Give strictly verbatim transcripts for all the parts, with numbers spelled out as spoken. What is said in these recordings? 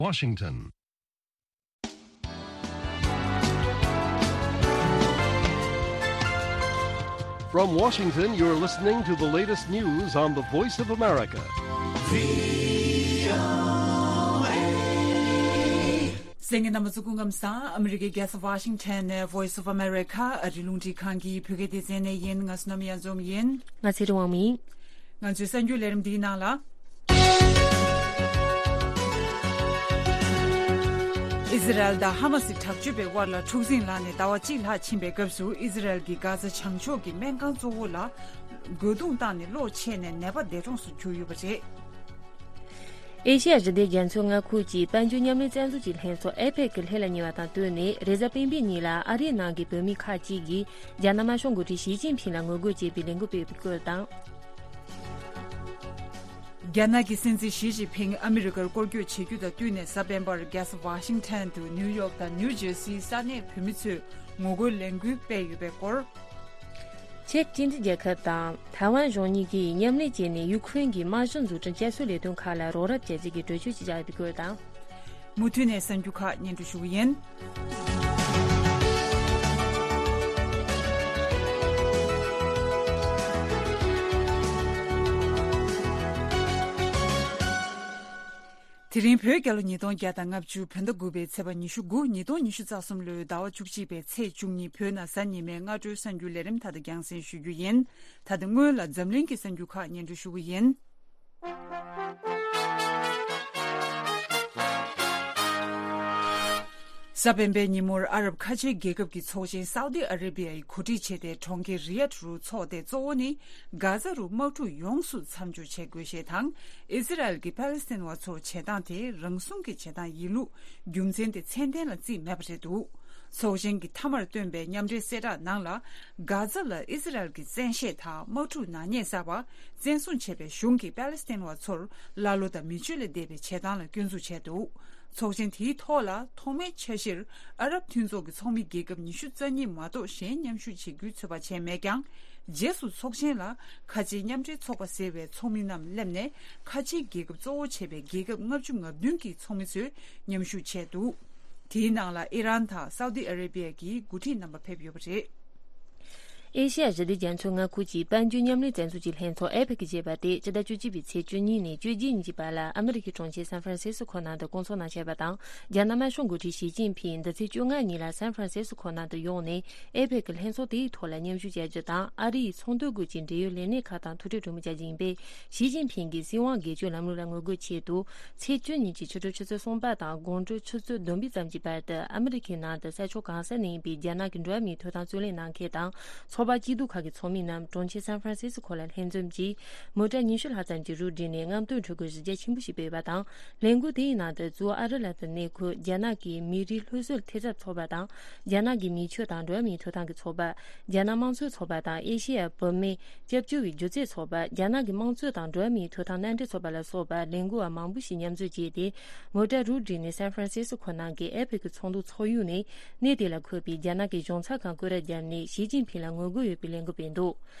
Washington. From Washington, you're listening to the latest news on the Voice of America. གསན་མཁན་རྣམ་པ་ཚོ་སྐུ་ཁམས་བཟང་། ཨ་མི་རི་ཀའི་རྒྱལ་ས་ཝ་ཤིང་ཊོན་ནས་Voice of America ཨ་རི་རླུང་འཕྲིན་ཁང་གི་བོད་སྐད་སྡེ་ཚན་ནས་ཡིན། ང་བསོད་ནམས་གཡང་འཛོམས་ཡིན། ང་ཚེ་རིང་དབང་མོ་ཡིན། ང་ཚོའི་གསར་འགྱུར་ལས་རིམ་འདིའི་ནང་ལ། ཨི་ཟི་རལ་དང་ཧ་མ་སི་དྲག་སྤྱོད་པའི་དབར་ལ་འཁྲུག་འཛིང་ལངས་ནས་ཟླ་བ་གཅིག་ལྷག་ཕྱིན་པའི་སྐབས་སུ། ཨི་ཟི་རལ་གྱིས་གྷ་ཛ་བྱང་ཕྱོགས་ཀྱི་སྨན་ཁང་གཙོ་བོ་ལ་རྒོལ་རྡུང་བཏང་ནས་གློག་ཆད་ནས་ནད་པ་འདས་གྲོངས་སུ་གྱུར་ཡོད་པ་རེད། ཨེ་ཤེ་ཡ་ཞི་བདེ་རྒྱ་མཚོའི་མངའ་ཁུལ་གྱི་དཔལ་འབྱོར་མཉམ་ལས་རྩ་འཛུགས་ཀྱི་ལྷན་ཚོགས་ཨེ་པེག་གི་ལྷན་ལ་ཉེ་བ་དང་བསྟུན་ནས། རེས་གཟའ་སྤེན་པའི་ཉིན་ལ་ཨ་རིའི་ནང་གི་བོད་མི་ཁག་ཅིག་གིས་རྒྱ་ནག་དམར་ཤོག་འགོ་ཁྲིད་ཞི་ཅིན་ཕིང་ལ་ངོ་རྒོལ་བྱེད་པའི་ལས་འགུལ་སྤེལ་བའི་སྐོར་དང་། རྒྱ་ནག་གི་སྲིད་འཛིན་ཞི་ཅིན་ཕིང་ཨ་མི་རི་ཀར་སྐོར་སྐྱོད་བྱེད་རྒྱུ་དང་བསྟུན་ནས། གཟའ་སྤེན་པར་རྒྱལ་ས་ཝ་ཤིང་ཊོན་དུ་ནིའུ་ཡོག་དང་ནིའུ་ཇར་སིའི་ས་གནས་བོད་མི་ཚོས་ངོ་རྒོལ་ལས་འགུལ་སྤེལ་ཡོད་པའི་སྐོར། ཅེཀ་སྤྱི་མཐུན་རྒྱལ་ཁབ་དང་ཐའེ་ཝན་གཞུང་གཉིས་ཀྱིས་མཉམ་ལས་བྱས་ནས་ཡུ་ཁུ་རེན་གྱི་དམག་གཞི་འཛུགས་སྐྲུན་བསྐྱར་གསོའི་ལས་དོན་ཁག་ལ་རོགས་རམ་བྱ་རྩིས་ཀྱི་གྲོས་ཆོད་ཅིག་བཞག་ཡོད་པའི་སྐོར་དང་། མུ་མཐུད་ནས་གསར་འགྱུར་ཁག་སྙན་སྒྲོན་ཞུ་གི་ཡིན། དེ་རིང་བོད་རྒྱལ་ལོ་ཉིས་སྟོང་བརྒྱ་དང་ལྔ་བཅུ་བོད་ཟླ་དགུ་པའི་ཚེས་པ་ཉི་ཤུ་དགུ། ཉིས་སྟོང་ཉི་ཤུ་རྩ་གསུམ་ལོའི་ཟླ་བ་བཅུ་གཅིག་པའི་ཚེས་བཅུ་གཉིས། བོད་ནང་གཟའ་ཉི་མའི་སྔ་དྲོའི་གསར་འགྱུར་ལས་རིམ་མཐའ་དག་རྒྱང་སྲིང་ཞུ་རྒྱུ་ཡིན། ད་ལྟ་སྔོན་ལ་འཛམ་གླིང་གི་གསར་འགྱུར་ཁག་སྙན་སྒྲོན་ཞུ་གི་ཡིན། གཟའ་སྤེན་པའི་ཉིན་མོར་ཨ་རབ་ཁ་ཆེའི་རྒྱལ་ཁབ་ཀྱི་ཚོགས་ཆེན་སའུ་ཏི་ཨ་རེ་བྷི་ཡའི་གོ་སྒྲིག་བྱས་ཏེ་གྲོང་ཁྱེར་རི་ཡཱད་རུ་འཚོགས་ཏེ། གཙོ་བོ་ནི་གྷ་ཛ་རུ་དམག་འཁྲུག་ཡོངས་སུ་མཚམས་འཇོག་བྱེད་དགོས་ཞེས་དང་། ཨི་ཟི་རལ་གྱིས་པ་ལི་སི་ཐན་བ་ཚོར་བྱེད་སྟངས་དེ་རང་སྲུང་གི་བྱེད་སྟངས་ཡིན་ལུགས་རྒྱུ་མཚན་དེ་མཚན་ལྡན་ལ་བརྩིས་མེད་པ་རེད་འདུག་ཚོགས་ཆེན་གྱི་མཐའ་མར་བཏོན་པའི་མཉམ་འབྲེལ་གསལ་བསྒྲགས་ནང་ལ། གྷ་ཛ་ལ་ཨི་ཟི་རལ་གྱི་བཙན་ཤེད་དང་དམག་འཁྲུག་ནག་ཉེས་བསགས་པ། བཙན་བཟུང་བྱས་པའི་གཞུང་གིས་པ་ལི་སི་ཐན་བ་ཚོར་ཀླ་ཀློ་དང་མི་ཆོས་ལས་འདས་པའི་བྱེད་སྟངས་ལ་སྐྱོན་འཛུགས་བྱས་འདུག་ཚོགས་ཆེན་དེའི་ཐོག་ལ་ཐོག་མའི་འཆར་གཞིར་ཨ་རབ་མཐུན་ཚོགས་ཀྱི་ཚོགས་མི་རྒྱལ་ཁབ་ཉི་ཤུ་རྩ་གཉིས་མ་གཏོགས་གཞན་མཉམ་ཞུགས་བྱེད་རྒྱུའི་ཚོད་དཔག་བྱས་མེད་ཀྱང་། རྗེས་སུ་ཚོགས་ཆེན་ལ་ཁ་ཆེའི་མཉམ་འབྲེལ་ཚོགས་པ་ཟེར་བའི་ཚོགས་མི་རྣམས་སླེབས་ནས། ཁ་ཆེའི་རྒྱལ་ཁབ་གཙོ་བོ་བྱས་པའི་རྒྱལ་ཁབ་ལྔ་བཅུ་ང་བདུན་གྱི་ཚོགས་མི་ཚོས་མཉམ་ཞུགས་བྱས་འདུག་དེའི་ནང་ལ་ཨི་རན་དང་སའུ་ཏི་ཨ་རེ་བྷི་ཡ་གི་འགོ་ཁྲིད་རྣམ་པ་ཕེབས་ཡོད་པ་རེད། ཨེ་ཤེ་ཡ་ཞི་བདེ་རྒྱ་མཚོའི་མངའ་ཁུལ་གྱི་དཔལ་འབྱོར་མཉམ་ལས་རྩ་འཛུགས་ཀྱི་ལྷན་ཚོགས་ཨེ་པེག་ཞེས་པ་དེ་སྤྱི་ཟླ་བཅུ་གཅིག་པའི་ཚེས་བཅུ་གཉིས་ནས་བཅུ་གཅིག་ཉིན་གྱི་བར་ལ་ཨ་མི་རི་ཀའི་གྲོང་ཁྱེར་སན་ཧྥ་རན་སིས་ཀོ་ནང་དུ་སྐོང་ཚོགས་གནང་བཞིན་པ་དང་། རྒྱ་ནག་དམར་ཤོག་འགོ་ཁྲིད་ཞི་ཅིན་ཕིང་འདི་ཚེས་བཅོ་ལྔ་ཉིན་ལ་སན་ཧྥ་རན་སིས་ཀོ་ནང་དུ་ཡོང་ནས་ཨེ་པེག་གི་ལྷན་ཚོགས་དེའི་ཐོག་ལ་མཉམ་ཞུགས་བྱ་རྒྱུ་དང་། ཨ་རི་ཡི་ཚོང་དོན་སྐོར་གྱི་འབྲེལ་ཡོད་ལས་སྣེ་ཁག་དང་ཐུག་འཕྲད་གྲོས་མོལ་བྱ་རྒྱུ་ཡིན་པས། ཞི་ཅིན་ཕིང་གིས་སྲིད་དབང་སྒེར་གཅོད་ལམ་ལུགས་ལ་ངོ་རྒོལ་ཆེད་དུ། ཚེས་བཅུ་ཉིན་གྱི་ཕྱི་དྲོ་ཆུ་ཚོད་གསུམ་པ་དང་དགོང་དྲོ་ཆུ་ཚོད་བདུན་པའི་ཙམ་གྱི་བར་དུ་ཨ་མི་རི་ཁའི་ནང་དུ་ས་ཕྱོགས་གང་ས་ནས་ཡིན་པའི་རྒྱ་ནག་གི་འགྲོ་བ་མིའི་ཐོབ་ཐང་རྩོད་ལེན་གནང་མཁན་དང་། ཚོགས་པ་སྐྱིད་སྡུག་ཁག་གི་ཚོགས་མི་རྣམས་གྲོང་ཁྱེར་སན་ཧྥ་རན་སིས་ཀོ་ལ་ལྷན་འཛོམས་ཀྱིས། མོ་ཊ་ཉི་ཤུ་ལྷག་ཙམ་གྱི་རུ་བསྒྲིགས་ནས་རྔམ་སྟོན་འཕྲུལ་འཁོར་གཞི་རྒྱ་ཆེན་པོ་ཞིག་སྤེལ་བ་དང་། ལས་འགུལ་དེའི་ནང་དུ་གཙོ་བོ་ཨ་རི་ལ་དུ་གནས་འཁོད་རྒྱ་ནག་གི་མི་རིགས་སློབ་གསོའི་ཐེབས་རྩ་ཚོགས་པ་དང་། རྒྱ་ནག་གི་མི་ཆོས་དང་འགྲོ་བ་མིའི་ཐོབ་ཐང་གི་ཚོགས་པ། རྒྱ་ནག་དམངས་གཙོའི་ཚོགས་པ་དང་ཨེ་ཤེ་ཡ་བུད་མེད་སྐྱབས་བཅོལ་བའི་སྒྱུ་རྩལ་ཚོགས་པ། རྒྱ་ནག་གི་དམངས་གཙོ་དང་འགྲོ་བ་མིའི་ཐོབ་ཐང་མནའ་འབྲེལ་ཚོགས་པ་ལ་སོགས་པ་ལས་འགུལ་བ་མང་པོ་ཞིག་མཉམ་འཛོམས་བྱས་ཏེ། མོ་ཊ་རུ་བསྒྲིགས་ནས་སན་ཧྥ་རན་སིས་ཀོ་ནང་གི་ཨེ་པེག་གི་ཚོགས་འདུ་ཚོགས་ཡུལ་ནས་གནས་དེ་ལ་འཁོད་པའི་རྒྱ་ནག་གི་གཞུང་ཚབ་ཁང་སྐོར་ར་བརྒྱབ་ནས་ཞི་ཅིན་ཕིང་ལ་ངོ་རྒོལ་ཡོད་པའི་ལས་འགུལ་སྤེལ་འདུག་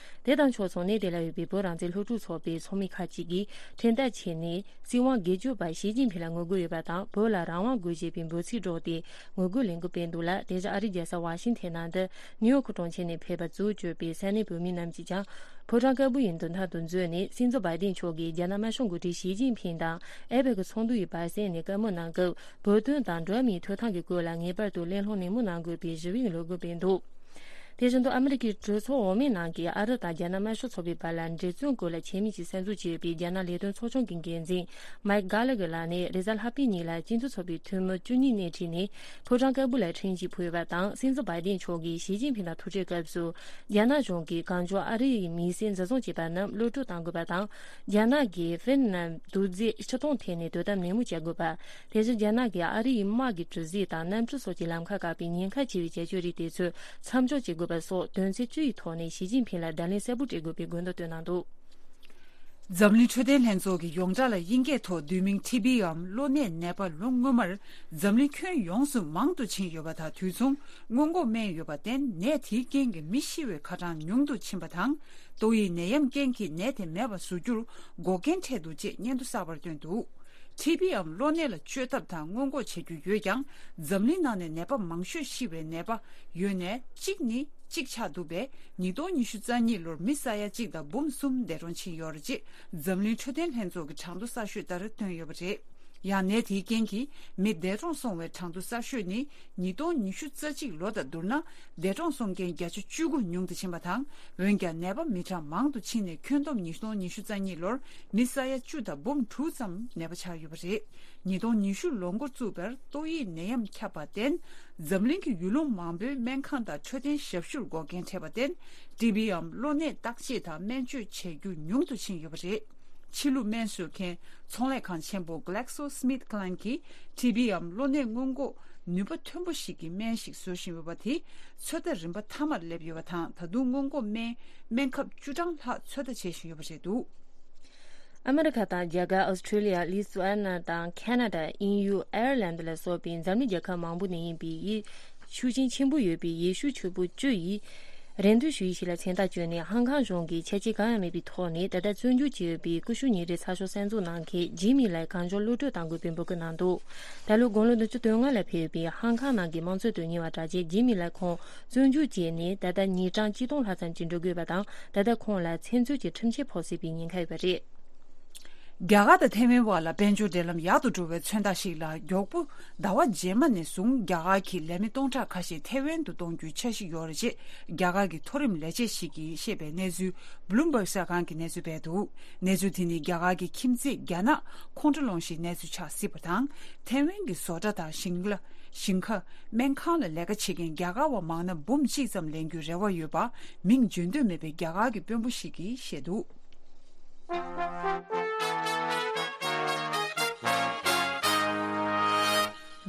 དེ་དང་ཕྱོགས་མཚུངས་གནས་དེ་ལ་ཡོད་པའི་བོད་རང་བཙན་སློབ་ཕྲུག་ཚོགས་པའི་ཚོགས་མི་ཁག་ཅིག་གིས་འཕྲིན་སྟེགས་ཆེད་ནས། སྲིད་དབང་སྒེར་གཅོད་པ་ཞི་ཅིན་ཕིང་ལ་ངོ་རྒོལ་ཡོད་པ་དང་། བོད་ལ་རང་དབང་དགོས་ཞེས་པའི་འབོད་ཚིག་སྒྲོག་སྟེ་ངོ་རྒོལ་ལས་འགུལ་སྤེལ་འདུག་ལ། དེ་བཞིན་ཨ་རིའི་རྒྱལ་ས་ཝ་ཤིང་ཐན་ནང་དུ་ནིའུ་ཡོག་གྲོང་ཁྱེར་ནས་ཕེབས་པ་གཙོ་བོ་གྱུར་པའི་ས་གནས་བོད་མི་རྣམས་ཀྱིས་ཀྱང་ཕོ་བྲང་དཀར་པོ་ཡི་མདུན་ཐང་དུ་འཛུལ་ནས། སྲིད་འཛིན་བྷའི་ཏིན་མཆོག་གིས་རྒྱ་ནག་དམར་ཤོག་འགོ་ཁྲིད་ཞི་ཅིན་ཕིང་དང་ཨེ་པེག་གི་ཚོགས་འདུ་ཡི་བར་གསེང་ནས་བཀའ་མོལ་གནང་སྐབས། བོད་དོན་དང་འགྲོ་བ་མིའི་ཐོབ་ཐང་གི་སྐོར་ལ་ངེས་པར་དུ་གླེང་སློང་ནན་མོ་གནང་དགོས་པའི་ཞུ་བའི་ལས་འགུལ་སྤེལ་འདུག་དེ་བཞིན་དུ་ཨ་མི་རི་ཀའི་གྲོས་ཚོགས་འོག་མའི་ནང་གི་ཨ་རི་དང་རྒྱ་ནག་དམར་ཤོག་ཚོགས་པའི་བར་ལ་འབྲེལ་བརྩོན་སྐོར་ལ་ཆེད་དམིགས་ཀྱིས་གསར་འཛུགས་བྱས་པའི་རྒྱ་ནག་ལས་དོན་ཚོགས་ཆུང་གི་འགན་འཛིན་མའིག་གྷ་ལ་གྷེ་ལགས་ནས་རེས་གཟའ་ལྷག་པའི་ཉིན་ལ་སྤྱི་མཐུན་ཚོགས་པའི་འཐུས་མི་བཅུ་གཉིས་སྣེ་ཁྲིད་ནས་ཕོ་བྲང་དཀར་པོ་ལ་འཕྲིན་ཡིག་ཕུལ་བ་དང་། སྲིད་འཛིན་བྷའི་ཏིན་མཆོག་གིས་ཞི་ཅིན་ཕིང་དང་ཐུག་འཕྲད་སྐབས་སུ། རྒྱ་ནག་གཞུང་གིས་གང་མགྱོགས་ཨ་རི་ཡི་མིའི་སེམས་འཛིན་བཟུང་བྱས་པ་རྣམས་གློད་བཀྲོལ་གཏང་དགོས་པ་དང་། རྒྱ་ནག་གིས་ཧྥིན་ནན་རྡོག་རྫིས་ཕྱིར་གཏོང་ཐད་ནས་དོ་དམ་ནན་མོ་བྱ་དགོས་པ། དེ་བཞིན་རྒྱ་ནག་གིས་ཨ་རི་ཡི་དམག་གི་གྲུ་གཟིངས་དང་གནམ་གྲུ་སོགས་ཀྱི་ལམ་ཁ་བཀག་པའི་ཉེན་ཁ་ཆེ་བའི་བྱ་སྤྱོད་རིགས་དེ་ཚོ་མཚམས་འཇོག་བྱེད་དགོས་པ་སོགས་དོན་ཚན་བཅུ་ཡི་ཐོག་ནས་ཞི་ཅིན་ཕིང་ལ་བརྡ་ལན་གསལ་པོ་སྤྲད་དགོས་པའི་དགོས་འདུན་བཏོན་གནང་འདུག་འཛམ་གླིང་འཕྲོད་བསྟེན་ལྷན་ཚོགས་ཀྱིས་ཡོངས་གྲགས་ལ་དབྱིན་སྐད་ཐོག་བསྡུས་མིང་ཊི་བི་འམ་གློ་ནད་ནད་པ་ལོ་སྔོན་མར་འཛམ་གླིང་ཁྱོན་ཡོངས་སུ་མང་དུ་ཕྱིན་ཡོད་པ་དང་། དུས་མཚུངས་སྔོན་འགོག་སྨན་ཡོད་པར་བརྟེན། ནད་དེའི་རྐྱེན་གྱིས་མི་ཤི་བའི་ཁ་གྲངས་ཉུང་དུ་ཕྱིན་པ་དང་། ཏོག་དབྱིབས་ནད་ཡམས་རྐྱེན་གྱིས་ནད་དེ་མེད་པར་བཟོ་རྒྱུར་འགོག་རྐྱེན་འཕྲད་འདུག་ཅེས་སྙན་ཐོ་གསར་པར་བཏོན་འདུག་ཊི་བི་འམ་གློ་ནད་ལ་བཅོས་ཐབས་དང་སྔོན་འགོག་བྱ་རྒྱུ་ཡོད་ཀྱང་། འཛམ་གླིང་ནང་ནས་ནད་པ་མང་ཤོས་ཤི་བའི་ནད་པ་ཡོད་ནས་གཅིག་ནི་གཅིག་ཆགས་འདུག་པས། ཉིས་སྟོང་ཉི་ཤུ་རྩ་གཉིས་ལོར་མི་ས་ཡ་གཅིག་དང་འབུམ་གསུམ་འདས་གྲོངས་ཕྱིན་ཡོད་རེད་ཅེས་འཛམ་གླིང་འཕྲོད་བསྟེན་ལྷན་ཚོགས་ཀྱི་གྲངས་ཐོ་གསར་ཤོས་ལྟར་བཏོན་ཡོད་པ་རེད། ཡང་ནད་དེའི་རྐྱེན་གྱིས་མི་འདས་གྲོངས་སོང་བའི་གྲངས་ཐོ་གསར་ཤོས་ནི་ཉིས་སྟོང་ཉི་ཤུ་རྩ་གཅིག་ལོ་དང་བསྡུར་ན་འདས་གྲོངས་སོང་མཁན་བརྒྱ་ཆ་བཅུ་དགུ་ཉུང་དུ་ཕྱིན་པ་དང་། འོན་ཀྱང་ནད་པ་མི་གྲངས་མང་དུ་ཕྱིན་ནས་ཁྱོན་བསྡོམས་ཉིས་སྟོང་ཉི་ཤུ་རྩ་གཉིས་ལོར་མི་ས་ཡ་བཅུ་དང་འབུམ་དྲུག་ཙམ་ནད་པ་ཆགས་ཡོད་པ་རེད། ཉིས་སྟོང་ཉི་ཤུ་ལོ་འགོ་བཙུགས་པར་ཏོག་དབྱིབས་ནད་ཡམས་ཁྱབ་པར་བརྟེན། འཛམ་གླིང་གི་ཡུལ་ལུང་མང་པོའི་སྨན་ཁང་དང་འཕྲོད་བསྟེན་ཞབས་ཞུར་འགོག་རྐྱེན་འཕྲད་པར་བརྟེན། ཊི་བི་འམ་གློ་ནད་བརྟག་དཔྱད་དང་སྨན་བཅོས་བྱེད་རྒྱུ་ཉུང་དུ་ཕྱིན་ཡོད་པ་རེད། ཕྱི་ལུགས་སྨན་བཟོ་མཁན་ཚོང་ལས་ཁང་ཆེན་པོ་Glaxo Smith Kline གྱིས་ཊི་བི་འམ་གློ་ནད་སྔོན་འགོག་ནུས་པ་མཐོན་པོ་ཞིག་གི་སྨན་ཞིག་བཟོ་བཞིན་ཡོད་པ་དེ་ཚོད་ལྟ་རིམ་པ་མཐའ་མར་སླེབས་ཡོད་པ་དང་། ད་དུང་སྔོན་འགོག་སྨན་སྨན་ཁབ་བཅུ་གྲངས་ལྷག་ཚོད་ལྟ་བྱེད་བཞིན་ཡོད་པ་རེད་འདུག་ཨ་མེ་རི་ཁ་དང་རྒྱ་གར། ཨོ་སི་ཁྲུ་ལི་ཡ། ལི་ཐུ་ཨ་ན་དང་ཁ་ན་ཌ། དབྱིན་ཡུལ། ཨའེར་ལན་ལ་སོགས་པའི་འཛམ་གླིང་རྒྱལ་ཁབ་མང་པོ་ནས་ཡིན་པའི་ཡི་ཤུགས་རྐྱེན་ཆེན་པོ་ཡོད་པའི་ཡེ་ཤུ་ཆོས་པོ་བཅུ་ཡིས་རེ་འདུན་ཞུ་ཡིག་ཞིག་ལ་མཚན་རྟགས་བཅོལ་ནས། ཧང་ཀང་གཞུང་གིས་ཆ་རྐྱེན་གང་ཡང་མེད་པའི་ཐོག་ནས་ད་ལྟ་བཙོན་འཇུག་བྱས་ཡོད་པའི་ཀུ་ཤུ་ཉིན་རེའི་ཚགས་ཤོག་གསར་འཛུགས་གནང་མཁན་ཇི་མི་ལའི་གང་མགྱོགས་གློད་གྲོལ་གཏང་དགོས་པའི་འབོད་སྐུལ་གནང་འདུག་ད་ལོའི་དགུང་ལོ་བདུན་ཅུ་དོན་ལྔ་ལ་ཕེབས་པའི་ཧང་ཀང་ནང་གི་དམངས་གཙོའི་དོན་གཉེར་བ་གྲགས་ཅན་ཇི་མི་ལའི་ཁོང་བཙོན་འཇུག་བྱས་ནས་ད་ལྟ་ཉིན་གྲངས་ཆིག་སྟོང་ལྷག་ཙམ་ཅིག་འགྲོ་དགོས་པ་དང་། ད་ལྟ་ཁོང་ལ་བཙན་འཛུལ་གྱི་ཁྲིམས་ཆད་ཕོག་སྲིད་པའི་ཉེན་ཁ་ཡོད་པ་རེད། རྒྱ་གར་དང་ཐའེ་ཝན་བར་ལ་དཔལ་འབྱོར་འབྲེལ་ལམ་ཡག་ཏུ་འགྲོ་བའི་མཚོན་རྟགས་ཤིག་ལ། མགྱོགས་པོ་ཟླ་བ་རྗེས་མ་ནས་བཟུང་རྒྱ་གར་གྱི་ལས་མི་སྟོང་ཕྲག་ཁ་ཤས་ཐའེ་ཝན་དུ་གཏོང་རྒྱུའི་འཆར་གཞི་ཡོད་རེད་ཅེས་རྒྱ་གར་གྱི་མཐོ་རིམ་ལས་བྱེད་ཞིག་གིས་བཤད་པའི་གནས་ཚུལ་Bloomberg གསར་ཁང་གིས་གནས་ཚུལ་སྤེལ་འདུག་གནས་ཚུལ་དེ་ནི་རྒྱ་གར་གྱི་ཁྱིམ་མཚེས་རྒྱ་ནག་ཁོང་ཁྲོ་སློང་གཞིའི་གནས་ཚུལ་ཆགས་སྲིད་པ་དང་། ཐའེ་ཝན་གྱི་བཟོ་གྲྭ་དང་ཞིང་ལ་ཞིང་ཁ། སྨན་ཁང་ལ་ལས་ཀ་བྱེད་མཁན་རྒྱ་གར་བ་མང་ན་འབུམ་གཅིག་ཙམ་ལེན་རྒྱུའི་རེ་བ་ཡོད་པ་མིང་བརྗོད་འདོད་མེད་པའི་རྒྱ་གར་གྱི་དཔོན་པོ་ཞིག་གིས་བཤད་འདུག་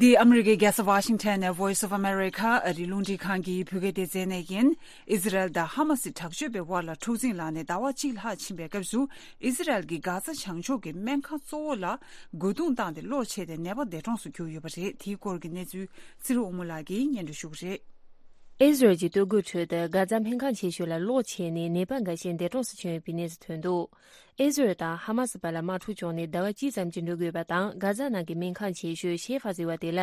འདི་ཨ་མི་རི་ཀའི་རྒྱལ་ས་ཝ་ཤིང་ཊོན་ནས་Voice of America ཨ་རིའི་རླུང་འཕྲིན་ཁང་གི་བོད་སྐད་སྡེ་ཚན་ནས་ཡིན། ཨི་ཟི་རལ་དང་ཧ་མ་སི་དྲག་སྤྱོད་པའི་དབར་ལ་འཁྲུག་འཛིང་ལངས་ནས་ཟླ་བ་གཅིག་ལྷག་ཕྱིན་པའི་སྐབས་སུ། ཨི་ཟི་རལ་གྱིས་གྷ་ཛ་བྱང་ཕྱོགས་ཀྱི་སྨན་ཁང་གཙོ་བོ་ལ་རྒོལ་རྡུང་བཏང་སྟེ་གློག་ཆད་དེ་ནད་པ་འདས་གྲོངས་སུ་གྱུར་ཡོད་པ་རེད། དེའི་སྐོར་གྱི་གནས་ཚུལ་ཚེ་རིང་དབང་མོ་ལགས་ཀྱིས་སྙན་སྒྲོན་ཞུ་གི་རེད། ཨི་ཟི་རལ་གྱི་སྟོད་གོས་ཁྲོད་དུ་གྷ་ཛ་སྨན་ཁང་ཆེ་ཤོས་ལ་གློག་ཆད་ནས་ནད་པ་འགའ་ཤས་འདས་གྲོངས་སུ་ཕྱིན་ཡོད་པའི་གནས་ཚུལ་ཐོན་འདུག་ཨི་ཟི་རལ་དང་ཧ་མ་སི་བར་ལ་དམག་འཁྲུག་བྱུང་ནས་ཟླ་བ་གཅིག་ཙམ་གྱིས་འགྲོ་དགོས་པ་དང་། གྷ་ཛ་ནང་གི་སྨན་ཁང་ཆེ་ཤོས་ཤེ་ཧྥ་ཟེར་བ་དེ་ལ་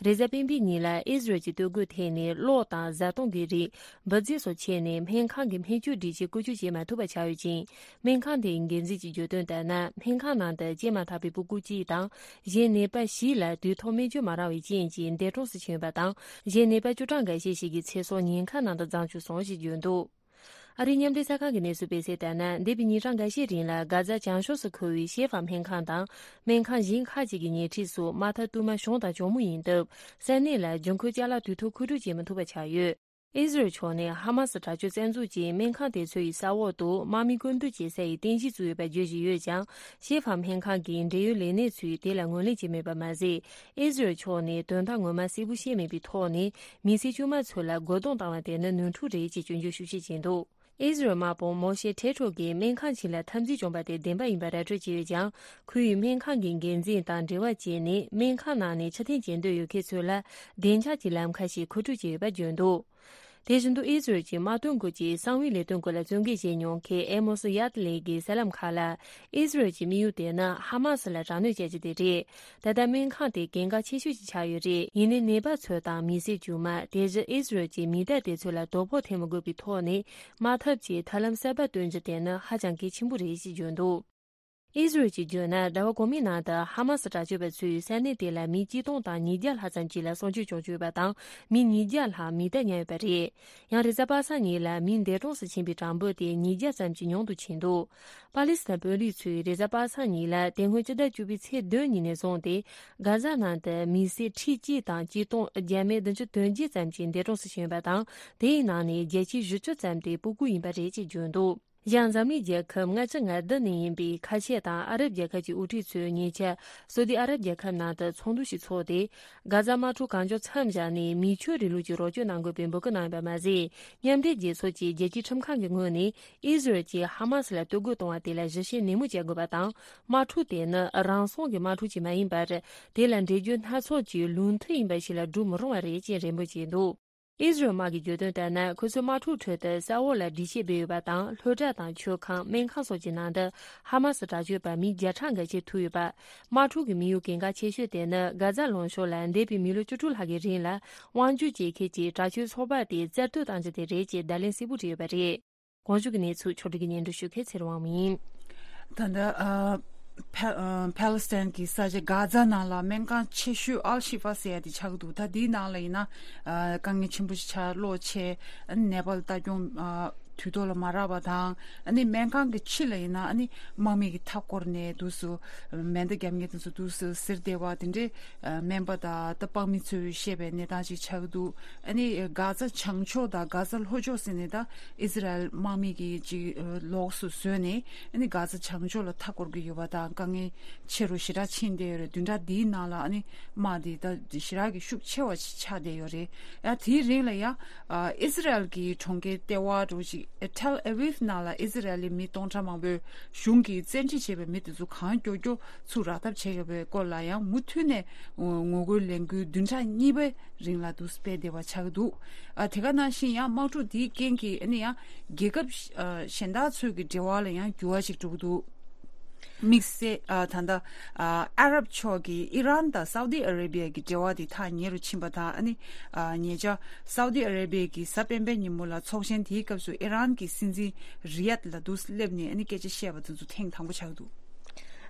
རེས་གཟའ་སྤེན་པའི་ཉིན་ལ་ཨི་ཟི་རལ་གྱི་སྟོད་གོས་ཐད་ནས་གློག་དང་བཟའ་བཏུང་གི་རིགས་འབུད་རྫས་སོགས་ཆད་ནས་སྨན་ཁང་གི་སྨན་བཅོས་སྒྲིག་ཆས་བཀོལ་སྤྱོད་བྱེད་མ་ཐུབ་པ་ཆགས་ཡོད་ཅིང་། སྨན་ཁང་དེའི་འགན་འཛིན་གྱིས་བརྗོད་དོན་ལྟར་ན། སྨན་ཁང་ནང་དུ་སྐྱེས་མ་ཐག་པའི་སྤུ་གུ་གཅིག་དང་། གཞན་ནད་པ་བཞི་ལ་དུས་ཐོག་སྨན་བཅོས་མ་རག་པའི་རྐྱེན་གྱིས་འདས་གྲོངས་སུ་ཕྱིན་ཡོད་པ་དང་། གཞན་ནད་པ་བཅུ་གྲངས་འགའ་ཤས་ཤིག་གི་ཚེ་སྲོག་ཉེན་ཁ་ནང་དུ་བརྫངས་བཅུག་སོང་ཞེས་བརྗོད་འདུག་ཨ་རིའི་མཉམ་འབྲེལ་གསར་ཁང་གི་གནས་ཚུལ་སྤེལ་གསལ་ལྟར་ན། འདས་པའི་ཉིན་གྲངས་འགའ་ཤས་རིང་ལ་གྷ་ཛ་བྱང་ཕྱོགས་སུ་འཁོད་པའི་ཤེ་ཧྥ་སྨན་ཁང་དང་སྨན་ཁང་གཞན་ཁག་ཅིག་གི་ཉེ་འཁྲིས་སུ་དམག་འཐབ་དུ་མ་བྱུང་དང་འབྱུང་མུས་ཡིན་སྟབས། ས་གནས་ལ་འབྱུང་ཁུངས་ཅ་ལག་དུས་ཐོག་མཁོ་སྤྲོད་བྱེད་མི་ཐུབ་པ་ཆགས་ཡོད། ཨི་ཟི་རལ་ཕྱོགས་ནས་ཧ་མ་སི་དྲག་སྤྱོད་བཙན་འཛུལ་གྱིས་སྨན་ཁང་དེ་ཚོའི་ས་འོག་ཏུ་དམག་མི་བཀོད་འདོམས་བྱེད་ས་ཡི་རྟེན་གཞི་བཙུགས་ཡོད་པ་བརྗོད་བཞིན་ཡོད་ཀྱང་། ཤེ་ཧྥ་སྨན་ཁང་གི་འབྲེལ་ཡོད་ལས་སྣེ་ཚོས་དེ་ལ་ངོས་ལེན་བྱས་མེད་པ་མ་ཟད། ཨི་ཟི་རལ་ཕྱོགས་ནས་དོན་དག་ངོ་མ་གསལ་པོ་བཤད་མེད་པའི་ཐོག་ནས། མི་སེར་དཀྱུས་མ་ཚོ་ལ་རྒོལ་རྡུང་བཏང་བ་དེ་ནི་ནོར་འཁྲུལ་རེད་ཅེས་སྐྱོན་བརྗོད་ཤུགས་ཆེ་བྱས་འདུག་ཨི་ཟི་རལ་དམག་དཔུང་མོ་ཤེ་ཁྲེ་ཁྲོ་གིས་སྨན་ཁང་ཞིག་ལ་འཐབ་འཛིང་བྱུང་བ་དེ་བདེན་པ་ཡིན་པ་ར་སྤྲོད་བྱས་ཡོད་ཀྱང་། ཁོ་ཡིས་སྨན་ཁང་གི་འགན་འཛིན་དང་འབྲེལ་བ་བྱས་ནས། སྨན་ཁང་ནང་ནས་ཕྱིར་འཐེན་བྱེད་འདོད་ཡོད་མཁན་ཚོ་ལ་བདེ་འཇགས་ཀྱི་ལམ་ཁ་ཞིག་མཁོ་སྤྲོད་བྱས་ཡོད་པ་བརྗོད་འདུག་དེ་བཞིན་དུ། ཨི་ཟི་རལ་གྱི་དམག་དོན་སྐོར་གྱི་གསང་བའི་ལས་དོན་སྐོར་ལ་བཙན་འགེལ་བྱས་མྱོང་མཁན་ཨེ་མོ་སི་ཡཱ་ཏི་ལེ་གིས་གསར་ལམ་ཁག་ལ། ཨི་ཟི་རལ་གྱི་དམིགས་ཡུལ་དེ་ནི་ཧ་མ་སི་ལ་དྲག་གནོན་བྱ་རྒྱུ་དེ་རེད། ད་ལྟ་སྨན་ཁང་དེ་གལ་འགངས་ཆེ་ཤོས་ཤིག་ཆགས་ཡོད་རེད། ཡིན་ནའི་ནད་པ་ཚོ་དང་མི་སེར་དཀྱུས་མ། དེ་བཞིན་ཨི་ཟི་རལ་གྱི་མི་སྡེ་དེ་ཚོ་ལ་དོ་ཕོག་ཐེབས་མི་དགོས་པའི་ཐོག་ནས། དམག་འཐབ་ཀྱི་ཐབས་ལམ་གསར་པ་སྟོན་རྒྱུ་དེ་ནི་ཧ་ཅང་གལ་ཆེན་པོ་རེད་ཅེས་བརྗོད་འདུག་ཨི་ཟི་རལ་གྱིས་བརྗོད་ན། ཟླ་བ་གོང་མའི་ནང་དུ་ཧ་མ་སི་དྲག་སྤྱོད་པ་ཚོས་ས་གནས་དེ་ལ་མི་གཅིག་སྟོང་དང་ཉིས་བརྒྱ་ལྷག་ཙམ་ཅིག་ལ་སྲོག་སྐྱོན་བྱུང་ཡོད་པ་དང་། མི་ཉིས་བརྒྱ་ལྷག་མི་རྟ་ཉར་ཡོད་པ་རེད། ཡང་། རེས་གཟའ་པ་སངས་ཉིན་ལ་མི་འདས་གྲོངས་སུ་ཕྱིན་པའི་གྲངས་འབོར་དེ་ཉིས་བརྒྱ་ཙམ་གྱིས་ཉུང་དུ་ཕྱིན་འདུག་པ་ལི་སི་ཐན་དཔོན་རིགས་ཚོས་རེས་གཟའ་པ་སངས་ཉིན་ལ། དེ་སྔོན་སྤྱི་ཟླ་བཅུ་པའི་ཚེས་བདུན་ཉིན་ནས་བཟུང་སྟེ། གྷ་ཛ་ནང་དུ་མི་སེར་ཁྲི་གཅིག་དང་གཅིག་སྟོང་བརྒྱ་མེད་བདུན་ཅུ་དོན་བརྒྱད་ཙམ་གྱིས་འདས་གྲོངས་སུ་ཕྱིན་ཡོད་པ་དང་། དེའི་ནང་ནས་བརྒྱ་ཆའི་བཞི་བཅུ་ཙམ་དེ་སྤུ་གུ་ཡིན་པ་རེད་ཅེས་བརྗོད་འདུག་གཞན། འཛམ་གླིང་རྒྱལ་ཁབ་ལྔ་བཅུ་ང་བདུན་ནས་ཡིན་པའི་ཁ་ཆེ་དང་ཨ་རབ་རྒྱལ་ཁབ་ཀྱི་དབུ་ཁྲིད་ཚོས་ཉེ་ཆར་སོ་ཏི་ཨ་རབ་རྒྱལ་ཁབ་ནང་དུ་ཚོགས་འདུ་ཞིག་ཚོགས་ཏེ། གྷ་ཛ་དམག་འཁྲུག་གང་མགྱོགས་མཚམས་བཞག་ནས། མི་ཆོས་རིང་ལུགས་ཀྱི་རོགས་སྐྱོར་གནང་དགོས་པའི་འབོད་སྐུལ་གནང་ཡོད་པ་མ་ཟད། མཉམ་འབྲེལ་རྒྱལ་ཚོགས་ཀྱི་རྒྱལ་སྤྱིའི་ཁྲིམས་ཁང་གི་ངོས་ནས་ཨི་ཟི་རལ་གྱིས་ཧ་མ་སི་ལ་གཏོར་རྒོལ་གཏོང་བ་དེ་ལ་ཞིབ་བཤེར་ནན་མོ་བྱེད་དགོས་པ་དང་། དམག་འཁྲུག་དེ་ནི་རང་སྲུང་གི་དམག་འཁྲུག་ཅིག་མ་ཡིན་པར། དེ་ལ་འགྲེལ་བརྗོད་སྣ་ཚོགས་ཀྱི་ལུགས་མཐུན་ཡིན་པ་ཞིག་ལ་སྒྲུབ་མི་རུང་བ་རེད་ཅེས་རེ་འབོད་བྱས་འདུག་ཨི་ཟི་རལ་དམག་གིས་བརྗོད་དོན་ལྟར་ན། ཁོ་ཚོས་དམག་འཁྲུག་ཁྲོད་དུ་ས་འོག་ལ་སྒྲིག་ཆས་སྤེལ་ཡོད་པ་དང་། སློབ་གྲྭ་དང་མཆོད་ཁང་། སྨན་ཁང་སོགས་ཀྱི་ནང་དུ་ཧ་མ་སི་དྲག་སྤྱོད་པ་མི་བརྒྱ་ཕྲག་འགའ་ཤས་ཐུག་ཡོད་པ། དམག་འཁྲུག་གི་དམིགས་ཡུལ་གལ་འགངས་ཆེ་ཤོས་དེ་ནི། གྷ་ཛ་ལུང་གཤོང་ལ་འདས་པའི་མི་ལོ་བཅུ་དྲུག་ལྷག་གི་རིང་ལ། དབང་སྒྱུར་བྱེད་མཁན་གྱི་དྲག་སྤྱོད་ཚོགས་པ་དེ་རྩ་གཏོར་བཏང་རྒྱུ་དེ་རེད་ཅེས་བརྡ་ལན་གསལ་པོ་བྲིས་ཡོད་པ་རེད། གོང་ཞུས་ཀྱི་གནས་ཚུལ་ཕྱོགས་སྒྲིག་གིས་སྙན་སྒྲོན་ཞུ་མཁན་ཚེ་རིང་དབང་མོ་ཡིན། ད་ལྟ་ཨ་ཕ་ཨ་ཕཱ་ལི་སི་ཐན་གྱི་ས་ཆ་གྷ་ཛ་ནང་ལ་སྨན་ཁང་ཆེ་ཤོས་ཨལ་ཤི་ཧྥ་ཟེར་ཡ་དེ་ཆགས་ཀྱི་འདུག་ད་དེའི་ནང་ལ་ཡིན་ན་ཨ་དཀའ་ངལ་ཆེན་པོ་ཞིག་ཆགས། གློག་ཆད། ཨ་ནི་ནད་པ་ལ་ལྟ་སྐྱོང་ཨ་དུས་ཐོག་ལ་མ་རག་པ་དང་། ཨ་ནི་སྨན་ཁང་གི་ཕྱི་ལ་ཡིན་ན་ཨ་ནི་དམག་མི་གིས་མཐའ་བསྐོར་ནས་འདུག་སེ་མེ་མདའ་བརྒྱབ་མཁན་དེ་ཚོ་འདུག་སེ་གཟིར་བསྡད་པ་དེ་འདྲའི་ཨ་སྨན་པ་དང་ད་དཔང་མི་ཚོས་བཤད་པའི་གནས་སྟངས་ཅིག་ཆགས་ཀྱི་འདུག་ཨ་ནི་གྷ་ཛ་བྱང་ཕྱོགས་དང་གྷ་ཛ་ལྷོ་ཕྱོགས་ཟེར་ནས་ད་ཨི་ཟི་རལ་དམག་མི་གིས་ཅིག་ལོགས་སུ་བཟོས་ནས་ཨ་ནི་གྷ་ཛ་བྱང་ཕྱོགས་ལ་མཐའ་བསྐོར་གྱི་ཡོད་པ་དང་། དཀའ་ངལ་ཆེ་རུ་ཞེ་དྲག་ཕྱིན་བསྡད་ཡོད་རེད། བདུན་ཕྲག་འདིའི་ནང་ལ་ཨ་ནི་དམག་འདི་ད་ཞེ་དྲག་གི་ཤུགས་ཆེ་བ་ཞིག་ཆགས་བསྡད་ཡོད་རེད། ཡང་དེའི་རིང་ལ་ཡང་ཨ་ཨི་ཟི་རལ་གྱི་གྲོང་ཁྱེར་ལྟེ་བ་འདྲ་བོ་ཅིག་ཨ་ཐེལ་ཨ་བིབ་ནང་ལ་ཨི་ཟི་རལ་གྱི་མི་སྟོང་ཕྲག་མང་པོས་གཞུང་གིས་བཙན་ཁྲིད་བྱས་པའི་མི་དེ་ཚོ་གང་མགྱོགས་མགྱོགས་ཚུར་རག་ཐབས་བྱེད་དགོས་པའི་སྐོར་ལ་ཡང་མུ་མཐུད་ནས་ངོ་རྒོལ་ལས་འགུལ་བདུན་ཕྲག་གཉིས་པའི་རིང་ལ་འདུག་སྤེལ་བསྡད་པ་ཆགས་ཀྱི་འདུག་ཨ་དེ་ག་ནང་བཞིན་ཡང་དམག་འཁྲུག་འདིའི་རྐྱེན་གྱིས་ཨ་ནི་ཡང་རྒྱལ་ཁབ་ཨ་གཞན་དག་ཚོའི་གི་འབྲེལ་བ་ལ་ཡང་འགྱུར་བ་ཞིག་འགྲོ་གི་འདུག་དམིགས་བསལ་ཨ་ད་ལྟ་ཨ་ཨ་རབ་ཕྱོགས་ཀྱི་ཨི་རན་དང་སའུ་ཏི་ཨ་རེ་བི་ཡ་གི་འབྲེལ་བ་དེ་ཐག་ཉེ་རུ་ཕྱིན་པ་དང་། ཨ་ནི་ཨ་ཉེ་ཆར་སའུ་ཏི་ཨ་རེ་བི་ཡ་གི་གཟའ་སྤེན་པའི་ཉིན་མོ་ལ་ཚོགས་ཆེན་དེའི་སྐབས་སུ་ཨི་རན་གྱི་སྲིད་འཛིན་རི་ཡད་ལ་འདུག་སླེབས་ནས་ཨ་ནི་སྐད་ཆ་བཤད་པ་དེ་ཚོ་ཐེངས་དང་པོ་ཆགས་འདུག་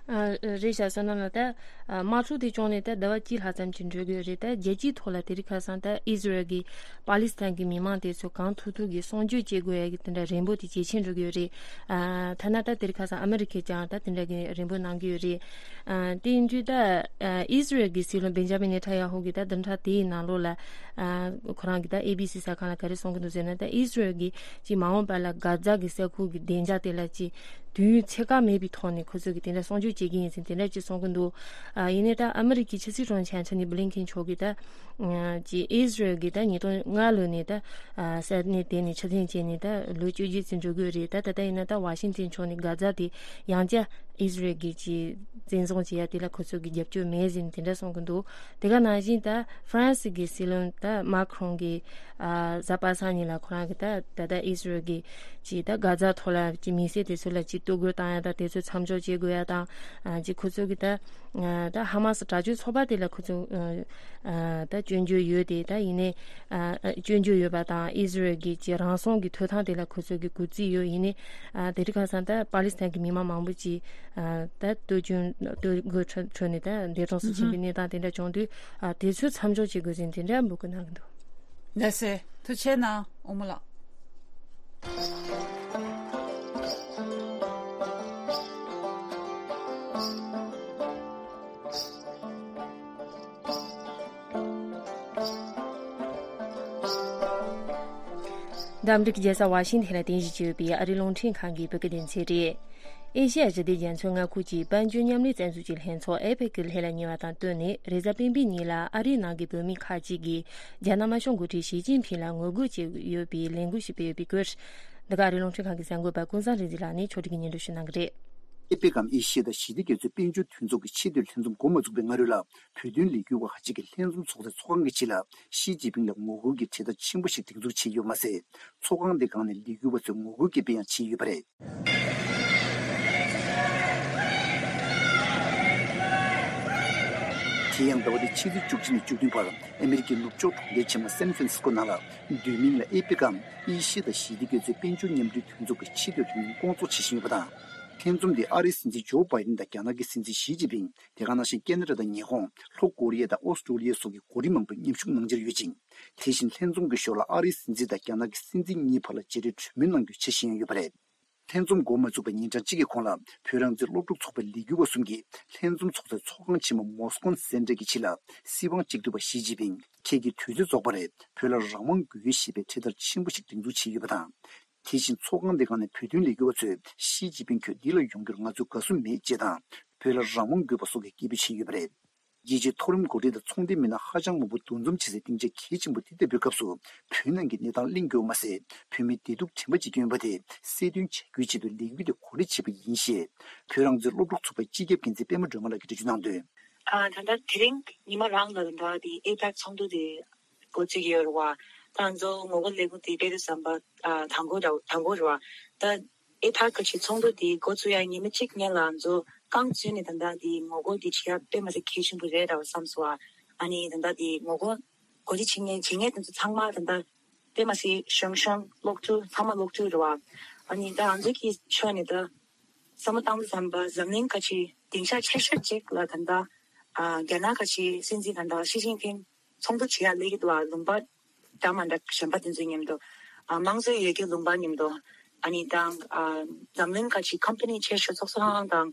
ཨ་རེད་ཤག་བསོད་ནམས་ལགས། ད་ཨ་དམག་འཁྲུག་དེ་བྱུང་ནས་ད་ཟླ་བ་གཅིག་ལྷག་ཙམ་ཅིག་འགྲོ་གི་ཡོད་རེད། ད་རྒྱལ་སྤྱིའི་ཐོག་ལ་དེ་རིང་ཁ་སང་ད་ཨི་ཟི་རལ་གྱིས་པ་ལི་སི་ཐན་གྱི་མི་མང་དེ་ཚོ་གང་ཐུབ་ཐུབ་ཀྱིས་གསོ་སྐྱོང་བྱེད་དགོས་ཡ་གི་དེ་འདྲ་རེ་འབོད་དེ་ཇེ་ཆེར་འགྲོ་གི་ཡོད་རེད། ཨ་ཐ་ན་ད་དེ་རིང་ཁ་སང་ཨ་མི་རི་ཀས་ཀྱང་ད་དེ་འདྲ་གི་རེ་འབོད་གནང་གི་ཡོད་རེད། ཨ་དེ་ཡིན་དུས་ད་ཨ་ཨི་ཟི་རལ་གྱི་སྲིད་བློན་བེན་ཇ་མིན་ནེ་ཐན་ཡ་ཧུ་གིས་ད་བདུན་ཕྲག་དེའི་ནང་ལོགས་ལ་ཨ་ཁོ་རང་གིས་ད་ཨེ་བི་སི་གསར་ཁང་ལ་ག་རེ་གསུང་གི་འདུག་ཟེར་ན། ད་ཨི་ཟི་རལ་གྱིས་ཅིག་མ་འོངས་པ་ལ་གྷ་ཛ་གི་ས་ཁུལ་གྱི་བདེ་འཇགས་དེ་ལ་ཅིག་དུས་ཡུན་ཚད་བཀག་མེད་པའི་ཐོག་ནས་ཁོ་ཚོ་གིས་དེ་འདྲ་སྲུང་སྐྱོབ་བྱེད་ཀྱི་ཡིན་ཟེར་དེ་འདྲ་ཅིག་གསུང་གི་འདུག་ཨ་ཡིན་ནའི་ད་ཨ་མི་རི་ཀའི་ཕྱི་སྲིད་དྲུང་ཆེ་ཨན་ཐོ་ནི་བྷི་ལིན་ཁེན་མཆོག་གིས་ད་ཅིག་ཨི་ཟི་རལ་གྱིས་ད་ཉིས་སྟོང་ལྔ་ལོ་ནས་ད་ས་གནས་དེ་ནས་ཕྱིར་འཐེན་བྱས་ནས་ད་ལོ་བཅོ་བརྒྱད་ཙམ་འགྲོ་གི་ཡོད་རེད། ད་ད་ལྟ་ཡིན་ན་ད་ཝ་ཤིང་ཏན་ཕྱོགས་ནས་གྷ་ཛ་དེ་ཡང་བསྐྱར་ཨི་ཟི་རལ་གྱིས་ཅིག་བཙན་བཟུང་བྱེད་ཡ་དེ་ལ་ཁོ་ཚོ་གིས་རྒྱབ་སྐྱོར་མེད་ཟེར་ནས་དེ་འདྲ་གསུང་གི་འདུག་དེ་ག་ནང་བཞིན་ད་ཧྥ་རན་སི་གི་སྲིད་བློན་ད་མཱ་ཁི་རོང་གིས་ཨ་གཟའ་པ་སངས་ཉིན་ལ་ཁོ་རང་གིས་ད་ད་ལྟ་ཨི་ཟི་རལ་གྱིས་ཅིག་ད་གྷ་ཛ་ཐོག་ལ་ཅིག་མི་སེར་དེ་ཚོ་ལ་ཅིག་གཏོར་རྒོལ་བཏང་ཡ་དང་དེ་ཚོ་མཚམས་འཇོག་བྱེད་དགོས་ཡ་དང་། ཨ་ཅིག་ཁོ་ཚོ་གིས་ད་ད་ཧ་མ་སི་དྲག་སྤྱོད་ཚོགས་པ་དེ་ལ་ཁོ་ཚོ་ཨ་ད་སྐྱོན་བརྗོད་ཡོད་དེ། ད་ཡིན་ནའི་ཨ་སྐྱོན་བརྗོད་ཡོད་པ་དང་ཨི་ཟི་རལ་གྱི་ཅིག་རང་སྲུང་གི་ཐོབ་ཐང་དེ་ལ་ཁོ་ཚོ་གིས་གུས་བརྩི་ཡོད། ཡིན་ནའི་ཨ་དེ་རིང་ཁ་སང་ད་པ་ལི་སི་ཐན་གྱི་མི་མང་མང་པོ་ཅིག་ཨ་ད་གཏོར་སྐྱོན་གཏོར་རྒོལ་ཁྲོད་ཁྲོད་ནས་ད་འདས་གྲོངས་སུ་ཕྱིན་པའི་གནས་སྟངས་དེ་འདྲ་བྱུང་དུས། ཨ་དེ་ཚོའི་མཚམས་འཇོག་བྱེད་དགོས་ཟེར་དེ་འདྲ་འབོད་སྐུལ་གནང་གི་འདུག་ལགས་སེ། ཐུགས་རྗེ་གནང་། དབུ་མ་ལགས། འདི་ཨ་མི་རི་ཀའི་རྒྱལ་ས་ཝ་ཤིང་ཐན་ལ་རྟེན་གཞི་བྱས་ཡོད་པའི་ཨ་རིའི་རླུང་འཕྲིན་ཁང་གི་བོད་སྐད་སྡེ་ཚན་རེད། ཨེ་ཤེ་ཡ་ཞི་བདེ་རྒྱ་མཚོའི་མངའ་ཁུལ་གྱི་དཔལ་འབྱོར་མཉམ་ལས་རྩ་འཛུགས་ཀྱི་ལྷན་ཚོགས་ཨེ་པེག་གི་ལྷན་ལ་ཉེ་བ་དང་བསྟུན་ནས། རེས་གཟའ་སྤེན་པའི་ཉིན་ལ་ཨ་རིའི་ནང་གི་བོད་མི་ཁག་ཅིག་གིས་རྒྱ་ནག་དམར་ཤོག་འགོ་ཁྲིད་ཞི་ཅིན་ཕིང་ལ་ངོ་རྒོལ་བྱས་ཡོད་པའི་ལས་འགུལ་ཞིག་སྤེལ་ཡོད་པའི་སྐོར། འདི་ག་ཨ་རིའི་རླུང་འཕྲིན་ཁང་གི་གསར་འགོད་པ་ཀུན་བཟང་རིག་འཛིན་ལགས་ནས་ཕྱོགས་སྒྲིག་གིས་སྙན་སྒྲོན་ཞུ་གནང་གི་རེད། ཨེ་པེག་གམ་ཨེ་ཤི་ཡ་དང་ཞི་བདེ་རྒྱ་མཚོའི་དཔལ་འབྱོར་མཐུན་ཚོགས་ཀྱི་ཆེས་མཐོའི་ལྷན་འཛོམས་འགོ་མ་ཚུགས་པའི་སྔ་རོལ་ལ། བོད་དོན་ལས་འགུལ་བ་ཁག་ཅིག་གིས་ལྷན་འཛོམས་ཚོགས་སའི་ཚོགས་ཁང་གི་ཕྱི་ལ་ཞི་ཅིན་ཕིང་ལ་ངོ་རྒོལ་གྱི་དྲིལ་བསྒྲགས་ཆེན་པོ་ཞིག་སྒྲེང་འཛུགས་བྱས་ཡོད་མ་ཟད། ཚོགས་ཁང་དེ་སྒང་ནས་ལས་འགུལ་བ་ཚོས་ངོ་རྒོལ་གྱི་དཔེ་ཡང་བྱིན་ཡོད་པ་རེད། དེ་ཡང་ཟླ་བ་འདིའི་ཕྱི་ཚེས་བཅུ་གཅིག་ནས་བཅུ་བདུན་བར་ཨ་མི་རི་ཀའི་ནུབ་ཕྱོགས་གྲོང་ཁྱེར་ཆེན་མོ་སན་ཧྥ་རན་སི་སྐོ་ནང་ལ། བསྡུས་མིང་ལ་ཨེ་པེག་གམ་ཨེ་ཤི་ཡ་དང་ཞི་བདེ་རྒྱ་མཚོའི་དཔལ་འབྱོར་མཉམ་འབྲེལ་མཐུན་ཚོགས་ཀྱི་ཆེས་མཐོའི་ལྷན་འཛོམས་སྐོང་ཚོགས་བྱེད་བཞིན་ཡོད་པ་དང་། ལྷན་འཛོམས་དེ་ཨ་རིའི་སྲིད་འཛིན་ཇོ་བྷའི་ཌེན་དང་རྒྱ་ནག་གི་སྲིད་འཛིན་ཞི་ཅིན་ཕིང་། དེ་ག་ནང་བཞིན་ཁེ་ན་ཌ་དང་ཉི་ཧོང་། ལྷོ་ཀོ་རི་ཡ་དང་ཨོ་སི་ཀྲོ་ལི་ཡ་སོགས་ཀྱི་འགོ་ཁྲིད་མང་པོས་མཉམ་ཞུགས་གནང་འཆར་ཡོད་ཅིང་། དེ་བཞིན་ལྷན་འཛོམས་ཀྱི་ཞོར་ལ་ཨ་རིའི་སྲིད་འཛིན་དང་རྒྱ་ནག་གི་སྲིད་འཛིན་གཉིས་བར་ལ་མཇལ་འཕྲད་གྲོས་མོལ་གནང་རྒྱུའི་འཆར་གཞི་ཡང་ཡོད་པ་རེད། ལྷན་འཛོམས་འགོ་མ་ཚུགས་པའི་ཉིན་གྲངས་གཅིག་གི་གོང་ལ། བོད་རང་བཙན་སློབ་ཕྲུག་ཚོགས་པའི་ལས་འགུལ་བ་གསུམ་གྱིས་ལྷན་འཛོམས་ཚོགས་སའི་ཚོགས་ཁང་ཆེན་མོ་མོ་སི་ཀོན་སེན་ཊར་གྱི་ཕྱི་ལ། སྲིད་དབང་གཅིག་སྡུད་པ་ཞི་ཅིན་ཕིང་ཁྱེད་ཀྱི་དུས་ཚོད་རྫོགས་པ་རེད། བོད་ལ་རང་དབང་དགོས་ཞེས་པའི་འཕྲེད་དར་ཆེན་པོ་ཞིག་སྒྲེང་འཛུགས་བྱས་ཡོད་པ་དང་། དེ་བཞིན་ཚོགས་ཁང་དེ་སྒང་ནས་བོད་དོན་ལས་འགུལ་བ་ཚོས་ཞི་ཅིན་ཕིང་ཁྱོད་འདི་ལ་ཡོང་རྒྱུར་ང་ཚོས་དགའ་བསུ་མེད་ཅེས་དང་། བོད་ལ་རང་དབང་དགོས་པ་སོགས་ཀྱི་སྐད་འབོད་བྱས་ཡོད་པ་རེད། རྒྱལ་སྤྱིའི་མཐོ་རིམ་འགོ་ཁྲིད་དང་ཚོང་དོན་མི་སྣ་ཧ་ཅང་མང་པོ་འདུ་འཛོམས་བྱེད་སའི་སྡིངས་ཆ་གལ་ཆེན་པོ་འདི་ལྟ་བུའི་སྐབས་སུ། བོད་ནང་གི་གནས་སྟངས་གླེང་རྒྱུ་མ་ཟད། བོད་མིའི་བདེ་སྡུག་དྲན་པ་བརྗེད་མཁན་ཡོད་པ་དེ་གསལ་སྟོན་བྱ་རྒྱུའི་ཆེད་དུ་ལས་འགུལ་དེ་གོ་སྒྲིག་བྱས་པ་ཡིན་ཞེས། བོད་རང་བཙན་སློབ་ཕྲུག་ཚོགས་པའི་སྤྱི་ཁྱབ་འགན་འཛིན་པད་མ་སྒྲོལ་མ་ལགས་ཀྱིས་འགྲེལ་བརྗོད་གནང་དོན། ཨ་ད་ལྟ་དེ་རིང་ཉི་མ་རང་ལ་ད་ལྟ་དེ་ཨེ་པེག་ཚོགས་འདུ་དེ་འགོ་བཙུགས་ཡོད་རེད་བ། ད་ང་ཚོ་ངོ་རྒོལ་ལས་འགུལ་དེ་སྤེལ་དུས་ཙམ་པ་ཨ་དང་པོ་ར་དང་པོ་རེད་བ། ད་ཨེ་ཕག་གི་ཆེད་ཚོགས་འདུ་དེ་འགོ་བཙུགས་ཡ་ཉི་མ་གཅིག་སྔོན་ལ་ང་ཚོ་རྐང་བཙུགས་ནས་ད་ལྟ་དེ་ངོ་རྒོལ་དེ་བྱེད་ཡ་དཔེ་མ་སྲིད་གལ་ཆེན་པོ་རེད་ར་བསམ་སོང་བ། ཨ་ནི་ད་ལྟ་དེ་ངོ་རྒོལ་འགོ་ཁྲིད་བྱེད་མཁན་བྱེད་མཁན་དེ་ཚོ་ཚང་མ་ད་ལྟ་དཔེ་མ་སྲིད་གཞོན་གཞོན་སློབ་ཕྲུག་ཚང་མ་སློབ་ཕྲུག་རེད་བ། ཨ་ནི་ད་ང་ཚོ་གི་ཕྱོགས་ནས་ད་བསམ་བློ་བཏང་དུས་ཙམ་པ་འཛམ་གླིང་ཁ་ཆེ་སྡིངས་ཆ་ཆེ་ཤོས་གཅིག་ལ་ད་ལྟ་ཨ་རྒྱ་ནག་ཁ་ཆེ་སྲིད་འཛིན་ད་ལྟ་ཞི་ཅིན་ཕིང་ཚོགས་འདུ་བྱེད་ཡ་སླེབས་ཀྱི་འདུག་བ། ལུང་པ་འདྲ་མ་འདྲ་གཞན་པ་དེ་ཚོའི་མཉམ་དུ་ཨ་དམངས་གཙོ་ཡོད་ཀྱི་ལུང་པ་མཉམ་དུ། ཨ་ནི་དང་ཨ་འཛམ་གླིང་ཁ་ཆེ་ཀམ་པ་ནི་ཆེ་ཤོས་ཚོགས་གཙོ་ཁང་དང་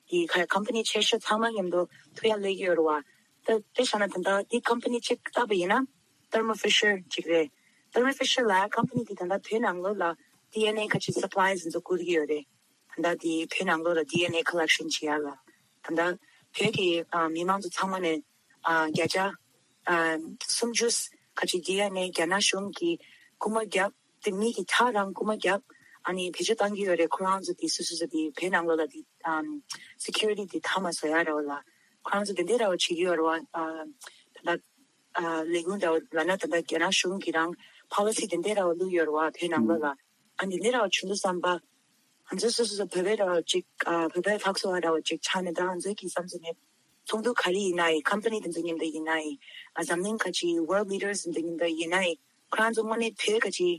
དེ་ཁ་ཀམ་པ་ནི་ཆེ་ཤོས་ཚང་མ་མཉམ་དུ་ཐུག་ཡ་སླེབས་ཀྱི་ཡོད་རེད་བ། ད་དཔེ་བཞག་ན་ད་ལྟ་དེ་ཀམ་པ་ནི་གཅིག་བལྟས་པ་ཡིན་ན་Thermo Fisher གཅིག་རེད། Thermo Fisher ལ་ཀམ་པ་ནི་དེ་ད་ལྟ་བོད་ནང་ལོགས་ལ་ཌི་ཨེན་ཨེ་ཁ་ཆེ་སབ་ལའི་འཛིན་བཟོ་བསྐུར་གྱི་ཡོད་རེད། ད་ལྟ་དེ་བོད་ནང་ལོགས་ལ་ཌི་ཨེན་ཨེ་ཀོ་ལེག་ཤན་བྱེད་ཡ་ལ། ད་ལྟ་བོད་ཀྱི་ཨ་མི་མང་ཚོ་ཚང་མ་ནས་ཨ་བརྒྱ་ཆ་ཨ་སུམ་ཅུ་ཁ་ཆེ་ཌི་ཨེན་ཨེ་རྒྱ་ནག་གཞུང་གིས་རྐུ་མ་བརྒྱབ། དེ་མི་གི་ཁྲག་རང་རྐུ་མ་བརྒྱབ། ཨ་ནི་བེད་སྤྱོད་བཏང་གི་ཡོད་རེད། ཁོ་རང་ཚོ་དེ་སུ་སུ་ཚོ་དེ་བོད་ནང་ལོགས་ལ་དེ་ཨམ་སི་ཁིའུ་རི་ཊི་དེ་མཐའ་མ་བཟོ་ཡ་རེད་བ་ལ། ཁོ་རང་ཚོ་དེ་འདྲ་ར་བ་བྱེད་ཀྱི་ཡོད་རེད་བ། ཨ་ད་ལྟ་ཨ་ལས་ཁུངས་འདྲ་བ་ལབ་ན་ད་ལྟ་རྒྱ་ནག་གཞུང་གིས་རང་ཕོ་ལི་སི་དེ་འདྲ་ར་བ་བླུགས་ཡོད་རེད་བ་བོད་ནང་ལོགས་ལ། ཨ་འདི་འདྲ་ར་བ་བྱུང་དུས་ཙམ་པ། ང་ཚོ་སོ་སོ་སོ་བོད་པའི་ར་བ་ཅིག་ཨ་བོད་པའི་ཕག་སོ་བ་ར་བ་ཅིག་ཆགས་ནས་ད་ང་ཚོའི་གི་བསམ་ཚུལ་ནས་ཚོགས་འདུ་ག་རེ་ཡིན་ན་ཡིན། ཀམ་པ་ནི་དེ་ཚོ་མཉམ་དུ་ཡིན་ན་ཡིན། ཨ་འཛམ་གླིང་ཁ་ཆེའི་ཝརལ་ལི་ཌར་སི་དེ་ཚོ་མཉམ་དུ་ཡིན་ན་ཡིན། ཁོ་རང་ཚོ་དངོས་གནས་བོད་ཁ་ཆེའི་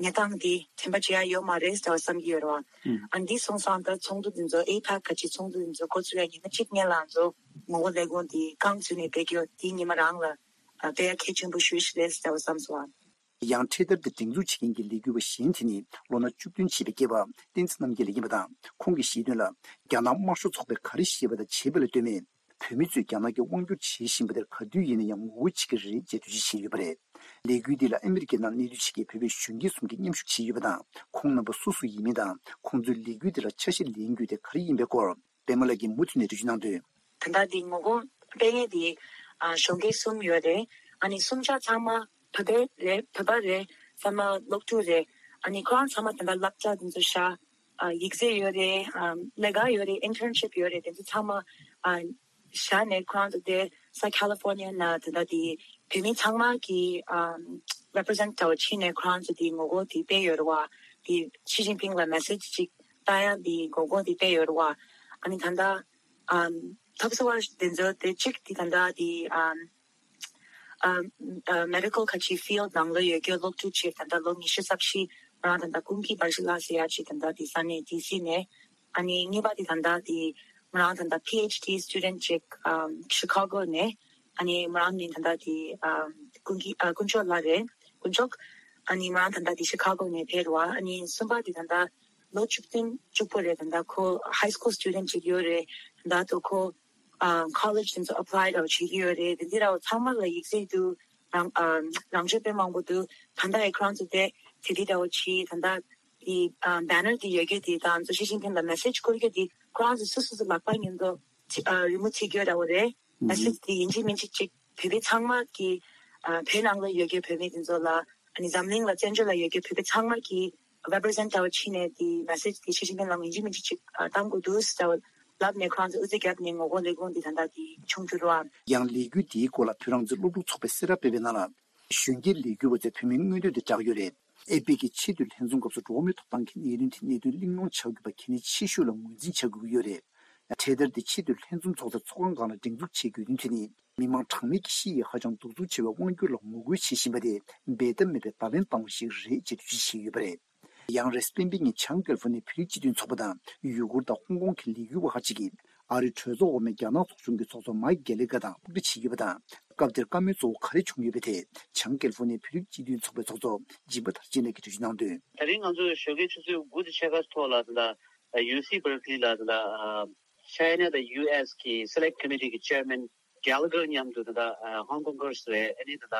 གནས་སྟངས་དེ་དྲན་པ་བརྗེད་ཡ་ཡོད་མ་རེད་ཟེར་བ་བསམ་གྱི་ཡོད་རེད་བ། ཨ་འདི་སོང་ཙང་ད་ཚོགས་འདུ་དེ་ཚོ་ཨེ་ཕག་ཁ་ཆེའི་ཚོགས་འདུ་དེ་ཚོ་འགོ་ཚུགས་ཡ་ཉི་མ་གཅིག་སྔོན་ལ་ང་ཚོ་ངོ་རྒོལ་ལས་འགུལ་དེ་རྐང་བཙུགས་ནས་སྤེལ་གྱི་ཡོད། དེ་ཉི་མ་རང་ལ་ཨ་དཔེ་ཡ་གལ་ཆེན་པོ་ཞེ་པོ་ཞིག་རེད་ཟེར་བ་བསམ་སོང་བ། ཡང་འཕྲེད་དར་དེ་སྒྲེང་འཛུགས་བྱེད་མཁན་གྱི་ལས་འགུལ་བ་གཞན་དེ་ནི་ལོ་ན་བཅུ་བདུན་བྱས་པའི་སྐྱེས་པ་བསྟན་འཛིན་རྣམ་རྒྱལ་ལགས་ཡིན་པ་དང་། ཁོང་གིས་བཤད་དོན་ལ། རྒྱ་ནག་དམར་ཤོག་ཚོགས་པས་ག་རེ་བཤད་པ་དང་བྱས་པ་ལ་ལྟོས་མེད། བོད་མི་ཚོས་རྒྱ་ནག་གི་དབང་སྒྱུར་བྱེད་བཞིན་པ་དེར་ག་དུས་ཡིན་ན་ཡང་ངོ་རྒོལ་བྱེད་ཀྱི་རེད་ཅེས་འགྲེལ་བརྗོད་བྱས་ཡོད་པ་རེད། ལས་འགུལ་འདི་ལ་ཨ་མི་རི་ཀའི་ནང་གནས་སྡོད་བྱེད་མཁན་བོད་པའི་གཞོན་སྐྱེས་གསུམ་གྱིས་མཉམ་ཞུགས་བྱས་ཡོད་པ་དང་། ཁོང་རྣམ་པ་སུ་སུ་ཡིན་མིན་དང་། ཁོང་ཚོའི་ལས་འགུལ་འདི་ལ་ཆ་ཤས་ལེན་རྒྱུ་དེ་ག་རེ་ཡིན་པའི་སྐོར། པད་མ་ལགས་ཀྱིས་མུ་མཐུད་ནས་འགྲེལ་བརྗོད་གནང་དོན། ད་ལྟ་འདི་ངོ་རྒོལ་སྤེལ་མཁན་དེ་ཨ་གཞོན་སྐྱེས་གསུམ་ཡོད་རེད། ཨ་ནི་གསུམ་ཆ་ཚང་མ་བོད་པ་རེད། བོད་པ་རེད། ཚང་མ་སློབ་ཕྲུག་རེད། ཨ་ནི་ཁོ་རང་ཚང་མ་ད་ལྟ་སློབ་གྲྭ་དེ་ཚོ་བཞག་ཨ་ཡིག་ཚད་ཡོད་རེད། ཨ་ལས་ཀ་ཡོད་རེད། ཨིན་ཊརན་ཤིབ་ཡོད་རེད། དེ་ཚོ་ཚང་མ་ཨ་བཞག་ནས་ཁོ་རང་ཚོ་དེ་ས་ཁ་ལི་ཧྥོར་ནི་ཡ་ན་དེ་འདྲ་དེ་བོད་མི་ཚང་མ་གི་ཨམ་རེ་པི་རི་ཟེན་ཊི་འདྲ་བོ་ཕྱིན་ནས་ཁོ་རང་ཚོ་དེ་ངོ་རྒོལ་དེ་སྤེལ་ཡོད་རེད་བ། དེ་ཞི་ཅིན་ཕིང་ལ་མེ་སེ་ཇི་ཅིག་བཏང་ཡ་དེ་ངོ་རྒོལ་དེ་སྤེལ་ཡོད་རེད་བ། ཨ་ནི་ད་ལྟ་ཨམ་ཐབས་སུ་བ་དེ་ཚོ་དེ་གཅིག་དེ་ད་ལྟ་དེ་ཨམ་ཨམ་ཨ་མེ་ཌི་ཀལ་ཁ་ཆེ་ཕིལ་ཌི་ནང་ལ་ཡོད་རྒྱུ་སློབ་ཕྲུག་ཅིག་ད་ལྟ་ལོ་ཉི་ཤུ་རྩ་བཞི་ང་རང་ད་ལྟ་ཀུན་གྱི་བར་ཞི་ལ་ཟེར་ཡ་ཅིག་ད་ལྟ་དེ་ས་གནས་ཌི་སི་ནས། ཨ་ནི་གཉིས་པ་དེ་ད་ལྟ་དེ་ང་རང་ད་ལྟ་པི་ཨེཆ་ཌི་སི་ཊུ་ཌེན་ཊི་ཅིག་ཨམ་ཤི་ཁ་གོ་ནས། ཨ་ནི་ང་རང་ནི་ད་ལྟ་དེ་ཨམ་ཀུན་གྱི་ཨ་དཀོན་མཆོག་ལགས་རེད། དཀོན་མཆོག་ཨ་ནི་ང་རང་ད་ལྟ་དེ་ཤི་ཁ་གོ་ནས་ཕེབས་རེད་བ། ཨ་ནི་གསུམ་པ་དེ་ད་ལྟ་ལོ་བཅུ་བདུན་བཅུ་དགུ་རེད། ད་ལྟ་ཁོ་ཧའི་སི་ཀུལ་སི་ཊུ་ཌེན་ཊི་ཅིག་ཡོད་རེད། ད་ལྟ་དུ་ཁོ་ཨ་ཁོ་ལེཇ་དེ་ཚོ་ཨེབ་ལའི་ར་བ་བྱེད་ཀྱི་ཡོད་རེད། དེ་འདི་ར་བ་ཚང་མ་ལ་ཡིག་ཚད་དུ་རང་ཨ་རང་ཆོས་དཔེ་མང་པོ་འདུག་ད་ལྟ་ཨེ་ཁོ་རང་ཚོ་དེ་དེ་འདི་ར་བ་བྱེད། ད་ལྟ་དེ་ཨ་བེ་ནར་དེ་ཡོད་རྒྱུ་དེ་དང་ཚོ་ཞི་ཅིན་ཕིང་ལ་མེ་སེ་ཇི་བསྐུར་རྒྱུ་དེ་ཁོ་རང་ཚོ་སོ་སོ་སོ་ལག་པ་ཉིད་དུ་ཨ་རི་མོ་བྱེད་རྒྱུ་ར་བ་རེད། མེ་སེ་ཇི་དེ་ཡིན་གཅིག་མིན་གཅིག་ཅིག་བོད་པའི་ཚང་མ་གི་ཨ་བོད་ནང་ལ་ཡོད་རྒྱུ་བོད་མི་དེ་ཚོ་ལ་ཨ་ནི་འཛམ་གླིང་ལ་བཙན་བྱོལ་ལ་ཡོད་རྒྱུ་བོད་པའི་ཚང་མ་གི་རེ་པི་རི་ཟེན་ཊི་འདྲ་བོ་ཕྱིན་ནས་དེ་མེ་སེ་ཇི་དེ་ཞི་ཅིན་ཕིང་ལ་ཡིན་གཅིག་མིན་གཅིག་ཅིག་ཨ་བཏང་དགོས་འདུག་ཟེར་བ་ལབ་ནས་ཁོ་རང་ཚོ་དབུ་འཛུགས་བརྒྱབ་ནས་ངོ་རྒོལ་ལས་འགུལ་འདི་ད་ལྟ་དེ་བྱུང་གི་རེད་བ། ཡང་ལས་འགུལ་འདིའི་སྐོར་ལ་བོད་རང་བཙན་སློབ་ཕྲུག་ཚོགས་པས་གསལ་བསྒྲགས་སྤེལ་བའི་ནང་ལ། གཞོན་སྐྱེས་ལས་འགུལ་བ་ཚོས་བོད་མིའི་མངོན་འདོད་དེ་བསྒྲགས་ཡོད་རེད། ཨེ་པེག་གི་ཆེས་མཐོའི་ལྷན་འཛོམས་སྐབས་སུ་འགྲོ་བ་མིའི་ཐོབ་ཐང་གི་གནད་དོན་དེ་གནད་དོན་གླེང་སློང་བྱ་དགོས་པ་གལ་གནད་ཆེ་ཤོས་ལ་ངོས་འཛིན་བྱ་དགོས་ཀྱི་ཡོད་རེད། འཕྲེད་དར་དེ་ཆེས་མཐོའི་ལྷན་འཛོམས་ཚོགས་སར་ཚོགས་ཁང་སྒང་ལ་སྒྲེང་འཛུགས་བྱེད་དགོས་དོན་དེ་ནི། མི་མང་གྲངས་མེད་ཀྱིས་ཤི་ཡི་ཧ་ཅང་གདུག་རྩུབ་ཆེ་བའི་དབང་སྒྱུར་ལ་ངོ་རྒོལ་བྱེད་བཞིན་པ་དེ་འབད་ཐབས་མེད་པའི་བརྡ་ལན་བཏང་བ་ཞིག་རེད་ཅེས་འགྲེལ་བརྗོད་བྱས་ཡོད་པ་རེད། ཡང་རེས་གཟའ་སྤེན་པའི་ཉིན་བྱང་ཀེ་ལི་ཧྥོ་ནི་ཡའི་བོད་རིགས་སྤྱི་མཐུན་ཚོགས་པ་དང་ཡུ་གུར་དང་ཧོང་ཀོང་གི་ལས་འགུལ་བ་ཁག་ཅིག་གིས་ཨ་རིའི་གྲོས་ཚོགས་འོག་མའི་རྒྱ་ནག་ཚོགས་ཆུང་གི་ཚོགས་གཙོ་མའིག་གྷེ་ལི་གྷེ་དང་ཐུག་འཕྲད་བྱས་ཡོད་པ་དང་། སྐབས་དེར་བཀའ་མོལ་གཙོ་བོ་ག་རེ་བྱུང་ཡོད་པའི་ཐད་བྱང་ཀེ་ལི་ཧྥོ་ནི་ཡའི་བོད་རིགས་སྤྱི་མཐུན་ཚོགས་པའི་ཚོགས་གཙོ་སྦྱིན་པ་དར་རྒྱས་ལགས་ཀྱིས་འགྲེལ་བརྗོད་གནང་དོན། ད་རིང་ང་ཚོས་ཞོགས་ཀའི་ཆུ་ཚོད་དགུ་དང་ཕྱེད་ཀ་ཐོག་ལ་ད་ལྟ་ཡུ་སི་བར་ཀི་ལི་ལ་ད་ལྟ་ཆའི་ན་དང་ཡུ་ཨེས་ཀྱི་སེ་ལེག་ཊི་ཀོ་མི་ཊི་གི་ཅེར་མེན་གྷེ་ལི་གྷེ་མཉམ་དུ་ད་ལྟ་ཧོང་ཀོང་གར་སི་རེད། ཨ་ནི་ད་ལྟ་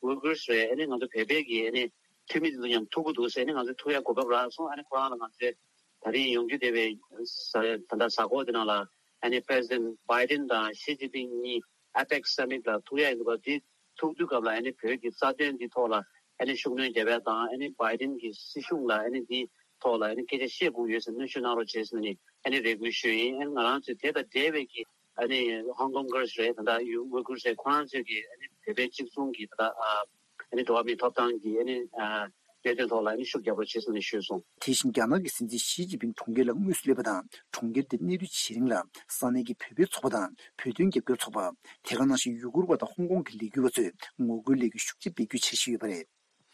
ཝུ་གུར་སི་རེད། ཨ་ནི་ང་ཚོ་བོད་པའི་གི་ཨ་ནི་འཐུས་མི་དེ་ཚོ་མཉམ་ཐུག་གི་འདུག་ཟེར་ནས་ང་ཚོས་ཐུག་ཡ་གོ་སྐབས་རག་སོང་། ཨ་ནི་ཁོ་རང་ལ་ང་ཚོས་ད་རིང་ཡོང་རྒྱུ་བསྡད་པའི་ས་ད་ལྟ་གཟའ་འཁོར་དེ་ནང་ལ་ཨ་ནི་པི་རེ་སི་ཌེན་ཊི་བྷའི་ཌེན་དང་ཞི་ཅིན་ཕིང་གཉིས་ཨེ་པེག་སི་སམ་མིཊ་ལ་ཐུག་ཡ་ཡིན་པ་འདི་ཐུག་དུས་སྐབས་ལ་ཨ་ནི་བོད་ཀྱི་རྩ་དོན་འདི་ཐོག་ལ་ཨ་ནི་ཤུགས་སྣོན་རྒྱབ་ཡ་དང་། ཨ་ནི་བྷའི་ཌེན་གྱི་སྲིད་གཞུང་ལ་ཨ་ནི་འདི་ཐོག་ལ་ཨ་ནི་སྐད་ཆ་བཤད་དགོས་ཡོད་ཟེར་གནོན་ཤུགས་གནང་རོགས་བྱེད་ཟེར་ནས་ཨ་ནི་རེ་སྐུལ་ཞུས་ཡིན། ཨ་ནི་ང་རང་ཚོས་དེ་དང་འབྲེལ་བའི་གི་ཨ་ནི་ཧོང་ཀོང་གར་སི་རེད། ད་ལྟ་ཡུ་ཝུ་གུར་སི་རེད། ཁོ་རང་ཚོས་ཀྱི་ཨ་ནི་བོད་པའི་གཅིག་མཚུངས་ཀྱི་ད་ལྟ་ཨ་ ཨ་ནི་འགྲོ་བ་མིའི་ཐོབ་ཐང་གི་ཨ་ནི་ཨ་གནད་དོན་ཐོག་ལ་ཨ་ནི་ཤུགས་རྒྱག་རོགས་བྱེད་ཟེར་ནས་ཞུས་སོང་། དེ་བཞིན་རྒྱ་ནག་གི་སྲིད་འཛིན་ཞི་ཅིན་ཕིང་གྲོང་ཁྱེར་ལ་དངོས་སུ་སླེབས་པ་དང་། གྲོང་ཁྱེར་དེར་གནས་སྡོད་བྱེད་རིང་ལ་ས་གནས་ཀྱི་བོད་པའི་ཚོགས་པ་དང་། བོད་དོན་རྒྱབ་སྐྱོར་ཚོགས་པ། དེ་ག་ནང་བཞིན་ཡུ་གུར་བ་དང་ཧོང་ཀོང་གི་ལས་འགུལ་བ་ཚོས་ངོ་རྒོལ་ལས་འགུལ་ཤུགས་ཆེ་སྤེལ་རྒྱུའི་འཆར་གཞི་ཡོད་པ་རེད།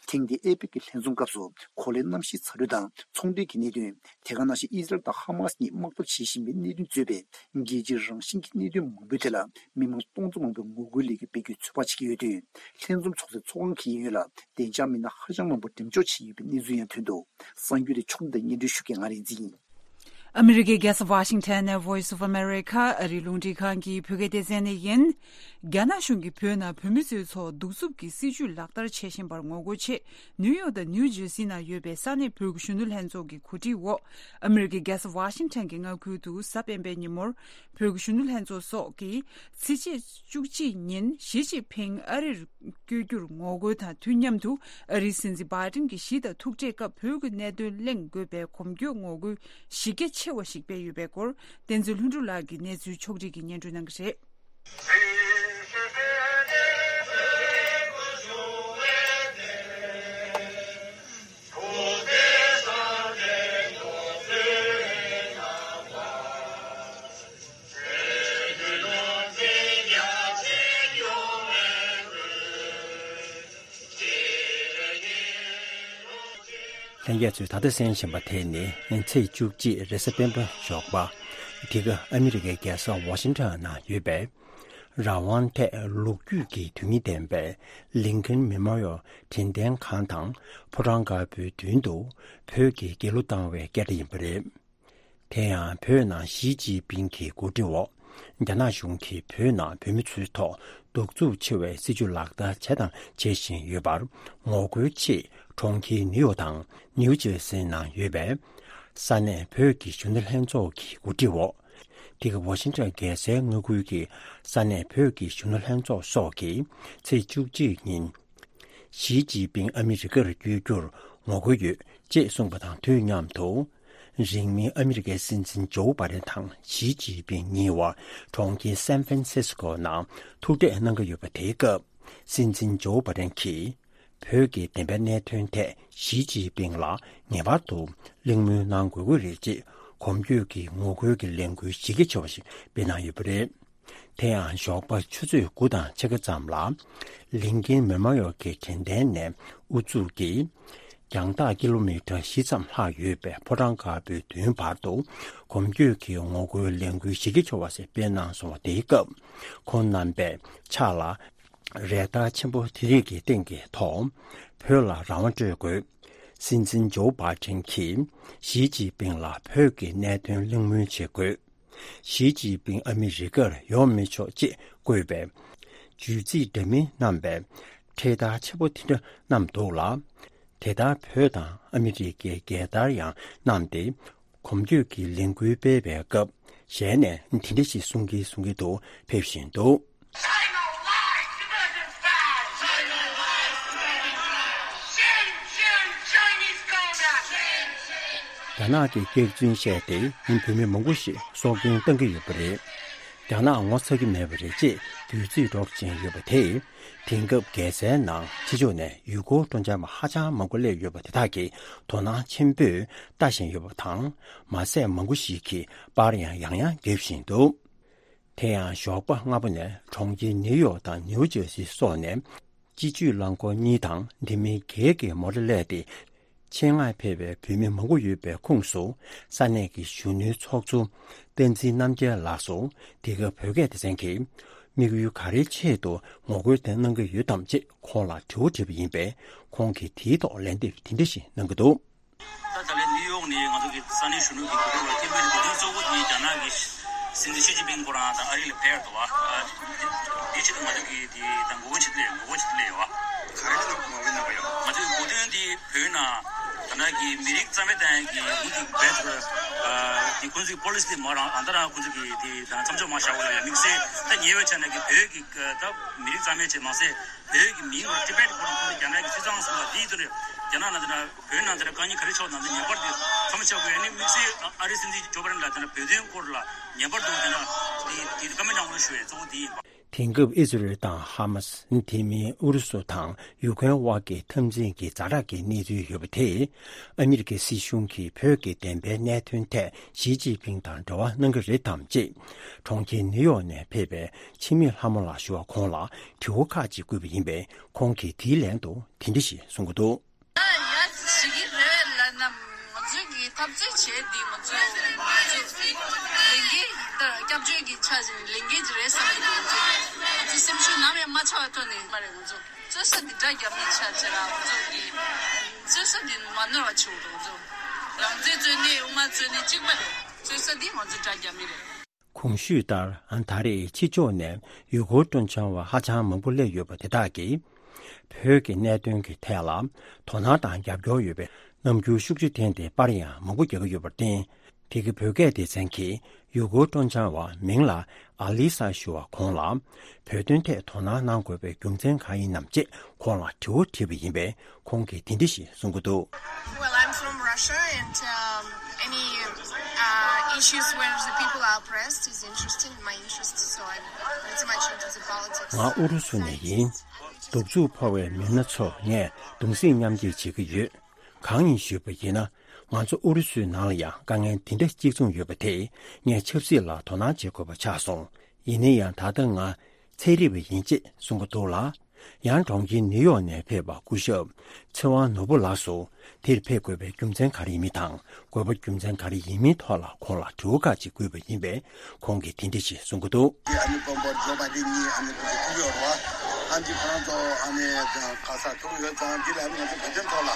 ཐེངས་འདིའི་ཨེ་པེག་གི་ལྷན་འཛོམས་སྐབས་སུ་གོ་ལའི་གནམ་གཤིས་ཚ་དྲོད་དང་ཚོང་འབྲེལ་གྱི་གནད་དོན། དེ་ག་ནང་བཞིན་ཨི་ཟི་རལ་དང་ཧ་མ་སི་གཉིས་དམག་འཐབ་བྱེད་བཞིན་པའི་གནད་དོན་གཙོས་པའི་རྒྱལ་སྤྱིའི་རང་བཞིན་གྱི་གནད་དོན་མང་པོའི་ཐད་ལ་མི་མང་སྟོང་ཚོ་མང་པོས་ངོ་རྒོལ་ལས་འགུལ་སྤེལ་རྒྱུའི་ཚོད་དཔག་བྱེད་ཀྱི་ཡོད་དུས། ལྷན་འཛོམས་ཚོགས་སའི་ཚོགས་ཁང་གི་ཡོན་ལ་བདེ་འཇགས་མི་སྣ་ཧ་ཅང་མང་པོ་འགྲེམས་འཇོག་བྱས་ཡོད་པའི་གནས་ཚུལ་ཡང་ཐོན་འདུག། གསར་འགྱུར་དེ་ཕྱོགས་སྒྲིག་དང་སྙན་སྒྲོན་ཞུ་མཁན་ང་རིག་འཛིན་ཡིན། ཨ་མི་རི་ཀའི་རྒྱལ་ས་ཝ་ཤིང་ཊོན་ནས་Voice of America ཨ་རིའི་རླུང་འཕྲིན་ཁང་གི་བོད་སྐད་སྡེ་ཚན་ནས་ཡིན། རྒྱ་ནག་གཞུང་གིས་བོད་ནང་བོད་མི་ཚོའི་ཐོག་གདུག་རྩུབ་ཀྱི་སྲིད་བྱུས་ལག་བསྟར་བྱེད་བཞིན་པར་ངོ་རྒོལ་ཆེད། ནིའུ་ཡོག་དང་ནིའུ་ཇར་སི་ནང་ཡོད་པའི་ས་གནས་བོད་ཀྱི་གཞོན་ནུ་ལྷན་ཚོགས་ཀྱི་གོ་སྒྲིག་འོག། ཨ་མི་རི་ཀའི་རྒྱལ་ས་ཝ་ཤིང་ཊོན་གྱི་མངའ་ཁུལ་དུ་གཟའ་སྤེན་པའི་ཉིན་མོར། བོད་ཀྱི་གཞོན་ནུ་ལྷན་ཚོགས་སོགས་ཀྱིས་ཚེས་བཅུ་གཅིག་ཉིན་ཞི་ཅིན་ཕིང་ཨ་རིར་བསྐྱོད་རྒྱུར་ངོ་རྒོལ་དང་དུས་མཉམ་དུ། ཨ་རིའི་སྲིད་འཛིན་བྷའི་ཌེན་གྱི་ཞི་དང་ཐུག་འཕྲད་སྐབས་བོད་ཀྱི་གནད་དོན་གླེང་དགོས་པའི་གོམ་བགྲོད་ངོ་རྒོལ་གཞི་རྒྱ་ཆེ་བ་ཞིག་སྤེལ་ཡོད་པའི་སྐོར། བསྟན་འཛིན་ལྷུན་གྲུབ་ལགས་ཀྱིས་གནས་ཚུལ་ཕྱོགས་སྒྲིག་གིས་སྙན་སྒྲོན་གནང་གི་རེད། ལྷན་རྒྱས་ཚོས་ད་ལྟ་གསན་བཞིན་པ་དེ་ནི་ཚེས་བཅུ་གཅིག་རེས་གཟའ་སྤེན་པ་ཞོགས་པ། འདི་ག་ཨ་མི་རི་ཀའི་རྒྱལ་ས་ཝ་ཤིང་ཊོན་ནང་ཡོད་པའི་རང་དབང་ཐད་ལོ་རྒྱུས་ཀྱི་དོན་སྙིང་ལྡན་པའི་ལིན་ཁན་མེ་མོ་རི་ཡལ་དྲན་རྟེན་ཁང་དང་ཕོ་བྲང་དཀར་པོའི་མདུན་དུ་བོད་ཀྱི་རྒྱལ་གླུ་བཏང་བའི་སྐད་སྒྲ་ཡིན་པ་རེད། དེ་ཡང་བོད་ནང་ཞི་ཅིན་ཕིང་གི་གོ་སྒྲིག་འོག་རྒྱ་ནག་གཞུང་གིས་བོད་ནང་བོད་མི་ཚོའི་ཐོག་གདུག་རྩུབ་ཆེ་བའི་སྲིད་བྱུས་ལག་བསྟར་བྱས་དང་བྱེད་བཞིན་ཡོད་པར་ངོ་རྒོལ་ཆེད་གྲོང་ཁྱེར་ནིའུ་ཡོག་དང་ནིའུ་ཇར་སི་ནང་ཡོད་པའི་ས་གནས་བོད་ཀྱི་གཞོན་ནུ་ལྷན་ཚོགས་ཀྱི་གོ་སྒྲིག་འོག། འདི་ག་ཝ་ཤིང་ཊོན་རྒྱལ་སའི་མངའ་ཁུལ་གྱི་ས་གནས་བོད་ཀྱི་གཞོན་ནུ་ལྷན་ཚོགས་སོགས་ཀྱིས་ཚེས་བཅུ་གཅིག་ཉིན། ཞི་ཅིན་ཕིང་ཨ་མི་རི་ཀར་བསྐྱོད་རྒྱུར་ངོ་རྒོལ་ཡོད་ཅེས་གསུངས་པ་དང་དུས་མཉམ་དུ། རིང་མིན་ཨ་མི་རི་ཀའི་སྲིད་འཛིན་ཇོ་བྷའི་ཌེན་དང་ཞི་ཅིན་ཕིང་གཉིས་བར་གྲོང་ཁྱེར་སན་ཧྥན་སིས་ཀོ་ནང་ཐུག་འཕྲད་གནང་གི་ཡོད་པ་དེའི་སྐབས། སྲིད་འཛིན་ཇོ་བྷའི་ཌེན་གྱིས་བོད་ཀྱི་བདེན་པའི་གནད་དོན་ཐད་ཞི་ཅིན་ཕིང་ལ་ངེས་པར་དུ་གླེང་མོལ་གནང་དགོས་ཀྱི་རེད་ཅེས་གོམ་བགྲོད་ཀྱི་ངོ་རྒོལ་གྱི་ལས་འགུལ་གཞི་རྒྱ་ཆེ་བ་ཞིག་སྤེལ་གནང་ཡོད་པ་རེད། དེ་ཡང་ཞོགས་པ་ཆུ་ཚོད་དགུ་དང་ཕྱེད་ཀ་ཙམ་ལ། ལིན་ཁན་མེ་མོ་རི་ཡལ་གྱི་དྲན་རྟེན་ནས་དབུ་འཛུགས་ཀྱིས། རྒྱང་ཐག་ཀི་ལོ་མི་ཊར་བཞི་ཙམ་ལྷག་ཡོད་པའི་ཕོ་བྲང་དཀར་པོའི་མདུན་བར་དུ། གོམ་བགྲོད་ཀྱི་ངོ་རྒོལ་ལས་འགུལ་གཞི་རྒྱ་ཆེ་བ་ཞིག་སྤེལ་གནང་སོང་བ་དེའི་སྐབས། ཁོང་རྣམ་པས་ཕྱག་ལ། རས་དར་ཆེན་པོ་དེ་རིགས་ཀྱི་སྟེང་གི་ཐོག། བོད་ལ་རང་དབང་སྤྲོད་དགོས། སྲིད་འཛིན་ཇོ་བྷའི་ཌེན་གྱིས་ཞི་ཅིན་ཕིང་ལ་བོད་ཀྱི་གནད་དོན་གླེང་མོལ་བྱེད་དགོས། ཞི་ཅིན་ཕིང་ཨ་མི་རི་ཀར་ཡོང་མི་ཆོག་ཅེས་བཀོད་པའི་བརྗོད་ཚིག་འདྲ་མིན་བསྣམས་པའི་འཕྲེད་དར་ཆེན་པོ་དེ་འདྲ་བསྣམས་འདུག་ལ། དེ་ལྟར་བོད་དང་ཨ་མི་རི་ཀའི་རྒྱལ་དར་ཡང་བསྣམས་ཏེ། གོམ་བགྲོད་ཀྱི་ལས་འགུལ་སྤེལ་བའི་སྐབས་ཞལ་ནས་དེ་འདྲ་ཞིག་གསུང་གིན་གསུང་གིན་དུ་ཕེབས་བཞིན་འདུག། རྒྱ་ནག་གི་སྐྱག་རྫུན་བཤད་དེ་ཡིན་བོད་མི་མང་པོ་ཞིག་སྲོག་སྐྱོན་བཏང་གི་ཡོད་པ་རེད། རྒྱ་ནག་ངོ་ཚ་གི་མེད་པ་རེད་ཅེས་འབོད་ཚིག་སྒྲོག་བཞིན་ཡོད་པ་དེས། དེང་སྐབས་རྒྱལ་སའི་ནང་ཕྱི་ཕྱོགས་ནས་ཡུལ་སྐོར་སྤྲོ་འཆམ་པ་ཧ་ཅང་མང་པོ་སླེབས་ཡོད་པ་དེ་དག་གིས་དོ་སྣང་ཆེན་པོས་ལྟ་བཞིན་ཡོད་པ་དང་། མ་ཟད་མང་པོ་ཞིག་གིས་པར་ཡང་ཡང་ཡང་རྒྱབ་བཞིན་འདུག། དེ་ཡང་ཞོགས་པ་སྔ་པོ་ནས་གྲོང་ཁྱེར་ནིའུ་ཡོག་དང་ནིའུ་ཇར་སི་སོགས་ནས་སྤྱི་སྤྱོད་རླངས་འཁོར་གཉིས་དང་དེ་མིན་བརྒྱད་ཀྱི་མོ་ཊ་སླེབས་ཏེ། ཆེད་མངགས་ཕེབས་པའི་བོད་མི་མང་པོ་ཡོད་པའི་ཁོངས་སུ་ས་གནས་ཀྱི་གཞོན་ནུའི་ཚོགས་གཙོ་བསྟན་འཛིན་རྣམ་རྒྱལ་ལགས་སུ་འདི་ག་བོད་སྐད་སྡེ་ཚན་གྱིས་དམིགས་ཡུལ་ག་རེའི་ཆེད་དུ་ངོ་རྒོལ་དེ་གནང་གི་ཡོད་དམ་ཅེས་ཁོང་ལ་དྲི་བ་དྲིས་པ་ཡིན་པས། ཁོང་གིས་དེའི་ཐོག་ལན་འདེབས་དེ་འདྲ་ཞིག་གནང་གི་འདུག། ད་ད་ལན་ནིའུ་ཡོག་ནས་ང་ཚོ་གི་ས་གནས་གཞོན་ནུ་གི་གོ་སྒྲིག་འོག་ཐེམ་པའི་གོ་སྒྲིག་གཙོ་བོ་དེ་རྒྱ་ནག་གི་སྲིད་འཛིན་ཞི་ཅིན་ཕིང་ཁོ་རང་དང་ཨ་རི་ལ་ཕེབས་འདུག་བ། དེའི་ཆེད་དུ་ང་ཚོ་གི་དེ་ད་ངོ་རྒོལ་བྱེད་ལས་ངོ་རྒོལ་བྱེད་ལས་ཡོད་བ། ག་རེ་ལ་ངོ་རྒོལ་གནང་བ་ཡོད། ང་ཚོའི་གོ་སྟོན་དེ་བོད་ནང་ད་ནང་གི་མི་རིགས་རྩ་མེད་གཏོང་ཡག་གི་འོག་གི་བེད་དེ་ཁོང་ཚོའི་པོ་ལི་སི་དེ་མ་རང་ཨ་ད་རང་ཁོང་ཚོ་གི་དེ་ད་མཚམས་འཇོག་མ་བཞག་པ་ལ་ཡང་དམིགས་བསལ་ད་ཉེ་བའི་ཆ་ནས་ཀྱི་བོད་ཀྱི་ད་མི་རིགས་རྩ་མེད་བྱས་མ་ཟད། བོད་ཀྱི་མིང་ལ་ཊི་བེཊ་ཁོ་རང་ཁོ་རང་རྒྱ་ནག་གི་སྲིད་གཙང་སོགས་ལ་དེའི་དོན་རྒྱ་ནག་ནང་དེ་ན་བོད་ནང་དེ་ན་དཀའ་ངལ་ག་རེ་ཕྱོགས་ནང་དེ་ངེས་པར་དུ་མཚམས་བཞག་དགོས་ཡ་ནི་དམིགས་བསལ་ཨ་རིའི་སྲིད་འཛིན་ཇོ་བྷའི་ཌེན་ལ་དེ་ན་བོད་དོན་སྐོར་ལ་ངེས་པར་དུ་དེ་ན་དེ་དེ་བཀའ་མོལ་གནང་དགོས་ཞུ་ཡ་གཙོ་བོ་དེ་ཡིན་པ། དེང་སྐབས་ཨི་ཟི་རེལ་དང་ཧ་མ་སི། དེ་མིན་ཨུ་རུ་སུ་དང་ཡུ་ཀེན་དབར་གྱི་འཐབ་འཛིང་གི་ཛ་དྲག་གི་གནས་ཚུལ་ཡོད་པ་དེས། ཨ་མི་རི་ཀའི་སྲིད་གཞུང་གིས་བོད་ཀྱི་བདེན་པའི་གནད་དོན་ཐད་ཞི་ཅིན་ཕིང་དང་འབྲེལ་བ་གནང་གི་རེད་དམ་ཅེས། གྲོང་ཁྱེར་ནིའུ་ཡོག་ནས་ཕེབས་པའི་འཆི་མེད་ལྷ་མོ་ལགས་ཞུ་བ་ཁོང་ལ་དྲི་བ་ཁག་ཅིག་བཀོད་པ་ཡིན་པས། ཁོང་གིས་དེའི་ལན་དུ་དེ་འདྲ་ཞིག་གསུང་གི་འདུག། ཡ་ཡ་ཞིག་གི་རེད་ལབ་ན། ང་ཚོས་ཀྱི་འཐབ་རྩོད་བྱས་འདི་ང་ཚོས་ང་ཚོས་ལས་འགན་ད་སྐྱབས་བཅོལ་གྱི་ཆ་བཞག་ལས་འགན་ཅིག་རེད་བསམ་གྱི་འདུག། ང་ཚོས་ང་ཚོའི་སེམས་ཤུགས་ནམ་ཡང་མ་ཆག་པའི་ཐོག་ནས་མ་རེད། ང་ཚོ་རྩོད་ས་འདི་དགྲ་རྒྱབ་མི་ཆ་བྱས་ལ་ང་ཚོ་གི་རྩོད་ས་འདི་མ་ནོར་བ་བྱེད་དགོས་འདུག། ང་ཚོ་རང་བཙན་རྩོད་ནས་དབུ་མ་རྩོད་ནས་གཅིག་པ་རེད། རྩོད་ས་འདི་ང་ཚོ་དགྲ་རྒྱབ་མི་རེད། གོང་ཞུས་ལྟར། ད་རེས་ཕྱི་ཕྱོགས་ནས་ཡུལ་སྐོར་སྤྲོ་འཆམ་བ་ཧ་ཅང་མང་པོ་སླེབས་ཡོད་པ་དེ་དག་གིས། བོད་ཀྱི་གནད་དོན་གྱི་ཐད་ལ་དོ་སྣང་དང་རྒྱབ་སྐྱོར་ཡོད་པའི་རྣམ་འགྱུར་ཤུགས་ཆེ་བསྟན་ཏེ་པར་ཡང་མང་པོ་རྒྱག་གི་ཡོད་པར་བརྟེན། དེ་གའི་བོད་སྐད་སྡེ་ཚན་གྱིས་ཡུལ་སྐོར་སྤྲོ་འཆམ་བ་མིང་ལ་ཨ་ལི་ས་ཞུ་བ་ཁོང་ལ། བོད་དོན་ཐད་དོ་སྣང་གནང་དགོས་པའི་རྒྱུ་མཚན་གང་ཡིན་ནམ་ཅེས་ཁོང་ལ་དྲི་བ་དྲིས་པ་ཡིན་པས། ཁོང་གིས་དེ་འདྲ་ཞིག་གསུང་གི་འདུག། Well, I'm from Russia, and um, any uh, issues where the people are oppressed is interesting in my interest, so I'm pretty much into the politics. ང་ཨུ་རུ་སུ་ནས་ཡིན། གདུག་རྩུབ་ཕོག་པའི་མི་སྣ་ཚོ་ངས་གདུང་སེམས་མཉམ་སྐྱེད་བྱེད་ཀྱི་ཡོད། གང་ཡིན་ཞུས་པ་ཡིན་ན། ང་ཚོ་ཨུ་རུ་སུའི་ནང་ལ་ཡང་དཀའ་ངལ་འདི་འདྲ་གཅིག་མཚུངས་ཡོད་པ་དེས་ངས་ཆབ་སྲིད་ལ་དོ་སྣང་བྱེད་དགོས་པ་ཆགས་སོང་། ཡིན་ན་ཡང་ད་ལྟ་ང་ཚན་རིག་པ་ཡིན་ཅེས་གསུང་གི་འདུག་ལ། ཡང་གྲོང་ཁྱེར་ནིའུ་ཡོག་ནས་ཕེབས་པ་སྐུ་ཞབས་ཚེ་དབང་ནོར་བུ་ལགས་སུ། དེར་ཕེབས་དགོས་པའི་རྒྱུ་མཚན་ག་རེ་ཡིན་མིན་དང་། དགོས་པ་རྒྱུ་མཚན་ག་རེ་ཡིན་མིན་ཐོག་ལ་ཁོང་ལ་དྲི་བ་ཁག་ཅིག་བཀོད་པ་ཡིན་པས། ཁོང་གིས་དེ་འདྲ་ཞིག་གསུང་གི་འདུག། ཨ་ནི་དཔོན་པོ་ཇོ་བྷའི་ཌེན་གཉིས་ཨ་ནི་ཁོང་ཚོ་ཐུག་ཡོད་རེད་བ། ཨ་ནི་ཁོ་རང་ཚོ་ཨ་ནི་ག་ས་ཐུག་ཡོད་ཙང་འདི་ལ་ཨ་ནི་ང་ཚོ་བོད་དོན་ཐོག་ལ་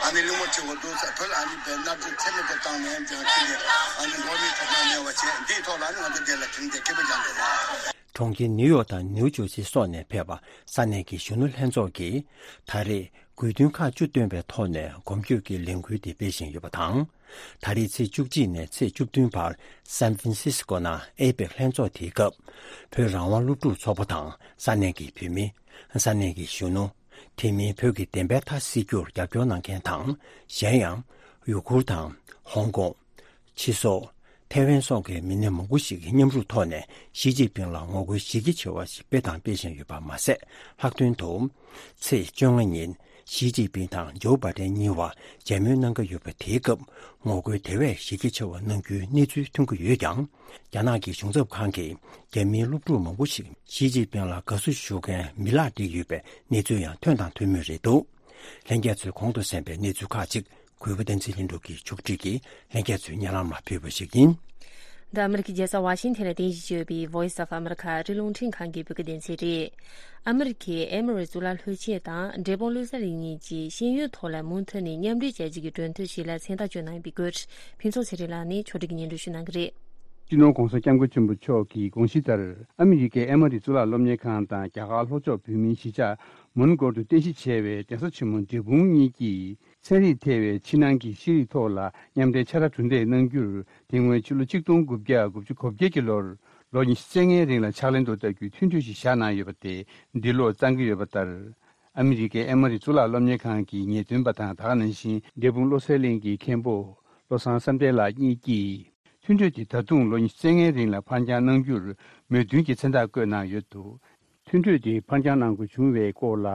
ཨ་ནི་གླེང་མོལ་བྱེད་དགོས་འདུག་ཟེར། བོད་ལ་ཨ་ནི་བོད་མནར་གཅོད་ཚད་མེད་དུ་བཏང་ནས་ཀྱང་ཁྱེད་ཀྱི་ཨ་ནི་འགྲོ་བ་མིའི་ཐོབ་ཐང་མེད་པ་བྱས། འདིའི་ཐོག་ལ་ཨ་ནི་ང་ཚོ་འདི་ལ་དྲན་རྒྱ་སྐད་པ་རྒྱག་དགོས་རེད། གྲོང་ཁྱེར་ནིའུ་ཡོག་དང་ནིའུ་ཇར་སི་སོགས་ནས་ཕེབས་པ་ས་གནས་ཀྱི་གཞོན་ནུ་ལྷན་ཚོགས་ཀྱིས་ད་རེས་དགོས་འདུན་ཁག་བཅུ་བཏོན་པའི་ཐོག་ནས་གོམ་བགྲོད་ཀྱི་ལས་འགུལ་དེ་སྤེལ་བཞིན་ཡོད་པ་དང་། ད་རེས་ཚེས་བཅུ་གཅིག་ནས་ཚེས་བཅུ་བདུན་བར་སན་ཧྥ་རན་སིས་ཀོ་ནང་ཨེ་པེག་ལྷན་ཚོགས་དེའི་སྐབས། བོད་རང་དབང་སློབ་ཕྲུག་ཚོགས་པ་དང་ས་གནས་ཀྱི་བོད་མི། ས་གནས་ཀྱི་གཞོན་ནུ། དེ་མིན་བོད་ཀྱི་བདེན་པའི་མཐའ་གསལ་རྒྱུར་རྒྱབ་སྐྱོར་གནང་མཁན་དང་། གཞན་ཡང་། ཡུ་གུར་དང་། ཧོང་ཀོང་། ཕྱི་སོག་ཐེ་ཝན་སོགས་ཀྱི་མི་སྣ་མང་པོ་ཞིག་གིས་མཉམ་རུབ་ཐོག་ནས་ཞི་ཅིན་ཕིང་ལ་ངོ་རྒོལ་གཞི་རྒྱ་ཆེ་བ་ཞིག་སྤེལ་དང་སྤེལ་བཞིན་ཡོད་པ་མ་ཟད། ལྷག་དོན་དུ། ཚེས་བཅོ་ལྔ་ཉིན་ཞི་ཅིན་ཕིང་དང་ཇོ་བྷའི་ཌེན་གཉིས་བར་མཇལ་མོལ་གནང་གི་ཡོད་པ་དེའི་སྐབས། ངོ་རྒོལ་དེ་བས་གཞི་རྒྱ་ཆེ་བ་གནང་རྒྱུའི་གནས་ཚུལ་ཐོན་གྱི་ཡོད་ཀྱང་། རྒྱ་ནག་གི་གཞུང་ཚབ་ཁང་གིས་རྒྱ་མིའི་སློབ་ཕྲུག་མང་པོ་ཞིག་ཞི་ཅིན་ཕིང་ལ་དགའ་བསུ་ཞུ་མཁན་མི་ལག་བསྒྲིགས་ཡོད་པའི་གནས་ཚུལ་ཡང་ཐོན་དང་ཐོན་མུས་རེད་འདུག། ལྷན་རྒྱས་ཚོས་གོང་དུ་གསན་པའི་གནས་ཚུལ་ཁག་ཅིག། གུས་པ་བསྟན་འཛིན་ལྷུན་གྲུབ་ཀྱིས་ཕྱོགས་སྒྲིག་གིས་ལྷན་རྒྱས་ཚོའི་སྙན་ལམ་ལ་ཕུལ་བ་ཞིག་ཡིན། འདི་ཨ་མི་རི་ཀའི་རྒྱལ་ས་ཝ་ཤིང་ཐན་ལ་རྟེན་གཞི་བྱས་ཡོད་པའི་Voice of America ཨ་རིའི་རླུང་འཕྲིན་ཁང་གི་བོད་སྐད་སྡེ་ཚན་རེད། ཨ་མི་རི་ཀའི་ཨེ་མོ་རི་གཙུག་ལག་སློབ་ཆེན་དང་འབྲས་སྤུངས་བློ་གསལ་གླིང་གཉིས་ཀྱིས་ཤེས་ཡོན་ཐོག་ལ་མུ་མཐུད་ནས་མཉམ་འབྲེལ་བྱ་རྒྱུ་གི་གྲོས་མཐུན་ཞིག་ལ་མཚན་རྟགས་བཅོལ་གནང་ཡོད་པའི་སྐོར། ཕུན་ཚོགས་ཚེ་རིང་ལགས་ནས་ཕྱོགས་སྒྲིག་གིས་སྙན་སྒྲོན་ཞུ་གནང་གི་རེད། སྤྱི་ནོར་༧གོང་ས་༧སྐྱབས་མགོན་ཆེན་པོ་མཆོག་གིས་དགོངས་གཞི་ལྟར། ཨ་མི་རི་ཀའི་ཨེ་མོ་རི་གཙུག་ལག་སློབ་གཉེར་ཁང་དང་རྒྱ་གར་ལྷོ་ཕྱོགས་བོད་མིའི་གཞིས་ཆགས་མོན་གྷོ་དུ་རྟེན་གཞི་བྱས་པའི་གདན་ས་ཆེན་མོ་འབྲས་སྤུངས་གཉིས་ཀྱིས། ཚན་རིག་ཐེ་བའི་ཕྱི་ནང་གི་ཤེས་རིག་ཐོག་ལ་མཉམ་འབྲེལ་ཕྱག་ར་གྲུ་འདེགས་གནང་རྒྱུར། དེ་སྔོན་ཕྱི་ལོ་ཆིག་སྟོང་དགུ་བརྒྱ་དགུ་བཅུ་གོ་བརྒྱད་ཀྱི་ལོར་ལོ་ཉི་ཤུ་རྩ་ལྔའི་རིང་ལ་ཕྱག་ལེན་དུ་བསྟར་རྒྱུའི་མཐུན་གྲོས་ཤིག་བཞག་གནང་ཡོད་པ་དེ་འདི་ལོར་གཙང་གི་ཡོད་པ་ལྟར། ཨ་མི་རི་ཀའི་ཨེ་མོ་རི་གཙུག་ལག་སློབ་གཉེར་ཁང་གི་ངེས་སྟོན་པ་དང་། ད་ག་ནང་བཞིན་འབྲས་སྤུངས་བློ་གསལ་གླིང་གི་མཁན་པོ་བློ་བཟང་བསམ་གཏན་ལགས་གཉིས་ཀྱིས། མཐུན་གྲོས་དེ་ད་དུང་ལོ་ཉི་ཤུ་རྩ་ལྔའི་རིང་ལ་ཕར་འགྱངས་གནང་རྒྱུར་མོས་མཐུན་གྱི་མཚན་རྟགས་བཀོད་གནང་ཡོད་འདུག། མཐུན་གྲོས་དེ་ཕར་འགྱངས་གནང་དགོས་བྱུང་བའི་སྐོར་ལ།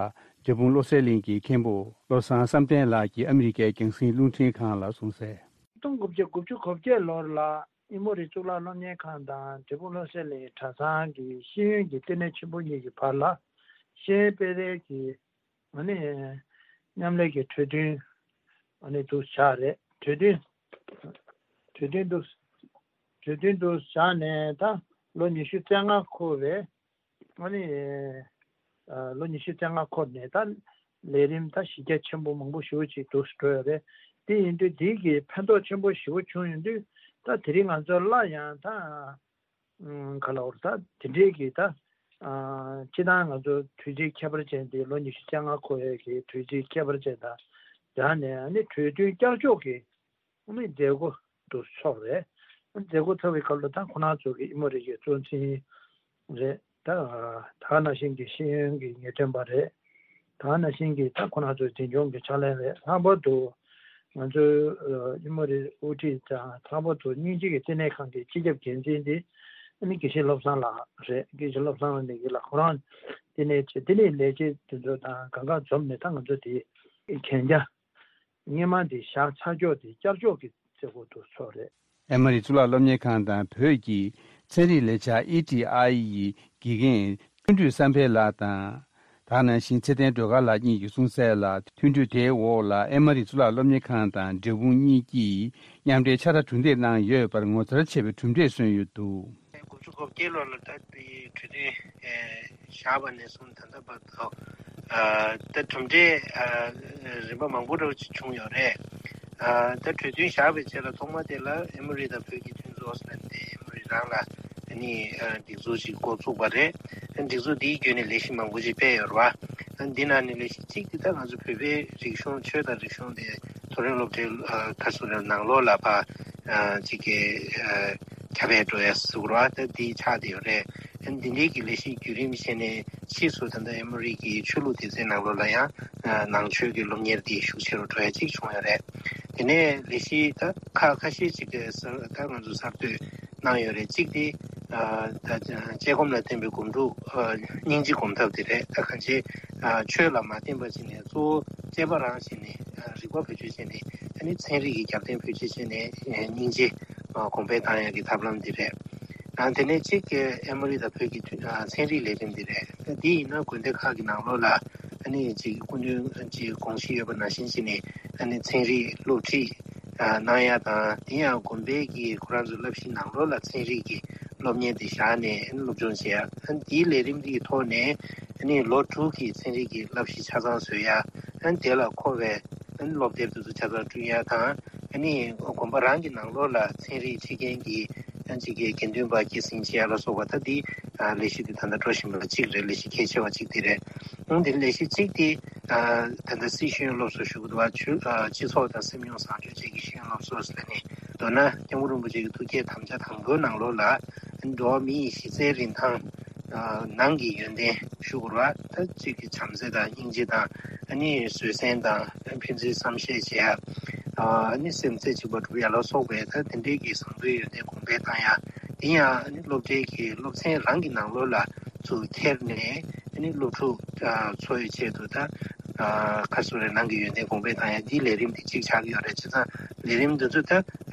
འབྲས་སྤུངས་བློ་གསལ་གླིང་གི་མཁན་པོ་བློ་བཟང་བསམ་གཏན་ལགས་ཀྱིས་ཨ་མི་རི་ཀའི་རྒྱང་སྲིང་རླུང་འཕྲིན་ཁང་ལ་གསུངས་གསལ། སྟོང་དགུ་བརྒྱ་དགུ་བཅུ་གོ་བརྒྱད་ལོར་ལ་ཨེ་མོ་རི་གཙུག་ལག་སློབ་གཉེར་ཁང་དང་འབྲས་སྤུངས་བློ་གསལ་གླིང་གྲྭ་ཚང་གི་ཤེས་ཡོན་གྱི་ལྟེ་གནས་ཆེན་པོ་གཉིས་ཀྱི་བར་ལ་ཤེས་ཡོན་སྤེལ་རེས་ཀྱི་ཨ་ནི་མཉམ་ལས་ཀྱི་གྲོས་མཐུན་ཨ་ནི་འདུག་བཞག་རེད། གྲོས་མཐུན་གྲོས་མཐུན་འདུག་གྲོས་མཐུན་འདུག་བཞག་ནས་ད་ལོ་ཉི་ཤུ་རྩ་ལྔ་འཁོར་བའི་ཨ་ནི་ཨ་ལོ་ཉི་ཤུ་རྩ་ལྔ་འཁོར་ནས་ད་ལས་རིམ་ད་གཞི་རྒྱ་ཆེན་པོ་མང་པོ་ཞེ་པོ་ཅིག་འདུག་འགྲོ་ཡོད་རེད། དེ་ཡིན་དུས་འདི་གི་ཕན་ཐོགས་ཆེན་པོ་ཞེ་པོ་བྱུང་ཡོང་དུས་ད་དེ་རིང་ང་ཚོ་སླར་ཡང་ད་ཨ་ག་ལབ་དགོས་རེད། ད་དེ་འདྲའི་གི་ད་ཨ་སྤྱིར་བཏང་ང་ཚོ་དུས་ཚིགས་ཁྱད་པར་ཅན་དེ་ལོ་ཉི་ཤུ་རྩ་ལྔ་འཁོར་ཡས་ཀྱི་དུས་ཚིགས་ཁྱད་པར་ཅན་དང་སྦྲགས་ནས་ཨ་ནི་གྲོས་མཐུན་བསྐྱར་ཕྱོགས་ཀྱི་ཨ་ནི་མཛད་སྒོ་དེ་ཚོགས་རེད། མཛད་སྒོ་ཚོགས་པའི་སྐབས་ལ་ད་ཁོང་རྣམ་ཚོ་གི་ཨེ་མོ་རི་གི་གཙོ་འཛིན་རེད། ད་ད་ག་ནང་བཞིན་གྱི་ཤེས་ཡོན་གྱི་ངེས་སྟོན་པ་རེད། ད་ག་ནང་བཞིན་གྱི་ད་ཁོང་རྣམ་ཚོ་འཛིན་སྐྱོང་གི་ཕྱག་ལས་རེད། ལྷག་པར་དུ་ང་ཚོའི་ཨེ་མོ་རི་དབུ་ཁྲིད་དང་ལྷག་པར་དུ་དབྱིན་ཇི་གི་བསྟི་གནས་ཁང་གི་སྤྱི་ཁྱབ་འགན་འཛིན་དེ་ ཨ་ནི་དགེ་བཤེས་བློ་བཟང་ལགས་རེད། དགེ་བཤེས་བློ་བཟང་ལགས་ནས་ཡིན་ལ། ཁོ་རང་དེ་ནས་བྱས། དེ་ནས་ལས་བྱེད་དེ་ཚོ་དང་གང་ག་འཛོམས་ནས། ད་ང་ཚོ་དེ་གན་རྒྱ་སྔོན་མ་དེ་བཞག་ཚར་ཀྱོག་དེ་བསྐྱར་འཇོག་གི་མཛད་སྒོ་དེ་ཚོགས་རེད། ཨེ་མོ་རི་གཙུག་ལག་སློབ་གཉེར་ཁང་དང་བོད་ཀྱི་ཚན་རིག་ལས་འཆར་ཨི་ཊི་ཨའི་ཡི་དགེ་རྒན་ཐུན་སྒྲོལ་བསམ་འཕེལ་ལགས་དང་། དེ་ནང་བཞིན་ཚེ་བརྟན་སྒྲོལ་དཀར་ལགས་གཉིས་ཀྱིས་གསུངས་གསལ་ལ། མཐུན་གྲོས་དེའི་འོག་ལ་ཨེ་མོ་རི་གཙུག་ལག་སློབ་གཉེར་ཁང་དང་འབྲས་སྤུངས་གཉིས་ཀྱིས་མཉམ་འབྲེལ་ཕྱག་བྲལ་གྲུབ་འབྲས་གནང་ཡོད་པར་ངོ་མཚར་ཆེ་བའི་གྲུབ་འབྲས་སོན་ཡོད་འདུག། དགུ་བཅུ་གོ་བརྒྱད་ལོ་ལ་ད་དེ་གྲོས་མཐུན་བཞག་པ་ནས་བཟུང་ད་ལྟ་བར་དུ། ཨ། ད་གྲུབ་འབྲས། ཨ། རིམ་པ་མང་པོ་འདྲ་བོ་ཅིག་བྱུང་ཡོད་རེད། ཨ། ད་གྲོས་མཐུན་བཞག་པའི་རྗེས་ལ་ཐོག་མ་དེ་ལ་ཨེ་མོ་རི་དང་བོད་ཀྱི་མཐུན་ཚོགས་ཟེར་ནས་ཨེ་མོ་རི་རང་ལ་ཨ་ནི་ཨ་སྒྲིག་འཛུགས་ཤིག་འགོ་བཙུགས་པ་རེད། སྒྲིག་འཛུགས་འདིའི་བརྒྱུད་ནས་ལས་གཞི་མང་པོ་ཅིག་སྤེལ་ཡོད་རེད་བ། འདི་ནང་ནས་ལས་གཞི་གཅིག་དེ་ད་ང་ཚོ་བོད་པའི་རིག་གཞུང་། ཆོས་དང་རིག་གཞུང་དེ་མཐོ་རིམ་སློབ་གྲྭའི་ཨ་ཁ་སོ་ར་ནང་ལོགས་ལ་ཕར་ཨ་ཅིག་གི་ཨ་ཁྱབ་སྤེལ་འགྲོ་ཡ་ཟེར་དགོས་རེད་བ། ད་འདི་ཆགས་བསྡད་ཡོད་རེད། འདི་འདྲའི་གི་ལས་གཞི་བརྒྱུད་རིམ་བྱས་ནས་ཕྱིས་སུ་ད་ལྟ་ཨེ་མོ་རི་གི་ཆོས་ལུགས་སྡེ་ཚན་ནང་ལོགས་ལ་ཡང་ནང་ཆོས་ཀྱི་སློབ་གཉེར་འདི་ཤུགས་ཆེ་རུ་འགྲོ་ཡ་གཅིག་བྱུང་ཡོད་རེད། དེ་ནས་ལས་གཞི་ད་ཁ་ཁ་ཤས་ཅིག་གི་གསར། ད་ང་ཚོ་གསར་གཏོད་གནང་ཡོད་རེད། གཅིག་དེ་ཨ་ད་དཔྱད་སྒོམ་ལ་བརྟེན་པའི་སྒོམ་སྒྲུབ། ཨ་སྙིང་རྗེ་སྒོམ་ཐབས་དེ་རེད། ད་གང་ཅི་ཨ་ཆོས་ལ་མ་བརྟེན་པ་བྱས་ནས། གཙོ་བོ་དཔྱད་པ་རང་བྱས་ནས། ཨ་རིག་པ་བེད་སྤྱོད་བྱས་ནས། ཨ་ནི་ཚན་རིག་གི་རྒྱབ་རྟེན་བེད་སྤྱོད་བྱས་ནས། ཨ་སྙིང་རྗེ་ཨ་གོང་འཕེལ་བཏང་ཡག་གི་ཐབས་ལམ་དེ་རེད། ཨ་དེ་ནས་གཅིག་གི་ཨེ་མོ་རི་དང་བོད་ཀྱི་མཐུན། ཨ་ཚན་རིག་ལས་རིམ་དེ་རེད། ད་འདི་ཡིན་ན་དགོན་སྡེ་ཁག་གི་ནང་ལོགས་ལ་ཨ་ནི་ཅིག་སྐུ་མདུན་གྱི་དགོངས་གཞི་ཡོད་པ་ནང་བཞིན་བྱས་ནས། ཨ་ནི་ཚན་རིག་སློབ་ཁྲིད་ཨ་གནང་ཡ་དང་། དེ་ཡང་དགོན་པའི་གི་ཁོ་རང་ཚོའི་བསླབ་གཞི་ནང་ལོགས་ལ་ཚན་རིག་གི་སློབ་གཉེར་དེ་བཞག་ནས་ཨ་ནི་སློབ་སྦྱོང་བྱེད་ཡ། ཨ་ནི་དེའི་ལས་རིམ་དེའི་ཐོག་ནས་ཨ་ནི་ལོ་དྲུག་གི་ཚན་རིག་གི་བསླབ་གཞི་ཆ་ཚང་བཟོ་ཡ། ཨ་ནི་དེ་ལ་མཁོ་བའི་ཨ་ནི་སློབ་དེབ་དེ་ཚོ་ཆ་ཚང་བསྐྲུན་ཡ་དང་། ཨ་ནི་དགོན་པ་རང་གི་ནང་ལོགས་ལ་ཚན་རིག་ཁྲིད་མཁན་གྱི་ཨ་ཅིག་གི་དགེ་འདུན་པ་སྐྱེད་སྲིང་བྱེད་ཡ་ལ་སོགས་པ། ད་འདི་ཨ་ལས་གཞི་དེ་ད་ལྟ་འགྲོ་བཞིན་པ་གཅིག་རེད། ལས་གཞི་གལ་ཆེ་བ་གཅིག་དེ་རེད། ཨང་། དེ་ལས་གཞི་གཅིག་དེ་ཨ་ད་ལྟ་སྲིད་ཤེས་ཡོན་སློབ་གསོ་ཞུ་གི་འདུག་བ། ཆོས་ཨ་སྤྱི་ཚོགས་དང་སེམས་མྱོང་བཟང་སྤྱོད་བཅས་ཀྱི་ཤེས་ཡོན་སློབ་གསོ་ཟེར་ནས། མདོར་ན་སྐྱབས་མགོན་རིན་པོ་ཆེ་གི་ཐུགས་བསྐྱེད་དམ་བཅའ་དང་པོའི་ནང་ལོགས་ལ། འགྲོ་བ་མི་ཡི་གཞི་རྩའི་རིན་ཐང་ནང་གི་ཡོན་ཏན་ཞུ་དགོས་རེད་བ། ད་གཅིག་གི་བྱམས་བརྩེ་དང་སྙིང་རྗེ་དང་། ཨ་ནི་བཟོད་བསྲན་དང་། ཕན་ཚུན་བསམ་ཤེས་བྱེད་ཡ། ཨ་ནི་སེམས་རྩེ་གཅིག་པ་སྒྲུབ་ཡ་ལ་སོགས་པའི་ད་དེ་འདྲའི་གི་བཟང་པོའི་ཡོན་ཏན་གོང་འཕེལ་བཏང་ཡ། དེ་ཡང་ཨ་ནི་སློབ་གྲྭའི་གི་སློབ་ཚན་རང་གི་ནང་ལོགས་ལ་ཚུར་འཁྱེར་ནས། ཨ་ནི་སློབ་ཕྲུག་ཨ་ཚོ་ཡི་ཆེད་དུ་ད་ཨ་ཁ་སོ་རའི་ནང་གི་ཡོན་ཏན་གོང་འཕེལ་བཏང་ཡ། འདིའི་ལས་རིམ་དེ་གཅིག་ཆགས་ཀྱི་ཡོད་རེད། བྱས་ཙང་ལས་རིམ་འདི་ཚོ་ད་ཨ་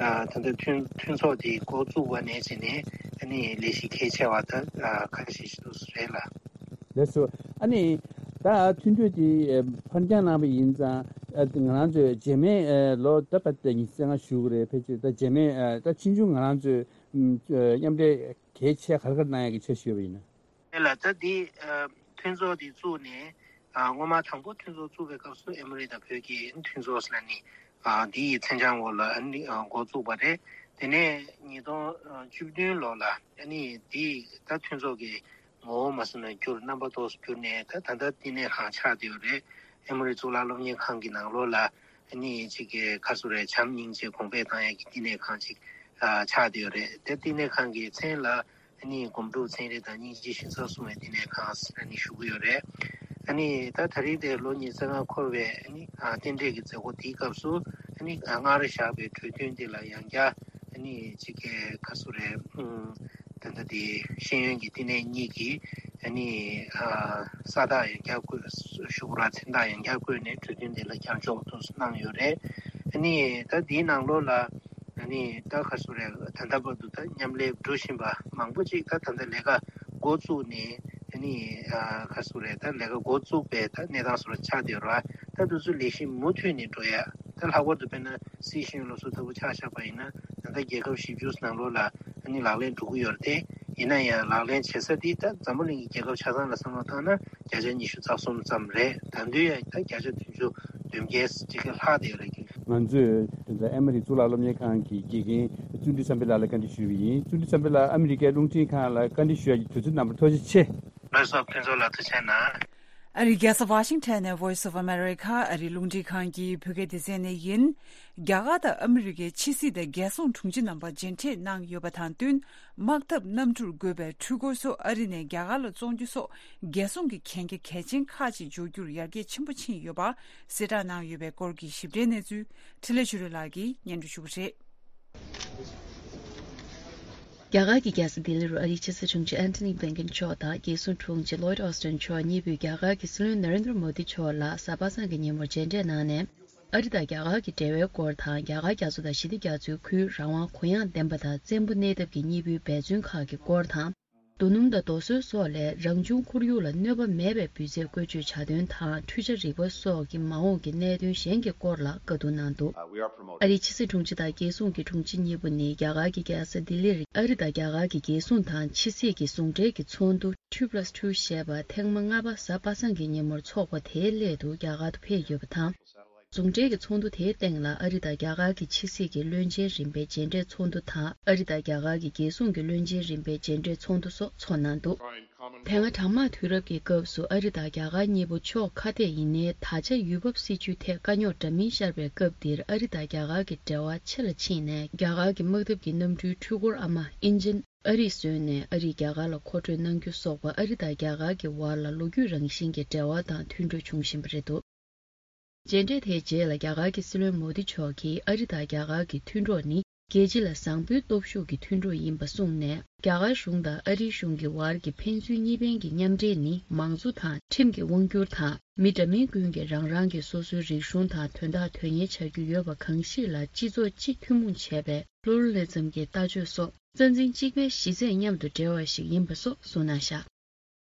ད་ལྟ་མཐུན་མཐུན་ཚོགས་དེ་འགོ་བཙུགས་པ་ནས་བྱས་ནས། ཨ་ནི་ལས་གཞི་གལ་ཆེ་བ་ད་ཨ་ཁ་ཤས་ཤིག་འདུག་རེད་ལ། ལགས་སོ། ཨ་ནི་ད་མཐུན་གྲོས་དེ་ཨ་ཕར་འགྱངས་གནང་བ་ཡིན་ཙང་། ཨ་ང་རང་ཚོས་རྗེས་མའི་ཨ་ལོ་ད་ཕར་ད་ཉི་ཤུ་རྩ་ལྔ་ཞུ་གི་རེད། ཕལ་ཆེར་ད་རྗེས་མའི་ཨ་ད་ཕྱིས་འབྱུང་ང་རང་ཚོས་ཨ་མཉམ་འབྲེལ་གལ་ཆེ་ག་རེ་ག་རེ་གནང་ཡག་གི་འཆར་གཞི་ཡོད་པ་ཡིན་ན། དེ་ལ་ད་འདི་ཨ་མཐུན་ཚོགས་འདི་བཙུགས་ནས། ཨ་སྔོན་མ་དང་པོ་མཐུན་ཚོགས་བཙུགས་པའི་སྐབས་སུ་ཨེ་མོ་རི་དང་བོད་ཀྱི་མཐུན་ཚོགས་ཟེར་ནས་ཨ་འདི་ཡི་མཚན་བྱང་འོག་ལ་ཨ་ནི་ཨ་འགོ་བཙུགས་པ་རེད། དེ་ནས་ཉིས་སྟོང་བཅུ་བདུན་ལོ་ལ་ཨ་ནི་འདི་ད་མཐུན་ཚོགས་ཀྱི་ངོ་བོ་མ་སོང་ན་འགྱུར། རྣམ་པ་ཏོག་ཙམ་འགྱུར་ནས། ད་ད་ལྟ་བསྟི་གནས་ཁང་ཆགས་བསྡད་ཡོད་རེད། ཨེ་མོ་རི་གཙུག་ལག་སློབ་གཉེར་ཁང་གི་ནང་ལོགས་ལ་ཨ་ནི་གཅིག་གི་ཁ་སོ་རའི་བྱམས་སྙིང་རྗེ་གོང་འཕེལ་བཏང་ཡག་གི་བསྟི་གནས་ཁང་ཅིག་ཨ་ཆགས་བསྡད་ཡོད་རེད། དེ་བསྟི་གནས་ཁང་གི་མཚན་ལ་ཨ་ནི་སྒོམ་སྒྲུབ་ཚན་རིག་དང་སྙིང་རྗེ་ཞིང་ས་གསུང་བའི་བསྟི་གནས་ཁང་ཟེར་ཨ་ནི་ཞུ་གི་ཡོད་རེད། ཨ་ནི་ད་ད་རིང་དེ་ལོ་ཉི་ཤུ་རྩ་ལྔ་འཁོར་བའི་ཨ་ནི་ཨ་རྟེན་འབྲེལ་གྱི་མཛད་སྒོ་དེའི་སྐབས་སུ། ཨ་ནི་ཨ་སྔར་བཞག་པའི་གྲོས་མཐུན་དེ་ལ་ཡང་བསྐྱར་ཨ་ནི་གཅིག་གི་ཁ་སོ་རའི་ཨུམ་ད་ལྟ་དེ་ཤེས་ཡོན་གྱི་བསྟི་གནས་གཉིས་ཀྱིས་ཨ་ནི་ཨ་ས་རྟགས་ཡང་བསྐྱར་བཀོད། ཞུ་གི་རེད་བ། མཚན་རྟགས་ཡང་བསྐྱར་བཀོད་ནས་གྲོས་མཐུན་དེ་ལ་བསྐྱར་འཇོག་ཏུ་གནང་ཡོད་རེད། ཨ་ནི་ད་འདིའི་ནང་ལོགས་ལ་ཨ་ནི་ད་ག་རེ་ཟེར་དགོས་རེད། ད་ལྟ་བར་དུ་ད་མཉམ་ལས་འགྲོ་བཞིན་པ་མང་པོ་ཅིག་ད་ད་ལྟ་ལས་ཀ་འགོ་བཙུགས་ནས། ཨ་ནི་ཨ་ག་རེ་ཟེར་དགོས་རེད། ད་ལས་ཀ་འགོ་བཙུགས་པའི་ད་གནས་སྟངས་སོགས་ཆགས་བསྡད་ཡོད་རེད་བ། ད་དེ་ཚོ་ལས་གཞི་མུ་མཐུད་ནས་འགྲོ་ཡ། ད་ལྷག་པར་དུ་དཔེར་ན་སྲིད་ཤེས་ཡོན་སློབ་གསོ་ལྟ་བུ་ཆ་བཞག་པ་ཡིན་ན། ད་ལྟ་རྒྱལ་ཁབ་བཞི་བཅུ་ནང་ལོགས་ལ་ཨ་ནི་ལག་ལེན་འགྲོ་གི་ཡོད་རེད་དེ། ཡིན་ན་ཡང་ལག་ལེན་བྱེད་ས་འདི་ད་འཛམ་བུ་གླིང་གི་རྒྱལ་ཁབ་ཆ་ཚང་ལ་བསམ་བློ་བཏང་ན་བརྒྱ་ཆ་ཉི་ཤུ་རྩ་གསུམ་ཙམ་རེད། ད་དུང་ཡང་ད་བརྒྱ་ཆ་བདུན་ཅུ་དོན་བརྒྱད་ཅིག་ལྷག་བསྡད་ཡོད་རེད། ང་ཚོས་དེ་ཚོ་ཨེ་མ་རི་གཙུག་ལག་སློབ་གཉེར་ཁང་གི་དགེ་རྒན་བརྩོན་འགྲུས་བསམ་འཕེལ་ལགས་ལ་བཀའ་འདྲི་ཞུས་པ་ཡིན། བརྩོན་འགྲུས་བསམ་འཕེལ་ལགས་ཨ་མི་རི་ཀའི་རླུང་འཕྲིན་ཁང་ལ་བཀའ་འདྲི་ཞུ་ཡ་གི་དུས་ཚོད་གནང་བར་ཐུགས་རྗེ་ཆེ། ལགས་སོ། ཕུན་ཚོགས་ལགས་ཐུགས་རྗེ་གནང་། ཨ་རིའི་རྒྱལ་ས་ཝ་ཤིང་ཊོན་ནས་Voice of America ཨ་རིའི་རླུང་འཕྲིན་ཁང་གི་བོད་སྐད་སྡེ་ཚན་ནས་ཡིན། རྒྱ་གར་དང་ཨ་མི་རི་ཀའི་ཕྱི་སྲིད་དང་རྒྱལ་སྲུང་དྲུང་ཆེ་རྣམ་པ་མཇལ་འཕྲད་གནང་ཡོད་པ་དང་བསྟུན། དམག་འཐབ་གནམ་གྲུར་བཀོད་པའི་འཕྲུལ་འཁོར་སོགས་ཨ་རི་ནས་རྒྱ་གར་ལ་བཙོང་རྒྱུ་སོགས་རྒྱལ་སྲུང་གི་གན་རྒྱ་གལ་ཆེན་ཁག་ཅིག་འཇོག་རྒྱུར་ཡར་རྒྱས་ཆེན་པོ་ཕྱིན་ཡོད་པ་གསལ་བསྒྲགས་གནང་ཡོད་པའི་སྐོར་གྱི་ཞིབ་ཕྲའི་གནས་ཚུལ་འཕྲིན་ལས་ཆོས་སྒྲོན་ལགས་ཀྱིས་སྙན་སྒྲོན་ཞུ་གི་རེད། རྒྱ་གར་གྱི་རྒྱལ་ས་ལྡི་ལི་རུ་ཨ་རིའི་ཕྱི་སྲིད་དྲུང་ཆེ་ཨན་ཐོ་ནི་བྷིན་ཀིན་མཆོག་དང་རྒྱལ་སྲུང་དྲུང་ཆེ་ལོའིད་ཨོ་སི་ཏན་མཆོག་གཉིས་པོས་རྒྱ་གར་གྱི་སྲིད་བློན་ན་རེན་དྲ་མོ་དི་མཆོག་ལ་གཟའ་པ་སངས་ཀྱི་ཉིན་མོར་མཇལ་འཕྲད་གནང་ནས། ཨ་རི་དང་རྒྱ་གར་གྱི་འབྲེལ་བའི་སྐོར་དང་། རྒྱ་གར་རྒྱ་མཚོ་དང་ཞི་བདེ་རྒྱ་མཚོའི་ཁུལ་རང་དབང་གུ་ཡངས་ལྡན་པ་དང་བཙན་པོ་གནས་ཐབས་ཀྱི་གཉིས་པོའི་འབད་བརྩོན་ཁག་གི་སྐོར་དང་། རྡོ་སྣུམ་དང་རྡོ་སོལ་སོགས་ལས་རང་བྱུང་ཁོར་ཡུག་ལ་གནོད་པ་མེད་པའི་འབུད་རྫས་བཀོལ་སྤྱོད་བྱ་དོན་དང་འཕྲུལ་ཆས་རིག་པ་སོགས་ཀྱི་མ་འོངས་ཀྱི་གནད་དོན་གཞན་གྱི་སྐོར་ལ་བཀའ་བསྡུར་གནང་འདུག་ཨ་རིའི་ཕྱི་སྲིད་དྲུང་ཆེ་དང་རྒྱལ་སྲུང་གི་དྲུང་ཆེ་གཉིས་པོ་ནི་རྒྱ་གར་གྱི་རྒྱལ་ས་ལྡི་ལིར་ཨ་རི་དང་རྒྱ་གར་གྱི་རྒྱལ་སྲུང་དང་ཕྱི་སྲིད་ཀྱི་ཟུང་འབྲེལ་གྱི་ཚོགས་འདུ་Two plus Two ཞེས་པ་ཐེངས་མ་ལྔ་པ་གཟའ་པ་སངས་ཀྱི་ཉིན་མོར་འཚོགས་པ་དེའི་སླད་དུ་རྒྱ་གར་དུ་ཕེབས་ཡོད་པ་དང་། ཟུང་འབྲེལ་གྱི་ཚོགས་འདུ་དེའི་སྟེང་ལ་ཨ་རི་དང་རྒྱ་གར་གྱི་ཕྱི་སྲིད་ཀྱི་བློན་ཆེན་རིམ་པའི་མཇལ་འཕྲད་ཚོགས་འདུ་དང་། ཨ་རི་དང་རྒྱ་གར་གྱི་རྒྱལ་སྲུང་གི་བློན་ཆེན་རིམ་པའི་མཇལ་འཕྲད་ཚོགས་འདུ་སོགས་ཚོགས་གནང་འདུག་དེ་སྔ་གྲང་དམག་དུས་རབས་ཀྱི་སྐབས་སུ་ཨ་རི་དང་རྒྱ་གར་གཉིས་པོ་ཕྱོགས་ཁ་གཏད་ཡིན་ནའི། ད་ཆ་ཡུལ་བབ་སྲིད་ཇུས་ཐད་དཀའ་རྙོག་འདྲ་མིན་ཤར་བའི་སྐབས་འདིར་ཨ་རི་དང་རྒྱ་གར་གྱི་འབྲེལ་བ་ཆེ་ལ་ཕྱིན་ནས། རྒྱ་གར་གྱི་དམག་འཐབ་ཀྱི་གནམ་གྲུའི་འཕྲུལ་འཁོར་ཨ་མ་ཨིན་ཇིན་ཨ་རིས་བཟོས་ནས་ཨ་རིས་རྒྱ་གར་ལ་མཁོ་སྤྲོད་གནང་རྒྱུ་སོགས་པ། ཨ་རི་དང་རྒྱ་གར་གྱི་བར་ལ་ལོ་རྒྱུས་རང་བཞིན་གྱི་འབྲེལ་བ་དང་མཐུན་གྲོས་བྱུང་བཞིན་པ་རེད་འདུག་མཇལ་འཕྲད་དེའི་རྗེས་ལ་རྒྱ་གར་གྱི་སྲིད་བློན་མོ་དི་མཆོག་གིས་ཨ་རི་དང་རྒྱ་གར་གྱི་མཐུན་གྲོགས་ནི་རྒྱལ་སྤྱི་ལ་བཟང་པོའི་སྟོབས་ཤུགས་ཀྱི་མཐུན་གྲོགས་ཡིན་པ་གསུངས་ནས། རྒྱ་གར་གཞུང་དང་ཨ་རིའི་གཞུང་གི་བར་གྱི་ཕན་ཚུན་གཉིས་ཕན་གྱི་མཉམ་འབྲེལ་ནི་མང་གཙོ་དང་ཁྲིམས་ཀྱི་དབང་སྒྱུར་དང་། མི་འདྲ་མིན་ཀུན་གྱིས་རང་རང་གི་སོ་སོའི་རིག་གཞུང་དང་དོན་དག་དོན་གཉེར་བྱ་རྒྱུ་ཡོད་པ་གང་ཞིག་ལ་སྤྱི་ཚོགས་སྤྱི་ཐུན་མོང་བྱས་པའི་Pluralism གྱི་ལྟ་སྤྱོད་སོགས་རྩ་འཛིན་གཅིག་པའི་གཞི་རྩའི་མཉམ་དུ་འབྲེལ་བ་ཞིག་ཡིན་པ་སོགས་གསུངས་གནང་བཞག་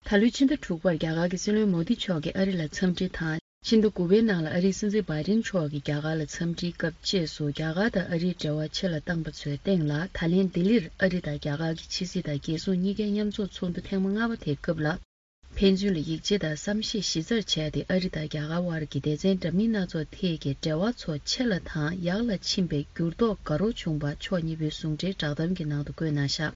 ད་ལོའི་ཕྱི་ཟླ་དྲུག་པར་རྒྱ་གར་གྱི་སྲིད་བློན་མོ་དི་མཆོག་གིས་ཨ་རི་ལ་འཚམས་འདྲི་དང་། ཕྱི་ཟླ་དགུ་པའི་ནང་ལ་ཨ་རིའི་སྲིད་འཛིན་བྷའི་ཌེན་མཆོག་གིས་རྒྱ་གར་ལ་འཚམས་འདྲིའི་སྐབས་བཅས་སུ། རྒྱ་གར་དང་ཨ་རིའི་འབྲེལ་བ་ཆེ་ལ་བཏང་པ་ཚོའི་སྟེང་ལ། ད་ལན་ལྡི་ལིར་ཨ་རི་དང་རྒྱ་གར་གྱི་ཕྱི་སྲིད་དང་རྒྱལ་སྲུང་གཉིས་ཀའི་མཉམ་འཛོམས་ཚོགས་འདུ་ཐེངས་མ་ལྔ་པ་དེའི་སྐབས་ལ། ཕན་ཚུན་ལ་ཡིད་ཆེས་དང་བསམ་ཤེས་གཞི་རྩར་བྱས་ཏེ། ཨ་རི་དང་རྒྱ་གར་དབར་གྱི་སྡེ་ཚན་འདྲ་མིན་སྣ་ཚོགས་ཐད་ཀྱི་འབྲེལ་བ་ཚོ་ཆེ་ལ་དང་ཡག་ལ་ཕྱིན་པའི་འགྱུར་ལྡོག་དགའ་རབ་བྱུང་བ་ཕྱོགས་གཉིས་པོའི་ཟུང་འབྲེལ་བསྒྲགས་གཏམ་གྱི་ནང་དུ་བཀོད་གནང་བཞག་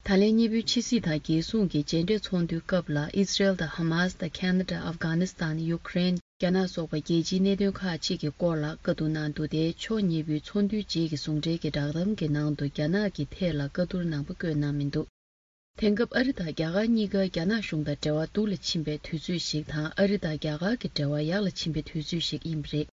ད་ལན་གཉིས་པོའི་ཕྱི་སྲིད་དང་རྒྱལ་སྲུང་གི་མཇལ་འཕྲད་ཚོགས་འདུའི་སྐབས་ལ། ཨི་སི་རེལ་དང་ཧ་མཱས་དང་ཁེ་ན་ཌ། ཨབ་གྷ་ནི་སི་ཐན། ཡུ་ཀེ་རེན། རྒྱ་ནག་སོགས་པ་རྒྱལ་སྤྱིའི་གནད་དོན་ཁག་ཅིག་གི་སྐོར་ལ་བཀའ་བསྡུར་གནང་འདུག་སྟེ། ཕྱོགས་གཉིས་པོའི་ཚོགས་འདུའི་རྗེས་ཀྱི་ཟུང་འབྲེལ་གྱི་བསྒྲགས་གཏམ་གྱི་ནང་དུ་རྒྱ་ནག་གི་ཐད་ལ་བཀའ་བསྡུར་ནང་པ་བཀོད་གནང་མི་འདུག་དེང་སྐབས་ཨ་རི་དང་རྒྱ་གར་གཉིས་ཀ་རྒྱ་ནག་གཞུང་དང་འབྲེལ་བ་སྡུག་ལ་ཕྱིན་པའི་དུས་ཚོད་ཞིག་དང་། ཨ་རི་དང་རྒྱ་གར་གྱི་འབྲེལ་བ་ཡག་ལ་ཕྱིན་པའི་དུས་ཚོད་ཞིག་ཡིན་པ་རེད།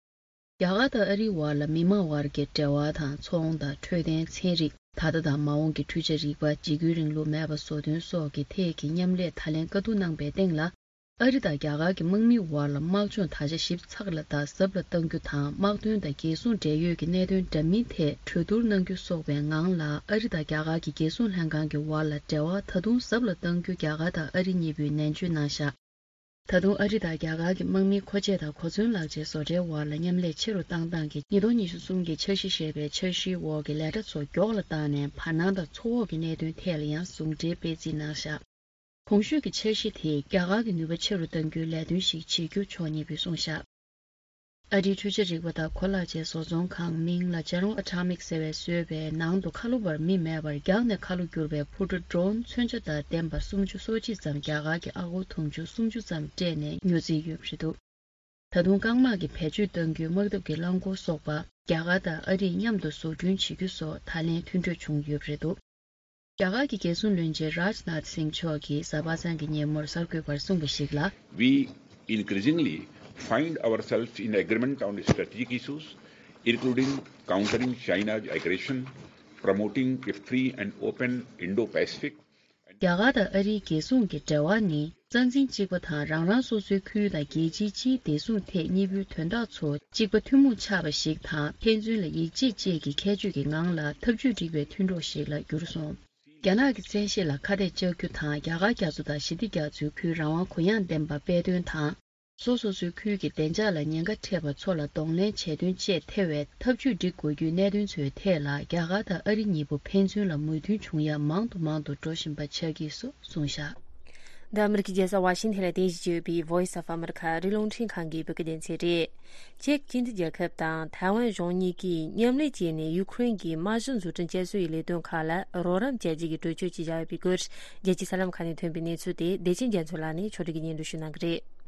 རྒྱ་གར་དང་ཨ་རིའི་བར་ལ་མི་མང་བར་གྱི་འབྲེལ་བ་དང་། ཚོང་དང་འཕྲོད་བསྟེན། ཚན་རིག་ད་ལྟ་དང་མ་འོངས་ཀྱི་འཕྲུལ་ཆས་རིག་པ། འཇིགས་སྐུལ་རིང་ལུགས་མེད་པ་བཟོ་དོན་སོགས་ཀྱི་ཐད་ཀྱི་མཉམ་ལས་ད་ལན་བཀའ་བསྡུར་གནང་པའི་སྟེང་ལ། ཨ་རི་དང་རྒྱ་གར་གྱི་དམག་མིའི་བར་ལ་དམག་སྦྱོང་ད་ཆ་ཞིབ་ཚགས་ལ་དང་ཟབ་ལ་གཏང་རྒྱུ་དང་། དམག་དོན་དང་རྒྱལ་སྲུང་འབྲེལ་ཡོད་ཀྱི་གནད་དོན་འདྲ་མིན་ཐད་གྲོས་བསྡུར་གནང་རྒྱུ་སོགས་པའི་ངང་ལ། ཨ་རི་དང་རྒྱ་གར་གྱི་རྒྱལ་སྲུང་ལྷན་ཁང་གི་བར་ལ་འབྲེལ་བ་ད་དུང་ཟབ་ལ་གཏང་རྒྱུ་རྒྱ་གར་དང་ཨ་རི་གཉིས་པོས་ནན་བརྗོད་གནང་བཞག་ད་དུང་ཨ་རི་དང་རྒྱ་གར་གྱི་དམག་མིའི་མཁོ་ཆས་དང་གོ་མཚོན་ལག་ཆའི་བཟོ་གྲྭའི་བར་ལ་མཉམ་ལས་ཆེ་རུ་བཏང་སྟངས་ཀྱི་ཉིས་སྟོང་ཉི་ཤུ་གསུམ་གྱི་འཆར་གཞི་ཞེས་པའི་འཆར་གཞིའི་འོག་གི་ལས་གྲྭ་ཚོ་མགྱོགས་ལ་བཏང་ནས། བར་སྣང་དང་མཚོ་འོག་གི་གནད་དོན་ཐད་ལ་ཡང་ཟུང་འབྲེལ་སྤེལ་རྩིས་གནང་བཞག་གོང་ཞུས་ཀྱི་འཆར་གཞི་དེས་རྒྱ་གར་གྱི་ནུས་པ་ཆེ་རུ་གཏང་རྒྱུའི་ལས་དོན་ཞིག་བྱེད་རྒྱུ་ཕྱོགས་གཉིས་པོས་གསུངས་བཞག་ཨ་རིའི་འཕྲུལ་ཆས་རིག་པ་དང་གོ་ལག་ཆེད་བཟོ་ཚོང་ཁང་མིང་ལ་ཇ་རོང་ཨ་ཊོ་མིག་ཟེར་བས་བཟོས་པའི་ནང་དུ་ཁ་ལོ་བར་མི་མེད་པར་རྒྱང་ནས་ཁ་ལོ་བསྒྱུར་བའི་འཕུར་གྲུ་ཌོ་རོན་མཚོན་ཆ་དང་ལྡན་པ་སུམ་ཅུ་སོ་གཅིག་ཙམ། རྒྱ་གར་གྱི་ཨ་སྒོར་དུང་ཕྱུར་སུམ་ཅུ་ཙམ་སྤྲད་ནས་ཉོ་རྩིས་ཡོད་པ་རེད་འདུག་ད་དུང་རྐང་དམག་གི་བེད་སྤྱོད་གཏང་རྒྱུའི་དམག་འཐབ་ཀྱི་རླངས་འཁོར་སོགས་པ་རྒྱ་གར་དང་ཨ་རིས་མཉམ་དུ་བཟོ་སྐྲུན་བྱེད་རྒྱུ་སོགས་ད་ལན་མཐུན་གྲོས་བྱུང་ཡོད་པ་རེད་འདུག་རྒྱ་གར་གྱི་རྒྱལ་སྲུང་བློན་ཆེན་རཱཇ་ནཱཐ་སིང་མཆོག་གིས་གཟའ་པ་སངས་ཀྱི་ཉིན་མོར་གསར་འགོད་པར་གསུངས་པ་ཞིག་ལ། We increasingly find ourselves in agreement on strategic issues, including countering China's aggression, promoting a free and open Indo-Pacific, རྒྱ་གར་དང་ཨ་རིའི་རྒྱལ་སྲུང་གི་འབྲེལ་བ་ནི། རྩ་འཛིན་གཅིག་པ་དང་། རང་རང་སོ་སོའི་ཁུལ་དང་རྒྱལ་སྤྱིའི་སྤྱིའི་བདེ་སྲུང་ཐད་གཉིས་པོའི་དོན་དག་ཚོ་གཅིག་པ་ཐུན་མོང་ཆགས་པ་ཞིག་དང་། ཕན་ཚུན་ལ་ཡིད་ཆེས་བཅས་ཀྱི་ཁྱད་ཆོས་ཀྱི་ངང་ལ་འཐབ་ཇུས་སྒྲིག་པའི་མཐུན་གྲོགས་ཤིག་ལ་གྱུར་སོང་། རྒྱ་ནག་གི་བཙན་ཤེད་ལ་ཁ་གཏད་གཅོག་རྒྱུ་དང་། རྒྱ་གར་རྒྱ་མཚོ་དང་ཞི་བདེ་རྒྱ་མཚོའི་ཁུལ་རང་དབང་གུ་ཡངས་ལྡན་པ་སྤེལ་དོན་དང་། སོ་སོ་སོའི་ཁུལ་གྱི་བདེ་འཇགས་ལ་ཉེན་ཁ་འཕྲད་པ་ཚོ་ལ་གདོང་ལེན་བྱེད་དོན་བཅས་ཐེ་བའི་འཐབ་ཇུས་སྒྲིག་དགོས་རྒྱུའི་གནད་དོན་ཚོའི་ཐད་ལ། རྒྱ་གར་དང་ཨ་རི་གཉིས་པོ་ཕན་ཚུན་ལ་མོས་མཐུན་བྱུང་ཡ་མང་དུ་མང་དུ་འགྲོ་བཞིན་པ་ཆགས་ཀྱིས་སོ་གསུངས་བཞག་འདི་ཨ་མི་རི་ཀའི་རྒྱལ་ས་ཝ་ཤིང་ཐན་ལ་རྟེན་གཞི་བྱས་ཡོད་པའི་Voice of America ཨ་རིའི་རླུང་འཕྲིན་ཁང་གི་བོད་སྐད་སྡེ་ཚན་རེད། ཅེཀ་སྤྱི་མཐུན་རྒྱལ་ཁབ་དང་ཐའེ་ཝན་གཞུང་གཉིས་ཀྱིས་མཉམ་ལས་བྱས་ནས་ཡུ་ཁུ་རེན་གྱི་དམག་གཞི་འཛུགས་སྐྲུན་བྱ་སྲོལ་ཡི་ལས་དོན་ཁག་ལ་རོགས་རམ་བྱ་རྒྱུ་གི་གྲོས་ཆོད་ཅིག་བཞག་ཡོད་པའི་སྐོར། རྒྱལ་སྤྱིའི་གསར་ལམ་ཁག་ནས་ཐོན་པའི་གནས་ཚུལ་དེ་བདེ་ཆེན་རྒྱ་མཚོ་ལགས་ནས་ཕྱོགས་སྒྲིག་གིས་སྙན་སྒྲོན་ཞུ་གནང་གི་རེད།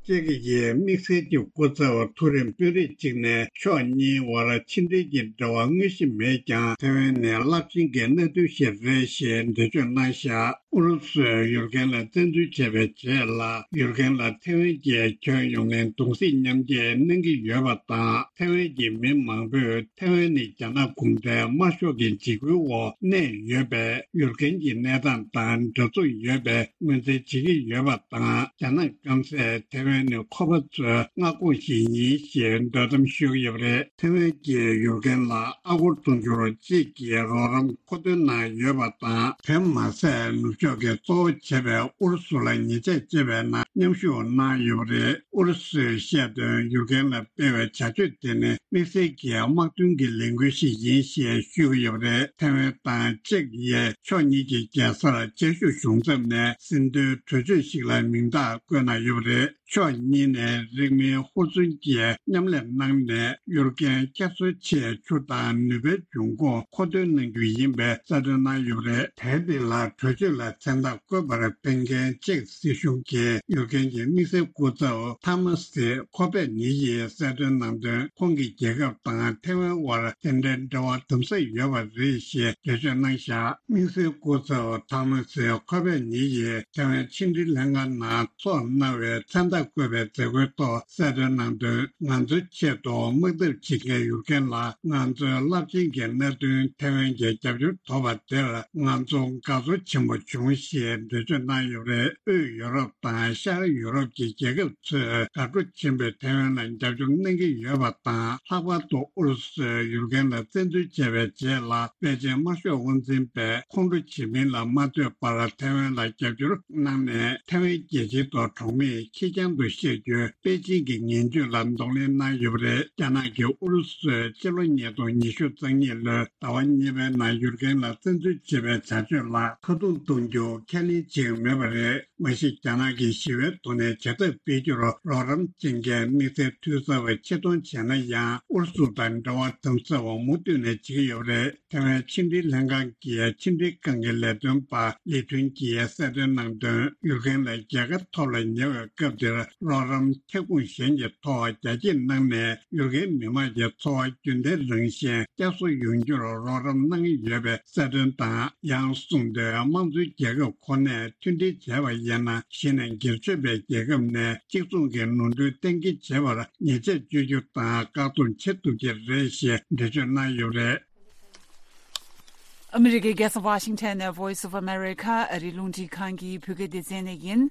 ཅེཀ་གི་དམིགས་བསལ་གྱི་སྐུ་ཚབ་ཐུ་རེམ་དཔོན་རིགས་གཅིག་ནས་ཕྱོགས་གཉིས་བར་ཕྱི་འབྲེལ་གྱི་འབྲེལ་བ་དངོས་གཞི་མེད་ཀྱང་། ཐའེ་ཝན་ནི་རླབས་ཆེན་གྱི་གནད་དོན་ཞིག་རེད་ཞེས་འགྲེལ་བརྗོད་གནང་བཞག་ཨུ་རུ་སུས་ཡུར་ཀེན་ལ་བཙན་འཛུལ་བྱས་པའི་རྗེས་ལ། ཡུར་ཀེན་ལ་ཐེ་ཝན་གྱིས་ཁྱོན་ཡོངས་ནས་གདུང་སེམས་མཉམ་སྐྱེད་གནང་གི་ཡོད་པ་དང་། ཐེ་ཝན་གྱི་མི་མང་པོས་ཐེ་ཝན་ནི་རྒྱ་ནག་གུང་ཁྲན་དམར་ཤོག་གི་འཇིགས་སྐུལ་འོག་གནས་ཡོད་པས། ཡུར་ཀེན་གྱི་གནས་སྟངས་དང་འདྲ་མཚུངས་ཡོད་པའི་ངོས་འཛིན་བྱེད་ཀྱི་ཡོད་པ་དང་། རྒྱ་ནག་སྐམ་སས་ཐེ་ཝན་ནི་ཁོ་པ་ཚོའི་མངའ་ཁོངས་ཤིག་ཡིན་ཞེས་འདོད་གཏམ་ཤོད་ཀྱི་ཡོད་པ་རེད། ཐེ་ཝན་གྱིས་ཡུར་ཀེན་ལ་ཨ་སྒོར་དུང་ཕྱུར་གཅིག་གི་རོགས་རམ་མཁོ་འདོན་གནང་ཡོད་པ་དང་། དེ་མ་ཟད། ནུབ་ཕྱོགས་ཀྱིས་གཙོ་བོ་བྱས་པའི་ཨུ་རུ་སུ་ལ་ཉེས་ཆད་བཅད་པའི་ནང་མཉམ་ཞུགས་གནང་ཡོད་པ་རེད། ཨུ་རུ་སུས་བཤད་དོན། ཡུར་ཀེན་ལ་སྤེལ་བའི་བྱ་སྤྱོད་དེ་ནི་དམིགས་བསལ་གྱི་དམག་དོན་གྱི་ལས་འགུལ་ཞིག་ཡིན་ཞེས་ཞུས་ཡོད་པ་རེད། ཐེ་ཝན་དང་ཅེཀ་ཡིས་ཕྱོགས་གཉིས་ཀྱི་རྒྱལ་སར་ཆེ་ཤོས་གཞུང་ཚབ་ནས་ཟིན་ཐོའི་གྲོས་ཆོད་ཞིག་ལ་མིང་རྟགས་བཀོད་གནང་ཡོད་པ་རེད། ཕྱོགས་གཉིས་ནས་རིང་མིན་ཧུར་བརྩོན་གྱིས་མཉམ་ལས་གནང་ནས། ཡུར་ཀེན་བསྐྱར་གསོའི་ཆེད་ཆུ་དང་ནུས་པའི་འབྱུང་ཁུངས་མཁོ་འདོན་གནང་རྒྱུ་ཡིན་པའི་གསལ་སྟོན་གནང་ཡོད་པ་རེད། དེ་དེ་ལ་གྲོས་ཆོད་ལ་མཚན་རྟགས་བཀོད་པར་ཕེབས་མཁན་ཅེཀ་སྲིད་གཞུང་གི་ཡུར་ཀེན་གྱི་དམིགས་བསལ་སྐུ་ཚབ་ཐ་མ་སི་ཁོ་པེ་ནི་ཡིས་གསལ་སྟོན་གནང་དོན། ཁོང་གི་རྒྱལ་ཁབ་དང་ཐེ་ཝན་དབར་དེ་འདྲའི་འབྲེལ་བ་དམ་ཟབ་ཡོད་པ་རེད་ཞེས་འགྲེལ་བརྗོད་གནང་བཞག་དམིགས་བསལ་སྐུ་ཚབ་ཐ་མ་སི་ཁོ་པེ་ནི་ཡིས་ཐེ་ཝན་ཕྱི་འབྲེལ་ལྷན་ཁང་ནང་ཚོགས་གནང་བའི་མཚན་རྟགས་བཀོད་པའི་མཛད་སྒོའི་ཐོག་གསལ་སྟོན་གནང་དོན། ང་ཚོའི་ཆེད་དུ་དམག་འཐབ་བྱེད་མཁན་ཡུར་ཀེན་ལ་ང་ཚོའི་རླབས་ཆེན་གྱི་མནའ་མཐུན་ཐེ་ཝན་གྱི་རྒྱབ་སྐྱོར་ཐོབ་པ་དེར་ང་ཚོ་དགའ་ཚོར་ཆེན་པོ་བྱུང་ཞེས་འགྲེལ་བརྗོད་གནང་ཡོད་པ་རེད། དབུས་ཡུ་རོབ་དང་ཤར་ཡུ་རོབ་ཀྱི་རྒྱལ་ཁབ་ཚོས་དགའ་སྤྲོ་ཆེན་པོས་ཐེ་ཝན་ལ་རྒྱབ་སྐྱོར་གནང་གི་ཡོད་པ་དང་། ལྷག་པར་དུ་ཨུ་རུ་སུས་ཡུར་ཀེན་ལ་བཙན་འཛུལ་བྱས་པའི་རྗེས་ལ། པེ་ཅིན་དམར་ཤོག་དབང་འཛིན་པས་ཁོང་ཁྲོ་ཇི་མིན་ལ་མ་ལྟོས་པར་ཐེ་ཝན་ལ་རྒྱབ་སྐྱོར་གནང་ནས། ཐེ་ཝན་རྒྱལ་སྤྱིའི་ཐོག་གྲོགས་མེད་ཁེར་རྐྱང་དུ་བཤད་རྒྱུའི་པེ་ཅིན་གྱི་ངན་ཇུས་ལ་གདོང་ལེན་གནང་ཡོད་པ་རེད། རྒྱ་ནག་གིས་ཨུ་རུ་སུས་ཕྱི་ལོ་ཉིས་སྟོང་ཉི་ཤུ་རྩ་གཉིས་ལོའི་ཟླ་བ་གཉིས་པའི་ནང་ཡུར་ཀེན་ལ་བཙན་འཛུལ་བྱས་པའི་བྱ་སྤྱོད་ལ་ཁ་རྡུང་གཏོང་རྒྱུ་ཁས་ལེན་བྱེད་ཀྱི་མེད་པ་རེད། མ་གཞི་རྒྱ་ནག་གིས་ཞི་བའི་ཐོག་ནས་བྱེད་ཐབས་སྤེལ་རྒྱུར་རོགས་རམ་བྱེད་མཁན་དམིགས་བསལ་འཐུས་ཚབ་པ་ཆེད་གཏོང་བྱས་ན་ཡང་། ཨུ་རུ་སུ་དང་འབྲེལ་བ་དམ་ཟབ་མུ་མཐུད་ནས་བྱེད་ཀྱི་ཡོད་པ་རེད། ཐེ་ཝན་ཕྱི་འབྲེལ་ལྷན་ཁང་གི་ཕྱི་འབྲེལ་ཁང་གི་ལས་དོན་པ་ལི་ཐུན་གྱིས་གསལ་སྟོན་གནང་དོན། ཡུར་ཀེན་ལ་རྒྱལ་ཁ་ཐོབ་ལ་ཉེ་བའི་སྐབས་འདིར་རོགས་རམ་ཁྱབ་ཁོངས་གཞན་གྱི་ཐོག་རྒྱ་སྐྱེད་གནང་ནས། ཡུར་ཀེན་མི་དམངས་ཀྱི་འཚོ་བ་རྒྱུན་ལྡན་རང་བཞིན་བསྐྱར་གསོ་ཡོང་རྒྱུར་རོགས་རམ་གནང་ཡོད་པའི་གསལ་སྟོན་དང་། ཡང་གསུངས་དོན། དམངས་གཙོའི་རྒྱལ་ཁབ་ཁོ་ནས་མཐུན་སྒྲིལ་བྱས་པ་ཡིན་ན། གཞི་ནས་སྒེར་གཅོད་པའི་རྒྱལ་ཁབ་ནས་གཅིག་མཚུངས་ཀྱི་ནོར་འཁྲུལ་གཏན་འཁེལ་བྱེད་པར་ཉེས་ཆད་གཅོད་རྒྱུ་དང་བཀག་སྡོམ་བྱེད་ཐུབ་ཀྱི་རེད་ཞེས་འགྲེལ་བརྗོད་གནང་ཡོད་པ་རེད། ཨ་མི་རི་ཀའི་རྒྱལ་ས་ཝ་ཤིང་ཊོན་ནས་Voice of America ཨ་རིའི་རླུང་འཕྲིན་ཁང་གི་བོད་སྐད་སྡེ་ཚན་ནས་ཡིན།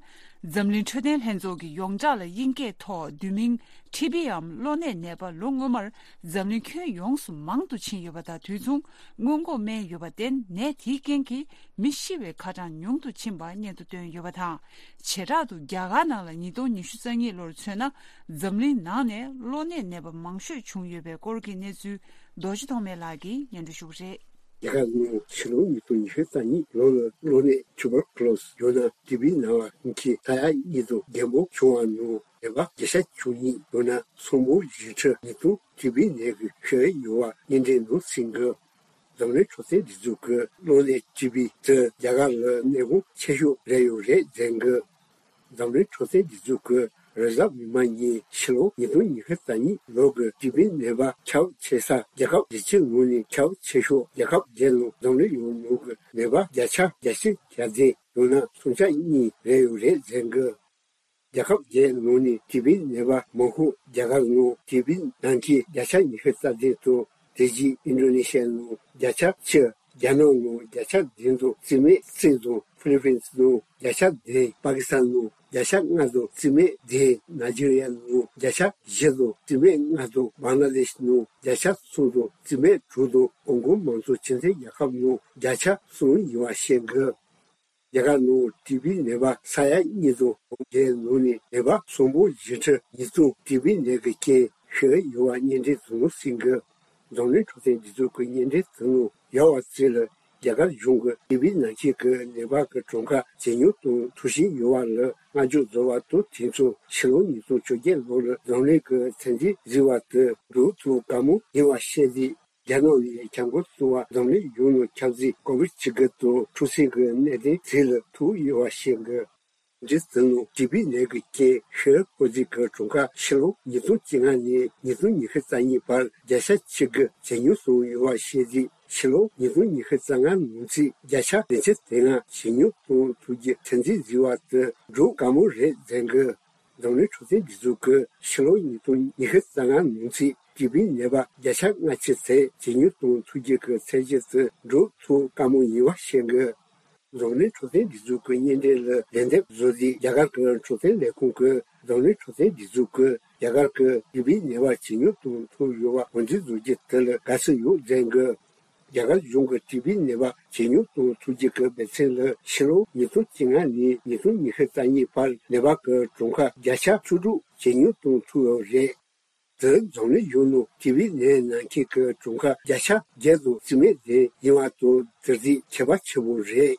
འཛམ་གླིང་འཕྲོད་བསྟེན་ལྷན་ཚོགས་ཀྱི་ཡོངས་གྲགས་ལ་དབྱིན་སྐད་ཐོག་བསྡུས་མིང་ཊི་བི་འམ་གློ་ནད་ནད་པ་ལོ་སྔོན་མར་འཛམ་གླིང་ཁྱོན་ཡོངས་སུ་མང་དུ་ཕྱིན་ཡོད་པ་དང་། དུས་མཚུངས་སྔོན་འགོག་སྨན་ཡོད་པར་བརྟེན། ནད་དེའི་རྐྱེན་གྱིས་མི་ཤི་བའི་ཁ་གྲངས་ཉུང་དུ་ཕྱིན་པ་སྙན་ཐོ་བཏོན་ཡོད་པ་དང་། བྱེ་བྲག་ཏུ་རྒྱ་གར་ནང་ལ་ཉིས་སྟོང་ཉི་ཤུ་རྩ་གཉིས་ལོར་མཚོན་ན། འཛམ་གླིང་ནང་ནས་གློ་ནད་ནད་པ་མང་ཤོས་བྱུང་ཡོད་པའི་སྐོར་གྱི་གནས་ཚུལ། རྡོ་རྗེ་ཐོགས་མེད་ལགས་ཀྱིས་སྙན་སྒྲོན་ཞུ་གི་རེད། རྒྱ་གར་ནང་ཕྱི་ལོ་ཉིས་སྟོང་ཉི་ཤུ་རྩ་གཉིས་ལོ་ལ་གློ་ནད་ཊུ་བར་ཀུ་ལོ་སི་ཡང་ན་ཊི་བི་ན་བ་གི་ས་ཡ་གཉིས་དང་ལྡན་པ་བྱུང་བ་ནང་ནད་པ་བརྒྱ་ཆ་བཅུ་གཉིས་ཡང་ན་ཚོང་པ་བཞི་ཁྲི་ཉིས་སྟོང་ཊི་བི་ནད་ཀྱིས་ཤི་ཡོད་པ་སྙན་འགྲེལ་ནང་གསན་གི། འཛམ་གླིང་འཕྲོད་བསྟེན་སྒྲིག་འཛུགས་ཀྱིས་གློ་ནད་ཊི་བི་དེ་རྒྱ་གར་ལ་ནད་དུག་ཆེ་ཤོས་རེད་ཡོད་རེད་ཟེར་གི། འཛམ་གླིང་འཕྲོད་བསྟེན་སྒྲིག་འཛུགས་ཀྱི་རེས་གཟའ་མིག་དམར་ཉིན་ཕྱི་ལོ་ཉིས་སྟོང་ཉི་ཤུ་རྩ་གཉིས་ལོ་གི་ཊི་བི་ནད་པ་ཁྱབ་ཆེ་ས་རྒྱལ་ཁབ་བཞི་བཅུ་ནང་ནས་ཁྱབ་ཆེ་ཤོས་རྒྱལ་ཁབ་བརྒྱད་ནང་འཛམ་གླིང་ཡོངས་ནང་གི་ནད་པ་བརྒྱ་ཆ་བརྒྱད་ཅུ་གྱ་བདུན་ཡང་ན་སུམ་ཆ་གཉིས་རེད་ཡོད་རེད་ཟེར་གི། རྒྱལ་ཁབ་བརྒྱད་ནང་ནས་ཊི་བི་ནད་པ་མང་ཤོས་རྒྱ་གར་ནང་ཊི་བི་ནང་ཁྱི་བརྒྱ་ཆ་ཉི་ཤུ་རྩ་བདུན་དང་། དེ་རྗེས་ཨིན་ཌོ་ནེ་ཤི་ཡ་ནང་བརྒྱ་ཆ་བཅུ། རྒྱ་ནག་ནང་བརྒྱ་ཆ་བདུན་དང་། རྩིས་མེད་གསུམ་དང་། ཕི་ལི་པིན་ནང་བརྒྱ་ཆ་བདུན། པ་ཀི་སི་ཐན་ནང་བརྒྱ་ཆ་ལྔ་དང་རྩིས་མེད་བདུན། ནཱི་ཇི་རི་ཡ་ནང་བརྒྱ་ཆ་བཞི་དང་རྩིས་མེད་ལྔ་དང་། བང་ལ་དེཤ་ནང་བརྒྱ་ཆ་གསུམ་དང་རྩིས་མེད་དྲུག་དང་། ཧོང་ཀོང་མང་གཙོ་སྤྱི་མཐུན་རྒྱལ་ཁབ་ནང་བརྒྱ་ཆ་གསུམ་ཡིན་པ་བཤད་འདུག་རྒྱ་གར་ནང་ཊི་བི་ནད་པ་ས་ཡ་གཉིས་དང་ལྡན་ནང་ནས་ནད་པ་སུམ་སྟོང་བཞི་ཁྲི་ཉིས་སྟོང་ཊི་བི་ནད་ཀྱི་རྐྱེན་ཤི་ཡོད་པ་སྙན་འགྲེལ་དུ་གསན་གི། འཛམ་གླིང་འཕྲོད་བསྟེན་སྒྲིག་འཛུགས་ཀྱི་སྙན་འགྲེལ་དུ་ཡོད་པ་ཚོ་ལ་རྒྱ་གར་གཞུང་གིས་ཊི་བི་ནང་ཁྱི་གི་ནད་པ་གི་གྲངས་ཀ་ཇེ་ཉུང་དུ་འགྲོ་བཞིན་ཡོད་པ་ལ་བསྔགས་བརྗོད་བཟོ་བ་དང་། དེ་མཚུངས་ཕྱི་ལོ་ཉིས་སྟོང་བཅོ་བརྒྱད་ལོར་འཛམ་གླིང་གི་ཚན་རིག་རིག་པ་དེ་འགྲོ་ཐུག་དགའ་མོ་ཡིན་པ་བཤད་དེ། རྒྱ་ནག་ནས་ཁྱབ་འགོ་བཙུགས་པ་འཛམ་གླིང་ཡོངས་ནང་ཁྱབ་ཚད་ཀོ་བིཌ་བཅུ་དགུ་དང་འཁྲུག་ཟིང་གི་གནད་དོན་དེ་ལ་ཐུག་ཡོད་པ་བཤད་འདུག་འདི་ཟིན་ལོ་ཊི་བི་ནད་ཀྱི་རྐྱེན་ཧེ་ཧོ་ཟི་གི་གྲོང་ཁ་ཕྱི་ལོ་ཉིས་སྟོང་བཅོ་ལྔ་ནས་ཉིས་སྟོང་ཉི་ཤུ་རྩ་གཉིས་བར་བརྒྱ་ཆ་གཅིག་གི་ཇེ་ཉུང་སོང་ཡོད་པ་བཤད་རྗེས། ཕྱི་ལོ་ཉིས་སྟོང་ཉི་ཤུ་རྩ་ལྔ་ནང་ཚུད་བརྒྱ་ཆ་བདུན་ཅུ་དོན་ལྔ་ཇེ་ཉུང་གཏོང་ཐུབ་རྒྱུ་ཚོད་འཛིན་བཟོས་པ་དེ་འགྲོ་དཀའ་མོ་རེད་ཟེར་གི། འཛམ་གླིང་འཕྲོད་བསྟེན་སྒྲིག་འཛུགས་ཀྱིས་ཕྱི་ལོ་ཉིས་སྟོང་ཉི་ཤུ་རྩ་ལྔ་ནང་ཚུད་ཊི་བི་ནད་པ་བརྒྱ་ཆ་ལྔ་བཅུ་ཙམ་ཇེ་ཉུང་གཏོང་ཐུབ་རྒྱུ་གི་ཚད་གཞི་དེ་འགྲོ་ཐུབ་དཀའ་མོ་ཡིན་པ་བཤད་གི། འཛམ་གླིང་འཕྲོད་བསྟེན་སྒྲིག་འཛུགས་ཀྱི་བརྙན་འཕྲིན་ལ་ལན་འདེབས་བཟོ་རྗེས། རྒྱ་གར་གྱི་འཕྲོད་བསྟེན་ལས་ཁུངས་ཀྱིས་འཛམ་གླིང་འཕྲོད་བསྟེན་སྒྲིག་འཛུགས་ཀྱིས་རྒྱ་གར་གྱི་ཊི་བི་ནད་པ་ཇེ་ཉུང་གཏོང་ཐུབ་ཡོད་པ་ངོས་འཛིན་བཟོ་རྒྱུ་དེ་ལ་དགའ་བསུ་ཡོད་ཟེར་གི། རྒྱ་གར་གཞུང་གིས་ཊི་བི་ནད་པ་ཇེ་ཉུང་གཏོང་ཐུབ་རྒྱུ་གི་འབད་བརྩོན་ལ་ཕྱི་ལོ་ཉིས་སྟོང་བཅོ་ལྔ་ནས་ཉིས་སྟོང་ཉི་ཤུ་རྩ་གཉིས་བར་ནད་པ་གི་གྲངས་ཀ་བརྒྱ་ཆ་བཅུ་དྲུག་ཇེ་ཉུང་གཏོང་ཐུབ་ཡོད་རེད། དེ་འཛམ་གླིང་ཡུལ་ནང་ཊི་བི་ནད་ན་མཁན་གྱི་གྲངས་ཀ་བརྒྱ་ཆ་བརྒྱད་དང་རྩིས་མེད་ལྡན་ཡིན་པ་དང་དེ་གཟིགས་ཁྱད་པར་ཆེན་པོ་རེད།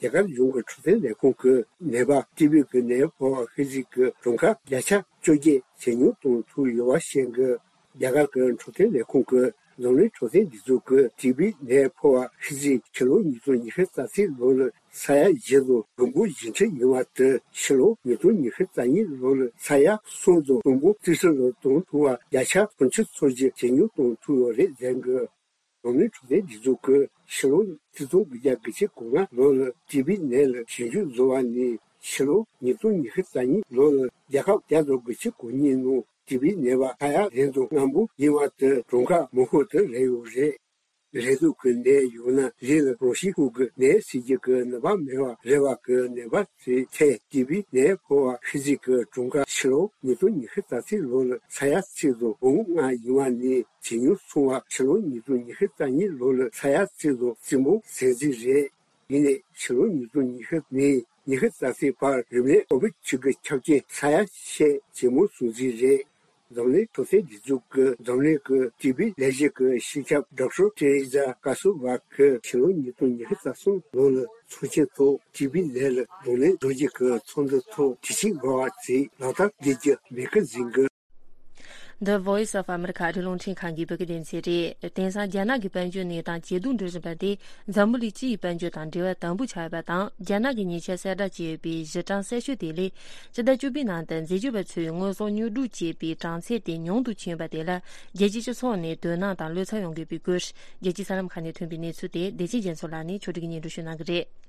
རྒྱ་གར་གཞུང་གི་འཕྲོད་བསྟེན་ལས་ཁུངས་ཀྱིས་ནད་པ་ཊི་བི་གི་ནད་ཕོག་པ་ཤི་གཟིགས་ཀྱི་གྲངས་ཀ་བརྒྱ་ཆ་བཅོ་བརྒྱད་ཇེ་ཉུང་གཏོང་ཐུབ་ཡོད་པ་བཤད་འདུག་རྒྱ་གར་གྱི་འཕྲོད་བསྟེན་ལས་ཁུངས་ཀྱིས་འཛམ་གླིང་འཕྲོད་བསྟེན་སྒྲིག་འཛུགས་ཀྱིས་ཊི་བི་ནད་ཕོག་པ་ཤི་གཟིགས་ཕྱི་ལོ་ཉིས་སྟོང་ཉི་ཤུ་རྩ་གཅིག་ལོ་ལ་ས་ཡ་བཞི་དང་དགུ་འབུམ་བཞི་ཁྲི་ཡིན་པ་དེ་ཕྱི་ལོ་ཉིས་སྟོང་ཉི་ཤུ་རྩ་གཉིས་ལོ་ལ་ས་ཡ་གསུམ་དང་དགུ་འབུམ་རྩིས་ཁྲི་ལ་གཏོང་ཐུབ་པ་བརྒྱ་ཆ་སུམ་ཅུ་སོ་བཞི་ཇེ་ཉུང་གཏོང་ཐུབ་ཡོད་རེད་ཟེར་འདུག་འཛམ་གླིང་འཕྲོད་བསྟེན་སྒྲིག་འཛུགས་ཀྱིས་ཕྱི་ལོ་ཆིག་སྟོང་དགུ་བརྒྱ་དགུ་བཅུ་གོ་ལྔ་ལོ་ལ་ཊི་བི་ནད་ལ་ཞིབ་འཇུག་བཟོ་བ་ནས་ཕྱི་ལོ་ཉིས་སྟོང་ཉི་ཤུ་རྩ་གཉིས་ལོ་ལ་རྒྱལ་ཁབ་བརྒྱ་དང་དགུ་བཅུ་གོ་གཉིས་ནང་ཊི་བི་ནད་པ་ས་ཡ་བདུན་དང་ལྔ་འབུམ་ཡིན་པ་དེ་གྲངས་ཀ་མང་ཤོས་དེ་རེད་ཡོད་རེད། རེག་དུག་གི་ནད་ཡོད་ན་ལུས་ལ་རང་བཞིན་ཕུག་གི་ནད་སེལ་རྒྱུ་གི་ནུས་པ་མེད་པ་རེད་བ་གི་ནད་པ་ཚོའི་ཐད་ཊི་བི་ནད་ཕོག་པ་ཤི་གཟིགས་ཀྱི་གྲངས་ཀ་ཕྱི་ལོ་ཉིས་སྟོང་ཉི་ཤུ་རྩ་གཅིག་ལོ་ལ་ས་ཡ་གཅིག་དང་འབུམ་ལྔ་ཡིན་པ་ནས་ཇེ་ཉུང་སོང་བ་ཕྱི་ལོ་ཉིས་སྟོང་ཉི་ཤུ་རྩ་གཉིས་ལོ་ལ་ས་ཡ་གཅིག་དང་རྩིས་འབུམ་ཟེར་རྩིས་རེད། ཡིན་ནའི་ཕྱི་ལོ་ཉིས་སྟོང་ཉི་ཤུ་ནས་ཉི་ཤུ་རྩ་གཅིག་བར་རིམས་ནད་ཀོ་བིད་བཅུ་དགུ་ཁྱབ་རྐྱེན་ས་ཡ་ཕྱེད་ཇེ་མང་སོང་རྩིས་རེད། འཛམ་གླིང་འཕྲོད་བསྟེན་སྒྲིག་འཛུགས་ཀྱི་འཛམ་གླིང་གི་ཊི་བི་ལས་གཞི་གི་སྤྱི་ཁྱབ་ཌོག་ཊར་ཏེ་རེ་ཛ་ཀ་སུ་ཝ་གིས་ཕྱི་ལོ་ཉིས་སྟོང་ཉི་ཤུ་རྩ་གསུམ་ལོ་ལ་ཚོགས་ཆེན་ཐོག་ཊི་བི་ནད་ལ་གདོང་ལེན་བཟོ་རྒྱུ་གི་ཚོགས་འདུ་ཐོག་དྲི་ཞིམ་འབར་བ་ཅིག་ལག་བསྟར་བྱེད་རྒྱུ་མེད་ཀི་ཟིན་གི། The Voice of America ཨ་རིའི་རླུང་འཕྲིན་ཁང་གི་བོད་སྐད་སྡེ་ཚན་རེད། དེང་སང་རྒྱ་ནག་གི་དཔལ་འབྱོར་གནས་སྟངས་ཇེ་སྡུག་འགྲོ་བཞིན་པ་དེ་འཛམ་བུ་གླིང་སྤྱི་ཡི་དཔལ་འབྱོར་དང་འབྲེལ་བ་དམ་པོ་ཆགས་ཡོད་པ་དང་། རྒྱ་ནག་གི་ཉེས་ཆད་གསལ་བསྒྲགས་བྱས་ཡོད་པའི་གཞི་གྲངས་གསལ་ཤོས་དེ་ལས། སྤྱི་ཟླ་བཅུ་པའི་ནང་དུ་འཛད་སྤྱོད་པ་ཚོས་དངོས་ཟོག་ཉོ་སྒྲུབ་བྱས་པའི་གྲངས་ཚད་དེ་ཉུང་དུ་ཕྱིན་པ་དེ་ལ་རྒྱལ་སྤྱིའི་སྤྱི་ཚོགས་ནས་དོ་སྣང་དང་བློ་འཚབ་ཡོང་དགོས་པའི་སྐོར། རྒྱལ་སྤྱིའི་གསར་ལམ་ཁག་ནས་ཐོན་པའི་གནས་ཚུལ་དེ་བདེ་ཆེན་རྒྱ་མཚོ་ལགས་ནས་ཕྱོགས་སྒྲིག་གིས་སྙན་སྒྲོན་ཞུ་གནང་གི་རེད།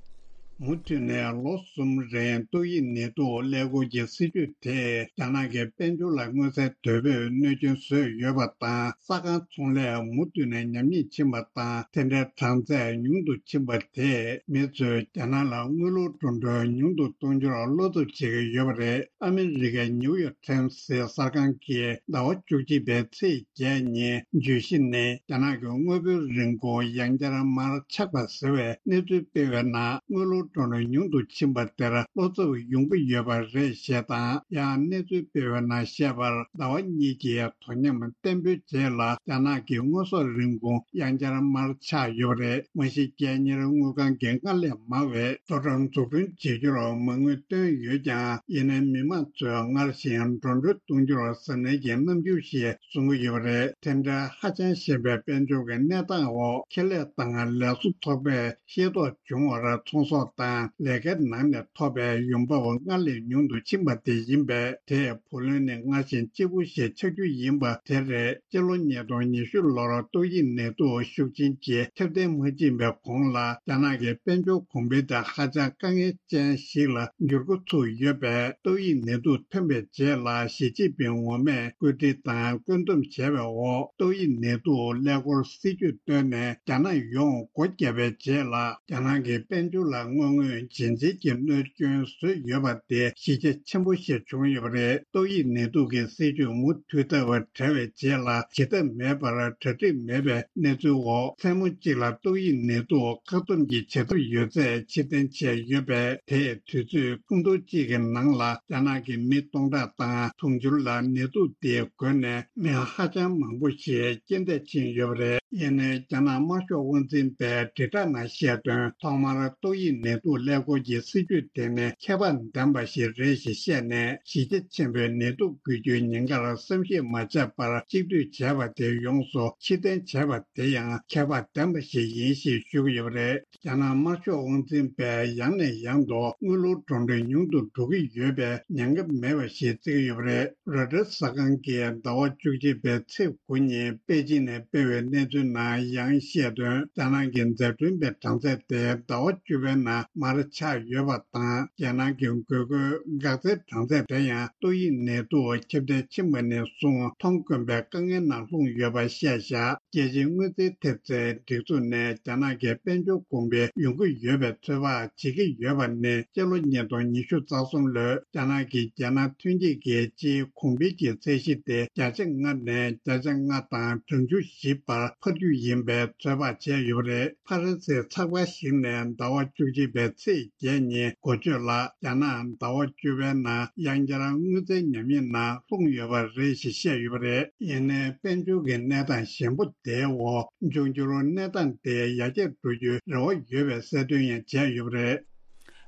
མུ་མཐུད་ནས་ལོ་གསུམ་རིང་ཏོག་དབྱིབས་ནད་དུག་ཀླད་ཀོར་གྱི་སྲིད་ཇུས་དེས་རྒྱ་ནག་གི་དཔལ་འབྱོར་ལ་མངོན་གསལ་དོད་པོས་གནོད་སྐྱོན་བཟོས་ཡོད་པ་དང་། ས་ཁང་ཚོང་ལས་མུ་མཐུད་ནས་ཉམས་ཉེས་ཕྱིན་པ་དང་། དེ་འདྲའི་གྲངས་ཚད་ཉུང་དུ་ཕྱིན་པ་དེས་མི་ཚོས་རྒྱ་ནག་ལ་དངུལ་ལོར་འགྲོ་གྲོན་ཉུང་དུ་གཏོང་རྒྱུར་བློ་འཚབ་བྱེད་ཀྱི་ཡོད་པ་རེད། ཨ་མི་རི་ཀའི་ནིའུ་ཡོག་ཊའིམ་སི་གསར་ཁང་གིས་ཟླ་བ་བཅུ་གཅིག་པའི་ཚེས་བརྒྱད་ཉིན་བརྗོད་གཞི་ནི། རྒྱ་ནག་གི་དངོས་པོའི་རིན་གོང་ཡང་བསྐྱར་མར་ཆག་པ་ཟེར་བའི་གནས་ཚུལ་སྤེལ་བའི་ནང་། དངུལ་ལོར་འགྲོ་གྲོན་ཉུང་དུ་ཕྱིན་པ་དེར་བློ་འཚབ་ཡོང་གི་ཡོད་པ་རེད་ཞེས་དང་། ཡང་གནས་ཚུལ་སྤེལ་བའི་ནང་བཤད་པར། ཟླ་བ་གཉིས་ཀྱི་དོ་མཉམ་བརྟན་པོའི་རྗེས་ལ། རྒྱ་ནག་གི་དངོས་ཟོག་རིན་གོང་ཡང་བསྐྱར་མར་ཆག་ཡོད་པ་རེད། མ་གཞི་རྒྱལ་གཉེར་དངུལ་ཁང་གིས་སྔར་ལས་མང་བའི་དོ་དམ་འཛུགས་སྐྲུན་བྱེད་རྒྱུར་མ་དངུལ་བཏོན་ཡོད་ཀྱང་། ཡིན་ནའི་མི་མང་ཚོས་སྔར་བཞིན་འགྲོ་གྲོན་གཏོང་རྒྱུར་གཟབ་ནན་གྱི་རྣམ་འགྱུར་ཞིག་བཟུང་གི་ཡོད་པ་རེད། དེ་འདྲའི་ཧ་ཅང་ཞན་པའི་དཔལ་འབྱོར་གྱི་གནས་སྟངས་འོག་ཁེ་ལས་དང་ལས་བཟོ་ཚོགས་པས་ཤེས་རྟོགས་བྱུང་བར། ཚོང་ཟོག་དང་ལས་ཀའི་ནང་ནས་ཐོབ་པའི་ཡོང་འབབ་སྔར་ལས་ཉུང་དུ་ཕྱིན་པ་དེ་ཡིན་པས། དེས་བུ་ལོན་ནི་སྔར་བཞིན་གཅིག་པུ་ཞིག་ཆགས་རྒྱུ་ཡིན་པ་དེ་རེད། སྤྱི་ལོ་ཉིས་སྟོང་ཉི་ཤུ་ལོར་ཏོག་དབྱིབས་ནད་དུག་ཤུགས་ཆེན་གྱིས་ཁྱབ་གདལ་མ་ཕྱིན་པའི་གོང་ལ། རྒྱ་ནག་གི་དཔལ་འབྱོར་གོང་འཕེལ་དེ་ཧ་ཅང་དཀའ་ངལ་ཅན་ཞིག་ལ་འགྱུར་འགོ་ཚུགས་ཡོད་པས། ཏོག་དབྱིབས་ནད་དུག་ཐོན་པའི་རྗེས་ལ་ཞི་ཅིན་ཕིང་ངོ་མས་བཀོད་སྒྲིག་དང་བཀོད་འདོམས་བྱས་པའི་འོག་ཏོག་དབྱིབས་ནད་དུག་ཀླད་ཀོར་སྲིད་ཇུས་བཏོན་ནས། རྒྱ་ནག་ཡོངས་སྒོ་བརྒྱབ་པའི་རྗེས་ལ། རྒྱ་ནག་གི་དཔལ་འབྱོར་ལ་དངོས་དངོས་རྗེན་རྗེན་གྱི་གནོད་སྐྱོན་བཟོས་ཡོད་པ་དེ་གཞི་རྒྱ་ཆེན་པོ་ཞིག་བྱུང་ཡོད་པ་རེད། ཏོག་དབྱིབས་ནད་དུག་གི་སྲིད་ཇུས་མུ་མཐུད་ཐབས་བྲལ་བའི་རྗེས་ལ། བྱེད་ཐབས་མེད་པར་གྲ་སྒྲིག་མེད་པའི་གནས་ཚུལ་འོག་མཚན་མོ་གཅིག་ལ་ཏོག་དབྱིབས་ནད་དུག་བཀག་སྡོམ་གྱི་བྱེད་ཐབས་ཡོད་ཚད་ཕྱིར་འཐེན་བྱས་ཡོད་པས། དེས་དུས་ཚོད་ཐུང་ཐུང་གཅིག་གི་ནང་ལ་རྒྱ་ནག་གི་མི་སྟོང་ཕྲག་དང་དུང་ཕྱུར་ལ་ནད་དུག་དེས་འགོས་ནས། མི་ཧ་ཅང་མང་པོ་ཞིག་རྐྱེན་འདས་ཕྱིན་ཡོད་པ་རེད། ཡིན་ནའི་རྒྱ་ནག་དམར་ཤོག་དབང་འཛིན་པས་དྲིལ་བསྒྲགས་ནང་བཤད་དོན། ཐོག་མར་ཏོག་དབྱིབས་ནད་ ནད་དུག་ཀླད་ཀོར་གྱི་སྲིད་ཇུས་དེ་ནི་ཁྱད་པར་ལྡན་པ་ཞིག་རེད་ཞེས་བཤད་ནས། གཞི་རྒྱ་ཆེན་པོས་ནད་དུག་འགོས་རྒྱུའི་ཉེན་ཁར་བསམ་གཞིག་མ་བྱས་པར་གཅིག་སྡུད་བྱས་པ་དེ་ཡོངས་སུ་ཕྱིར་འཐེན་བྱས་པ་དེ་ཡང་ཁྱད་པར་ལྡན་པ་ཞིག་ཡིན་ཞེས་ཞུ་གི་ཡོད་པ་རེད། རྒྱ་ནག་དམར་ཤོག་དབང་འཛིན་པས་ཡང་ནས་ཡང་དུ་དངུལ་ལོར་གྲོན་འགྲོས་ཉུང་དུ་འགྲོ་གི་ཡོད་པས་ཉེན་ཁ་མེད་པ་ཞིག་བརྩི་གི་ཡོད་པ་རེད། རོའི་ཊར་གསར་ཁང་གིས་ཟླ་བ་བཅུ་གཅིག་པའི་ཚེས་དགུ་ཉིན་པེ་ཅིན་ནས་སྤེལ་བའི་གནས་ཚུལ་ནང་ཡང་བཤད་དོན། རྒྱ་ནག་གི་མཛའ་མཐུན་པའི་གྲངས་ཚད་དེ་ཟླ་བ་བཅུ་པའི་ནང་མར་ཆག་ཡོད་པ་དང་། རྒྱལ་ནང་གི་དགོས་མཁོའི་འགག་རྩའི་གྲངས་ཚད་དེ་ཡང་ཏོག་དབྱིབས་ནད་དུག་ཁྱབ་གདལ་ཕྱིན་པ་ནས་བཟུང་མཐོང་དཀོན་པའི་དཀའ་ངལ་ནང་ལྷུང་ཡོད་པ་བཤད་བཞག་རྒྱལ་སྤྱིའི་དངུལ་རྩིས་ཐེབས་རྩའི་སྒྲིག་འཛུགས་ནས་རྒྱ་ནག་གི་དཔལ་འབྱོར་གོང་འཕེལ་ཡོང་གི་ཡོད་པའི་ཚོད་དཔག་བྱེད་ཀྱི་ཡོད་པ་ནི་སྤྱི་ལོ་ཉིས་སྟོང་ཉི་ཤུ་རྩ་གསུམ་ལོའི་རྒྱ་ནག་གི་རྒྱལ་ནང་ཐོན་སྐྱེད་ཀྱི་སྤྱིའི་གོང་འཕེལ་གྱི་ཚད་གཞི་དེ་བརྒྱ་ཆ་ལྔ་ནས་བརྒྱ་ཆ་ལྔ་དང་གྲངས་ཆུང་བཞི་བར་འཕར་རྒྱུ་ཡིན་པའི་ཚོད་དཔག་བྱས་ཡོད་པ་རེད། ཕ་རན་སིའི་ཚགས་པར་ཞིག་ནས་ཟླ་བ་བཅུ་གཅིག་པའི་ཚེས་བརྒྱད་ཉིན་འགོ་བརྗོད་ལ། རྒྱ་ནག་ཟླ་བ་བཅུ་པའི་ནང་ཡང་བསྐྱར་དངུལ་རྩའི་ཉམས་ཉེས་ནང་ལྷུང་ཡོད་པ་རེད་ཞེས་བཤད་ཡོད་པ་རེད། ཡིན་ནའི་དཔལ་འབྱོར་གྱི་གནས་སྟངས་ཞན་པོ་དེའི་འོག་འབྱུང་འགྱུར་གནས་སྟངས་དེ་ཡར་རྒྱས་འགྲོ་རྒྱུའི་རེ་བ་ཡོད་པའི་གསལ་སྟོན་ཡང་བྱས་ཡོད་པ་རེད།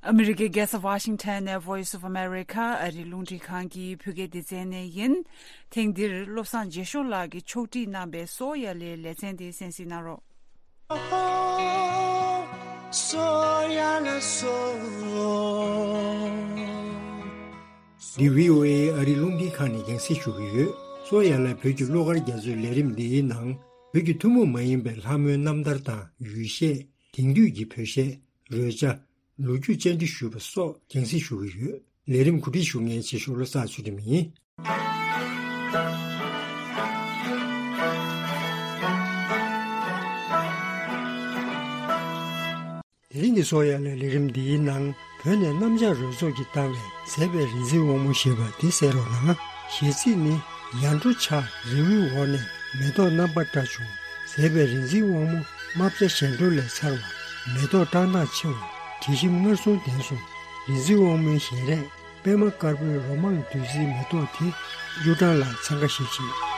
ཨ་མི་རི་ཀའི་རྒྱལ་ས་ཝ་ཤིང་ཊོན་ནས་Voice of America ཨ་རིའི་རླུང་འཕྲིན་ཁང་གི་བོད་སྐད་སྡེ་ཚན་ནས་ཡིན། ཐེངས་འདིར་བློ་བཟང་རྒྱལ་ཤོར་ལགས་ཀྱིས་ཕྱོགས་སྒྲིག་གནང་པའི་སོ་ཡ་ལའི་ལེ་ཚན་དེ་གསན་གཟིགས་གནང་རོགས། འདི་བྷི་ཨོ་ཨེ་ཨ་རིའི་རླུང་འཕྲིན་ཁང་ནས་རྒྱང་སྲིང་ཞུ་གི་ཡོད། སོ་ཡ་ལ་བོད་ཀྱི་གླུ་གར་རྒྱ་མཚོའི་ལས་རིམ་འདིའི་ནང་བོད་ཀྱི་ཐུན་མོང་མ་ཡིན་པའི་ལྷ་མོའི་རྣམ་ཐར་དང་ཡུལ་གཞས། དེང་དུས་ཀྱི་བོད་གཞས། རོལ་ཆ། ལོ་རྒྱུས་བཅར་འདྲི་ཞུས་པ་སོགས་རྒྱང་སྲིང་ཞུ་གི་ཡོད། ལས་རིམ་གོ་སྒྲིག་ཞུ་མཁན་ཆེ་ཤོས་བློ་བཟང་ཚུལ་ཁྲིམས་ཡིན། དེ་རིང་གི་སོ་ཡ་ལའི་ལས་རིམ་འདིའི་ནང་བོད་ནས་གནམ་ལྕགས་རོལ་ཚོགས་ཀྱིས་བཏང་བའི་མཛེས་པའི་རིག་འཛིན་དབང་མོ་ཞེས་པ་འདི་གསན་རོགས་གནང་། གཞས་ཚིག་ནི། ཡར་འགྲོ་བྱ། རི་བོའི་འོག་ནས་མེ་ཏོག་རྣམ་པར་བཀྲ་བྱུང་། མཛེས་པའི་རིག་འཛིན་དབང་མོ་རྨ་བྱ་གཞན་འགྲོ་ལས་མཚར་བ། མེ་ཏོག་བཀྲག་མདངས་ཆེ་བ། དྲི་ཞིམ་མངར་གསུམ་ལྡན་སོང་། རིག་འཛིན་དབང་མོའི་བཞིན་རས། པད་མ་དཀར་པོའི་ལོ་མང་བདུད་རྩིའི་མེ་ཏོག་དེ་གཡུ་སྦྲང་ལ་འཚང་ཁ་ཤིག་བྱེད།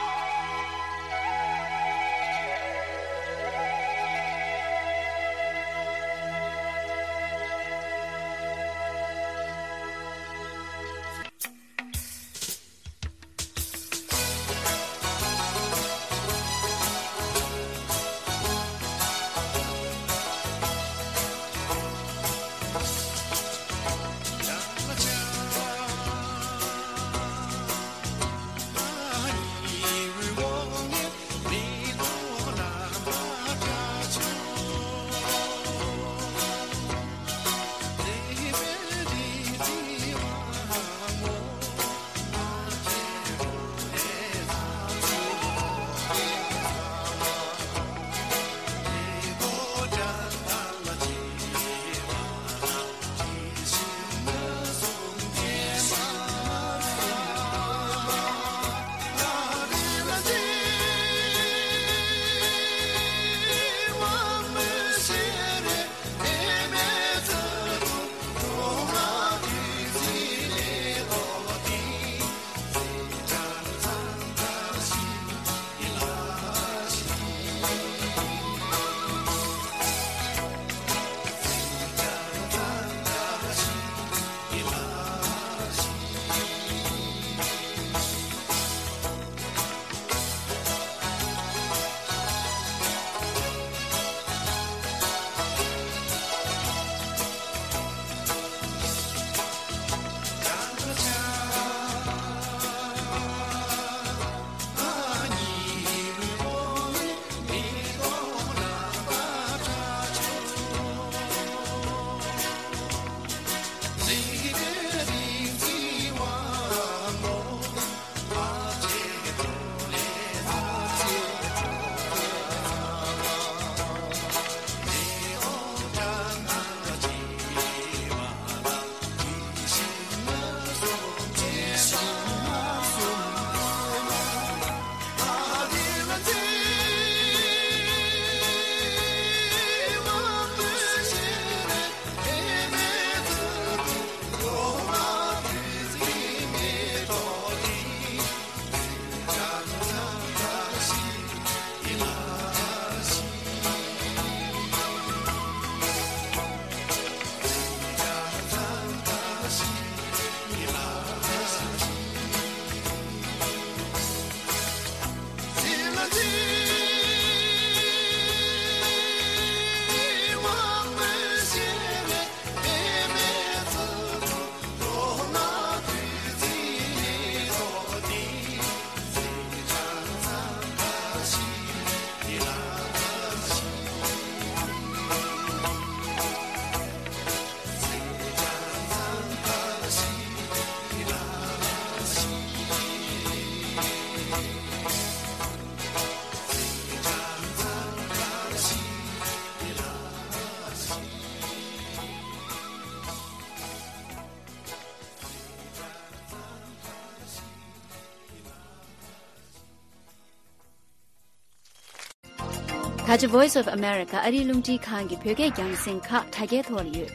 ད་ཆ་Voice of America ཨ་རིའི་རླུང་འཕྲིན་ཁང་གི་བོད་སྐད་རྒྱང་སྲིང་ཁག་དྲ་རྒྱའི་ཐོག་ལ་ཡོད།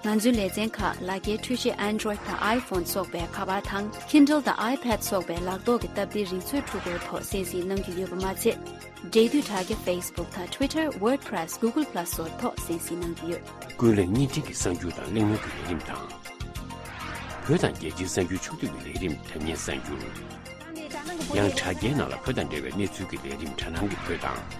ང་ཚོའི་ལེ་ཚན་ཁག་ལག་འཁྱེར་འཕྲུལ་ཆས་Android་དང་iPhone་སོགས་པའི་ཁ་པར་དང་Kindle་དང་iPad་སོགས་པའི་ལག་ཐོག་གི་སྟབས་བདེའི་རིག་མཛོད་འཕྲུལ་འཁོར་ཐོག་གསན་གཟིགས་གནང་རྒྱུ་ཡོད་པ་མ་ཚད། འབྲེལ་མཐུད་དྲ་རྒྱ་Facebook་དང་Twitter, WordPress, Google Plus་སོགས་ཐོག་གསན་གཟིགས་གནང་རྒྱུ་ཡོད། ཀུན་གླེང་བརྙན་འཕྲིན་གྱི་གསར་འགྱུར་དང་གླེང་མོལ་གྱི་ལས་རིམ་དང་། བོད་དང་རྒྱལ་སྤྱིའི་གསར་འགྱུར་ཕྱོགས་བསྡུས་ཀྱི་ལས་རིམ་དྲ་བརྙན་གསར་འགྱུར། ཡང་དྲ་རྒྱའི་ནང་ལ་བོད་དང་འབྲེལ་བའི་གནས་ཚུལ་གྱི་ལས་རིམ་དྲ་སྣང་གི་བོད་དང་།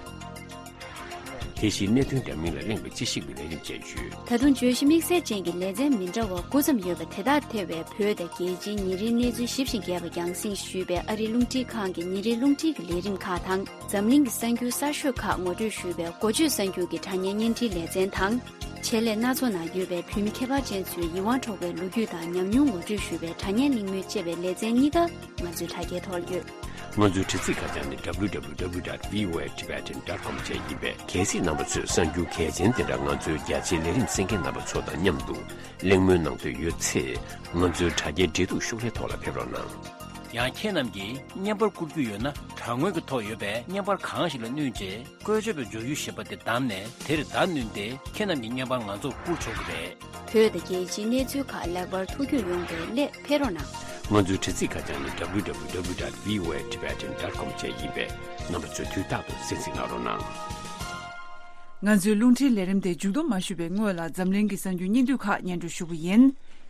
དེ་བཞིན་གནད་དོན་འདྲ་མིན་ལ་གླེང་བའི་དཔྱད་ཞིབ་ཀྱི་ལས་རིམ་བཅས་ཡོད། ད་དུང་བརྗོད་གཞི་དམིགས་བསལ་ཅན་གྱི་ལེ་ཚན་མི་འདྲ་བ་དགུ་ཙམ་ཡོད་པ་དེ་དག་ཐེ་བའི་བོད་དང་རྒྱལ་སྤྱིའི་ཉིན་རེའི་གནས་ཚུལ་ཞིབ་ཅིང་རྒྱས་པ་རྒྱང་སྲིང་ཞུས་པའི་ཨ་རིའི་རླུང་འཕྲིན་ཁང་གི་ཉིན་རེའི་རླུང་འཕྲིན་གྱི་ལས་རིམ་ཁག་དང་། འཛམ་གླིང་གི་གསར་འགྱུར་གསར་ཤོས་ཁག་ངོ་སྤྲོད་ཞུས་པའི་འགོ་བརྗོད་གསར་འགྱུར་གྱི་དྲ་བརྙན་བརྙན་འཕྲིན་ལེ་ཚན་དང་། ཆེད་ལས་སྣ་ཚོགས་ནང་ཡོད་པའི་བོད་མི་ཁྱད་པར་ཅན་ཚོའི་ཡིད་དབང་འཕྲོག་པའི་ལོ་རྒྱུས་དང་ཉམས་མྱོང་ངོ་སྤྲོད་ཞུས་པའི་དྲ་བརྙན་གླེང་མོལ་བཅས་པའི་ལེ་ཚན་གཉིས་ཀ་ང་ཚོའི་དྲ་རྒྱའི་ཐོག་ཡོད། ང་ཚོའི་དྲ་ཚིགས་ཁ་བྱང་ནི་W W W dot V O A Tibetan dot com བཅས་ཡིན་པས། གལ་སྲིད་རྣམ་པ་ཚོས་གསར་འགྱུར་གལ་ཆེན་དེ་འདྲ་ང་ཚོའི་རྒྱ་ཆེའི་ལས་རིམ་གསན་མཁན་རྣམ་པ་ཚོ་དང་མཉམ་དུ་གླེང་མོལ་གནང་འདོད་ཡོད་ཚེ། ང་ཚོའི་དྲ་རྒྱའི་འབྲེལ་གཏུག་ཤོག་ལྷེ་ཐོག་ལ་ཕེབས་རོགས་གནང་། ཡང་ཁྱེད་རྣམས་ཀྱིས་བརྙན་པར་བསྐུར་རྒྱུ་ཡོད་ན། དྲ་ངོས་ཀྱི་ཐོག་ཡོད་པའི་བརྙན་པར་གང་ཞིག་ལ་བསྣུན་རྗེས། བཀོལ་སྤྱོད་པའི་བརྗོད་གཞི་ཞེས་པ་དེ་བདམས་ནས། དེར་བརྡ་བསྣུན་ཏེ་ཁྱེད་རྣམས་ཀྱི་བརྙན་པར་ང་ཚོར་བསྐུར་ཆོག་གི་རེད། བོད་དང་རྒྱལ་སྤྱིའི་གནས་ཚུལ་ཁག་ལེགས་པར་ཐུགས་རྒྱུས་ཡོང་བའི་སླད་ཕེབས་རོགས་གནང་། ང་ཚོའི་དྲ་ཚིགས་ཁ་བྱང་ནི་W W W dot V O A Tibetan dot com བཅས་ཡིན་པས། རྣམ་པ་ཚོས་དུས་རྟག་ཏུ་གསན་གཟིགས་གནང་རོགས་གནང་། ང་ཚོའི་རླུང་འཕྲིན་ལས་རིམ་དེ་མཇུག་བསྡོམས་མ་ཞུས་པའི་སྔོན་ལ་འཛམ་གླིང་གི་གསར་འགྱུར་སྙིང་བསྡུས་ཁག་སྙན་སྒྲོན་ཞུ་གི་ཡིན།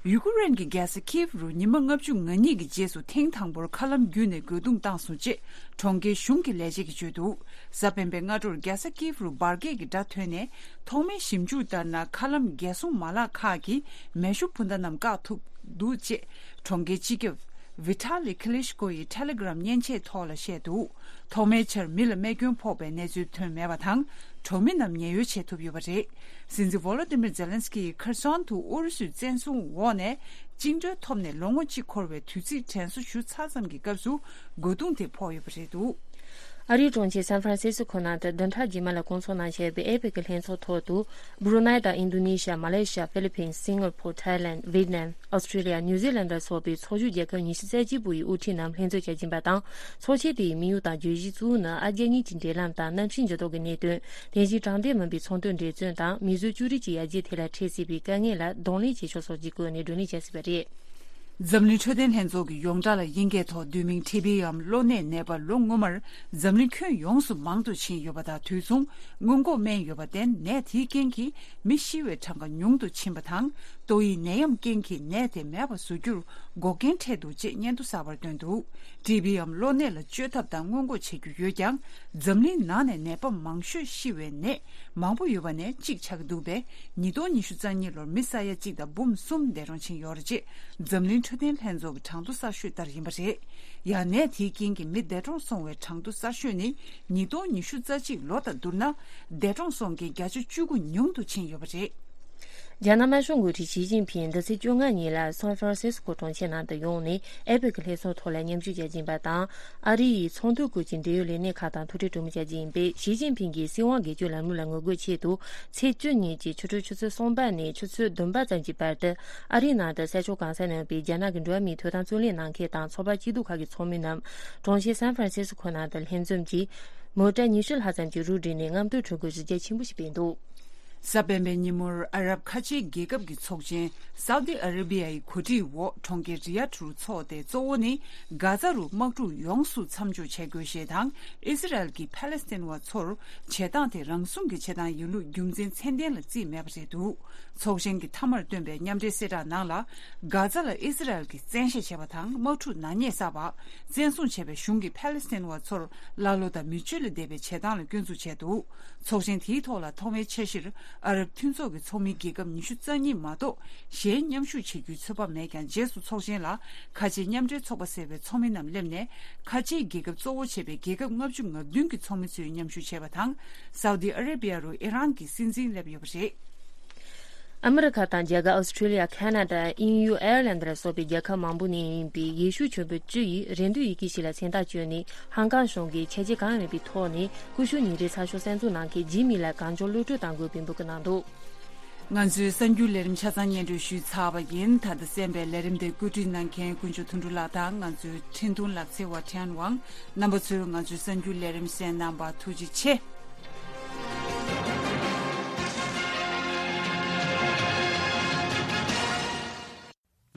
ཡུ་ཀེ་རེན་གྱི་རྒྱལ་ས་ཁིབ་རུ་ཉི་མ་ལྔ་བཅུ་ང་གཉིས་ཀྱི་རྗེས་སུ་ཐེངས་དང་པོར་མཁའ་ལམ་བརྒྱུད་ནས་རྒོལ་རྡུང་བཏང་སོང་ཅེས་གྲོང་ཁྱེར་གཞུང་གི་ལས་བྱེད་ཀྱིས་བརྗོད་འདུག། གཟའ་སྤེན་པའི་སྔ་དྲོར་རྒྱལ་ས་ཀིབ་རུ་འབར་གས་ཀྱི་སྒྲ་ཐོས་ནས། ཐོག་མའི་ཞིབ་འཇུག་ལྟར་ན། མཁའ་ལམ་རྒྱལ་སྲུང་མ་ལག་ཁག་གིས་མེ་ཤུགས་འཕུར་མདའ་རྣམས་བཀག་ཐུབ་འདུག་ཅེས་གྲོང་ཁྱེར་སྤྱི་ཁྱབ་ཝི་ཐ་ལི་ཁི་ལི་ཤ་ཀོ་ཡི་ཊེ་ལི་གྷི་རམ་མཉེན་ཆས་ཐོག་ལ་བཤད་འདུག། ཐོག་མའི་ཆར་མི་ལ་རྨས་སྐྱོན་ཕོག་པའི་གནས་ཚུལ་ཐོན་མེད་པ་དང་། གྲོང་མི་རྣམས་ཉེན་གཡོལ་བྱེད་ཐུབ་ཡོད་པ་རེད། སྲིད་འཛིན་ཝོ་ལོ་ཏི་མིར་ཛེ་ལན་སི་ཀི་ཡིས་ཁེར་སོན་དུ་ཨུ་རུ་སུའི་བཙན་བཟུང་འོག་ནས་བཅིངས་འགྲོལ་ཐོབ་ནས་ལོ་ངོ་གཅིག་འཁོར་བའི་དུས་ཚིགས་དྲན་གསོ་ཞུ་ཚར་ཙམ་གྱི་སྐབས་སུ་རྒོལ་རྡུང་དེ་ཕོག་ཡོད་པ་རེད་འདུག། ཨ་རིའི་གྲོང་ཁྱེར་སན་ཧྥ་རན་སི་སི་ཁོ་ནང་དུ་བདུན་ཕྲག་རྗེས་མ་ལ་སྐོང་ཚོགས་གནང་བཞིན་པའི་ཨེ་པེག་གི་ལྷན་ཚོགས་ཐོག་ཏུ། སྦྲུ་ནའི་དང་ཨིན་རྡུ་ནེ་ཤི་ཡ། མ་ལེ་ཤི་ཡ། ཧྥི་ལི་པིན། སིང་ག་པོར། ཐའི་ལེན། ཝེད་ནམ། ཨོ་སི་ཀྲི་ལི་ཡ། ནིའུ་ཛི་ལན་ལ་སོགས་པའི་ཚོགས་ཞུགས་རྒྱལ་ཁབ་ཉི་ཤུ་རྩ་གཅིག་པོ་ཡི་དབུ་ཁྲིད་རྣམས་ལྷན་འཛོམས་བྱ་བཞིན་པ་དང་། ཚོགས་ཆེན་དེའི་དམིགས་ཡུལ་དང་བརྗོད་གཞི་གཙོ་བོ་ནི་ཨ་རྒྱ་གཉིས་ཀྱི་འབྲེལ་ལམ་དང་གནམ་གཤིས་འགྱུར་ལྡོག་གི་གནད་དོན། དེ་བཞིན་དྲང་བདེན་མིན་པའི་ཚོང་དོན་འགྲན་བརྩོན་དང་མིས་བཟོས་ཅུ་རིགས་ཀྱི་ཡར་རྒྱས་ཐད་ལ་འཕྲད་སྲིད་པའི་དཀའ་ངལ་ལ་གདོང་ལེན་བྱེད་ཕྱོགས་སོགས་ཀྱི་སྐོར་ནས་བགྲོ་གླེང་བྱ་སྲིད་པ་རེད། འཛམ་གླིང་འཕྲོད་བསྟེན་ལྷན་ཚོགས་ཀྱི་ཡོངས་གྲགས་ལ་དབྱིན་སྐད་ཐོག་བསྡུས་མིང་ཊི་བི་འམ་གློ་ནད་ནད་པ་ལོ་སྔོན་མར་འཛམ་གླིང་ཁྱོན་ཡོངས་སུ་མང་དུ་ཕྱིན་ཡོད་པ་དང་། དུས་མཚུངས་སྔོན་འགོག་སྨན་ཡོད་པར་བརྟེན། ནད་དེའི་རྐྱེན་གྱིས་མི་ཤི་བའི་གྲངས་ཀ་ཉུང་དུ་ཕྱིན་པ་དང་། ཏོག་དབྱིབས་ནད་ཡམས་རྐྱེན་གྱིས་ནད་དེ་མེད་པར་བཟོ་རྒྱུར་འགོག་རྐྱེན་འཕྲད་འདུག་ཅེས་སྙན་ཐོ་གསར་པར་བཏོན་འདུག། ཊི་བི་འམ་གློ་ནད་ལ་བཅོས་ཐབས་དང་སྔོན་འགོག་བྱེད་རྒྱུ་ཡོད་ཀྱང་། འཛམ་གླིང་ནང་ནས་ནད་པ་མང་ཤོས་ཤི་བའི་ནད་མང་པོ་ཡོད་པ་ནས་གཅིག་ཆགས་ཀྱི་འདུག་པས། ཉིས་སྟོང་ཉི་ཤུ་རྩ་གཉིས་ལོར་མི་ས་ཡ་གཅིག་དང་འབུམ་གསུམ་འདས་གྲོངས་ཕྱིན་ཡོད་རེད་ཅེས་འཛམ་གླིང་འཕྲོད་བསྟེན་ལྷན་ཚོགས་ཀྱི་གྲངས་ཐོ་གསར་ཤོས་ལྟར་ཡིན་པ་རེད། ཡང་ནད་དེའི་རྐྱེན་གྱིས་མི་འདས་གྲོངས་སོང་བའི་གྲངས་ཐོ་གསར་ཤོས་ནི་ཉིས་སྟོང་ཉི་ཤུ་རྩ་གཅིག་ལོ་དང་བསྡུར་ན། འདས་གྲོངས་སོང་མཁན་བརྒྱ་ཆ་བཅུ་དགུ་ཉུང་དུ་ཕྱིན་ཡོད་པ་རེད། རྒྱ་ནག་དམར་ཤོག་འགོ་ཁྲིད་ཞི་ཅིན་ཕིང་འདི་ཚེས་བཅོ་ལྔ་ཉིན་ལ་སན་ཧྥ་རན་སིས་ཀོ་གྲོང་ཁྱེར་ནང་དུ་ཡོང་ནས་ཨེ་པེག་གི་ལྷན་ཚོགས་ཐོག་ལ་མཉམ་ཞུགས་བྱ་བཞིན་པ་དང་། ཨ་རི་ཡི་ཚོང་དོན་སྐོར་གྱི་འབྲེལ་ཡོད་ལས་སྣེ་ཁག་དང་ཐུག་འཕྲད་གྲོས་མོལ་བྱ་རྒྱུ་ཡིན་པས། ཞི་ཅིན་ཕིང་གིས་སྲིད་དབང་སྒེར་གཅོད་ལམ་ལུགས་ལ་ངོ་རྒོལ་ཆེད་དུ། ཚེས་བཅུ་ཉིན་གྱི་ཆུ་ཚོད་ཆུ་ཚོད་གསུམ་པ་ནས་ཆུ་ཚོད་བདུན་པ་ཙམ་གྱི་བར་དུ། ཨ་རིའི་ནང་དུ་ས་ཕྱོགས་གང་སར་གནས་པའི་རྒྱ་ནག་གི་འགྲོ་བ་མིའི་ཐོབ་ཐང་རྩོད་ལེན་གནང་མཁན་དང་ཚོགས་པ་སྐྱིད་སྡུག་ཁག་གི་ཚོགས་མི་རྣམས་གྲོང་ཁྱེར་སན་ཧྥ་རན་སིས་ཀོ་ནང་དུ་ལྷན་འཛོམས་ཀྱིས། མོ་ཊ་ཉི་ཤུ་ལྷག་ཙམ་གྱི་རུ་བསྒྲིགས་ནས་རྔམ་སྟོན་གྲོས་འགོ་གཞི་རྒྱ་ཆེན་པོ་ཞིག་སྤེལ་འདུག། གཟའ་སྤེན་པའི་ཉིན་མོར་ཨ་རབ་ཁ་ཆེའི་རྒྱལ་ཁབ་ཀྱི་ཚོགས་ཆེན། སའུ་ཏི་ཨ་ར་བི་ཡའི་གོ་སྒྲིག་འོག་གྲོང་ཁྱེར་རི་ཡཱད་རུ་འཚོགས་ཏེ། གཙོ་བོ་ནི་གྷ་ཛ་རུ་དམག་འཁྲུག་ཡོངས་སུ་མཚམས་འཇོག་བྱེད་དགོས་ཞེས་དང་། ཨི་སི་རལ་གྱིས་ཕ་ལེ་སི་ཐན་བ་ཚོར་བྱེད་སྟངས་དེ་རང་སྲུང་གི་བྱེད་སྟངས་ཡིན་ལུགས་རྒྱུ་མཚན་ཚད་ལྡན་ལ་བརྩིས་མེད་པ་རེད་འདུག། ཚོགས་ཆེན་གྱི་མཐའ་མར་བཏོན་པའི་མཉམ་འབྲེལ་གསལ་བསྒྲགས་ནང་ལ། གྷ་ཛ་ལ་ཨི་སི་རལ་གྱིས་བཙན་ཤེད་བྱས་པ་དང་། དམག་འཁྲུག་ནག་ཉེས་བསགས་པ། བཙན་བཟུང་བྱས་པའི་གཞུང་གིས་ཕ་ལེ་སི་ཐན་བ་ཚོར་ཀླ་ཀློ་དང་མི་སྤྱོད་ལས་འདས་པའི་བྱེད་སྟངས་ལ་སྐྱོན་འཛུགས་བྱས་འདུག། ཚོགས་ཆེན་དེའི་ཐོག་ལ་ཐོག་མའི་འཆར་གཞིར་ཨ་རབ་མཐུན་ཚོགས་ཀྱི་ཚོགས་མི་རྒྱལ་ཁབ་ཉི་ཤུ་རྩ་གཉིས་མ་གཏོགས་གཞན་མཉམ་ཞུགས་བྱེད་རྒྱུའི་ཚོད་དཔག་མེད་ཀྱང་། རྗེས་སུ་ཚོགས་ཆེན་ལ་ཁ་ཆེའི་མཉམ་འབྲེལ་ཚོགས་པ་ཟེར་བའི་ཚོགས་མི་རྣམས་སླེབས་ནས། ཁ་ཆེའི་རྒྱལ་ཁབ་གཙོ་བོ་བྱས་པའི་རྒྱལ་ཁབ་ལྔ་བཅུ་ང་བདུན་གྱི་ཚོགས་མི་ཚོས་མཉམ་ཞུགས་བྱས་པ་དང་། སའུ་ཏི་ཨ་ར་བི་ཡ་རུ་ཨི་རན་གྱི་སྲིད་འཛིན་སླེབས་ཡོད་པ་རེད། ཨ་མི་རི་ཁ་དང་རྒྱ་གར། ཨོ་སི་ཁྲུ་ལི་ཡ། ཁ་ན་ཌ། དབྱིན་ཡུལ། ཨེར་ལན་ཌ་ལ་སོགས་པའི་རྒྱལ་ཁབ་མང་པོ་ནས་ཡིན་པའི་ཡེ་ཤུ་གྱོན་པ་བཅུ་ཡིས་རེ་འདུན་ཡི་གེ་ཞིག་ལ་མཚན་རྟགས་བཅོས་ནས། ཧང་ཀང་གཞུང་གིས་ཆད་གཅོད་གང་ཡང་མེད་པའི་ཐོག་ནས་ཀུ་ཤུ་ཉིན་རེའི་ཚགས་ཤོག་གསར་འཛུགས་གནང་མཁན་ཇི་མི་ལ་གང་མགྱོགས་གློད་གྲོལ་གཏང་དགོས་པའི་འབོད་སྐུལ་གནང་འདུག། ང་ཚོའི་གསར་འགྱུར་ལས་རིམ་ཆ་ཚང་སྙན་སྒྲོན་ཞུས་ཚར་བ་ཡིན། ད་ལྟ་གསན་པའི་ལས་རིམ་དེ་བཀོད་སྒྲིག་གནང་མཁན་དཀོན་མཆོག་དོན་གྲུབ་ལགས་དང་། ང་ཚོའི་འཕྲིན་གཏོང་ལག་རྩལ་བ་ཁྲེན་ཝང་། རྣམ་པ་ཚོས་ང་ཚོའི་གསར་འགྱུར་ལས་རིམ་གསན་གནང་བར་ཐུགས་རྗེ་ཆེ།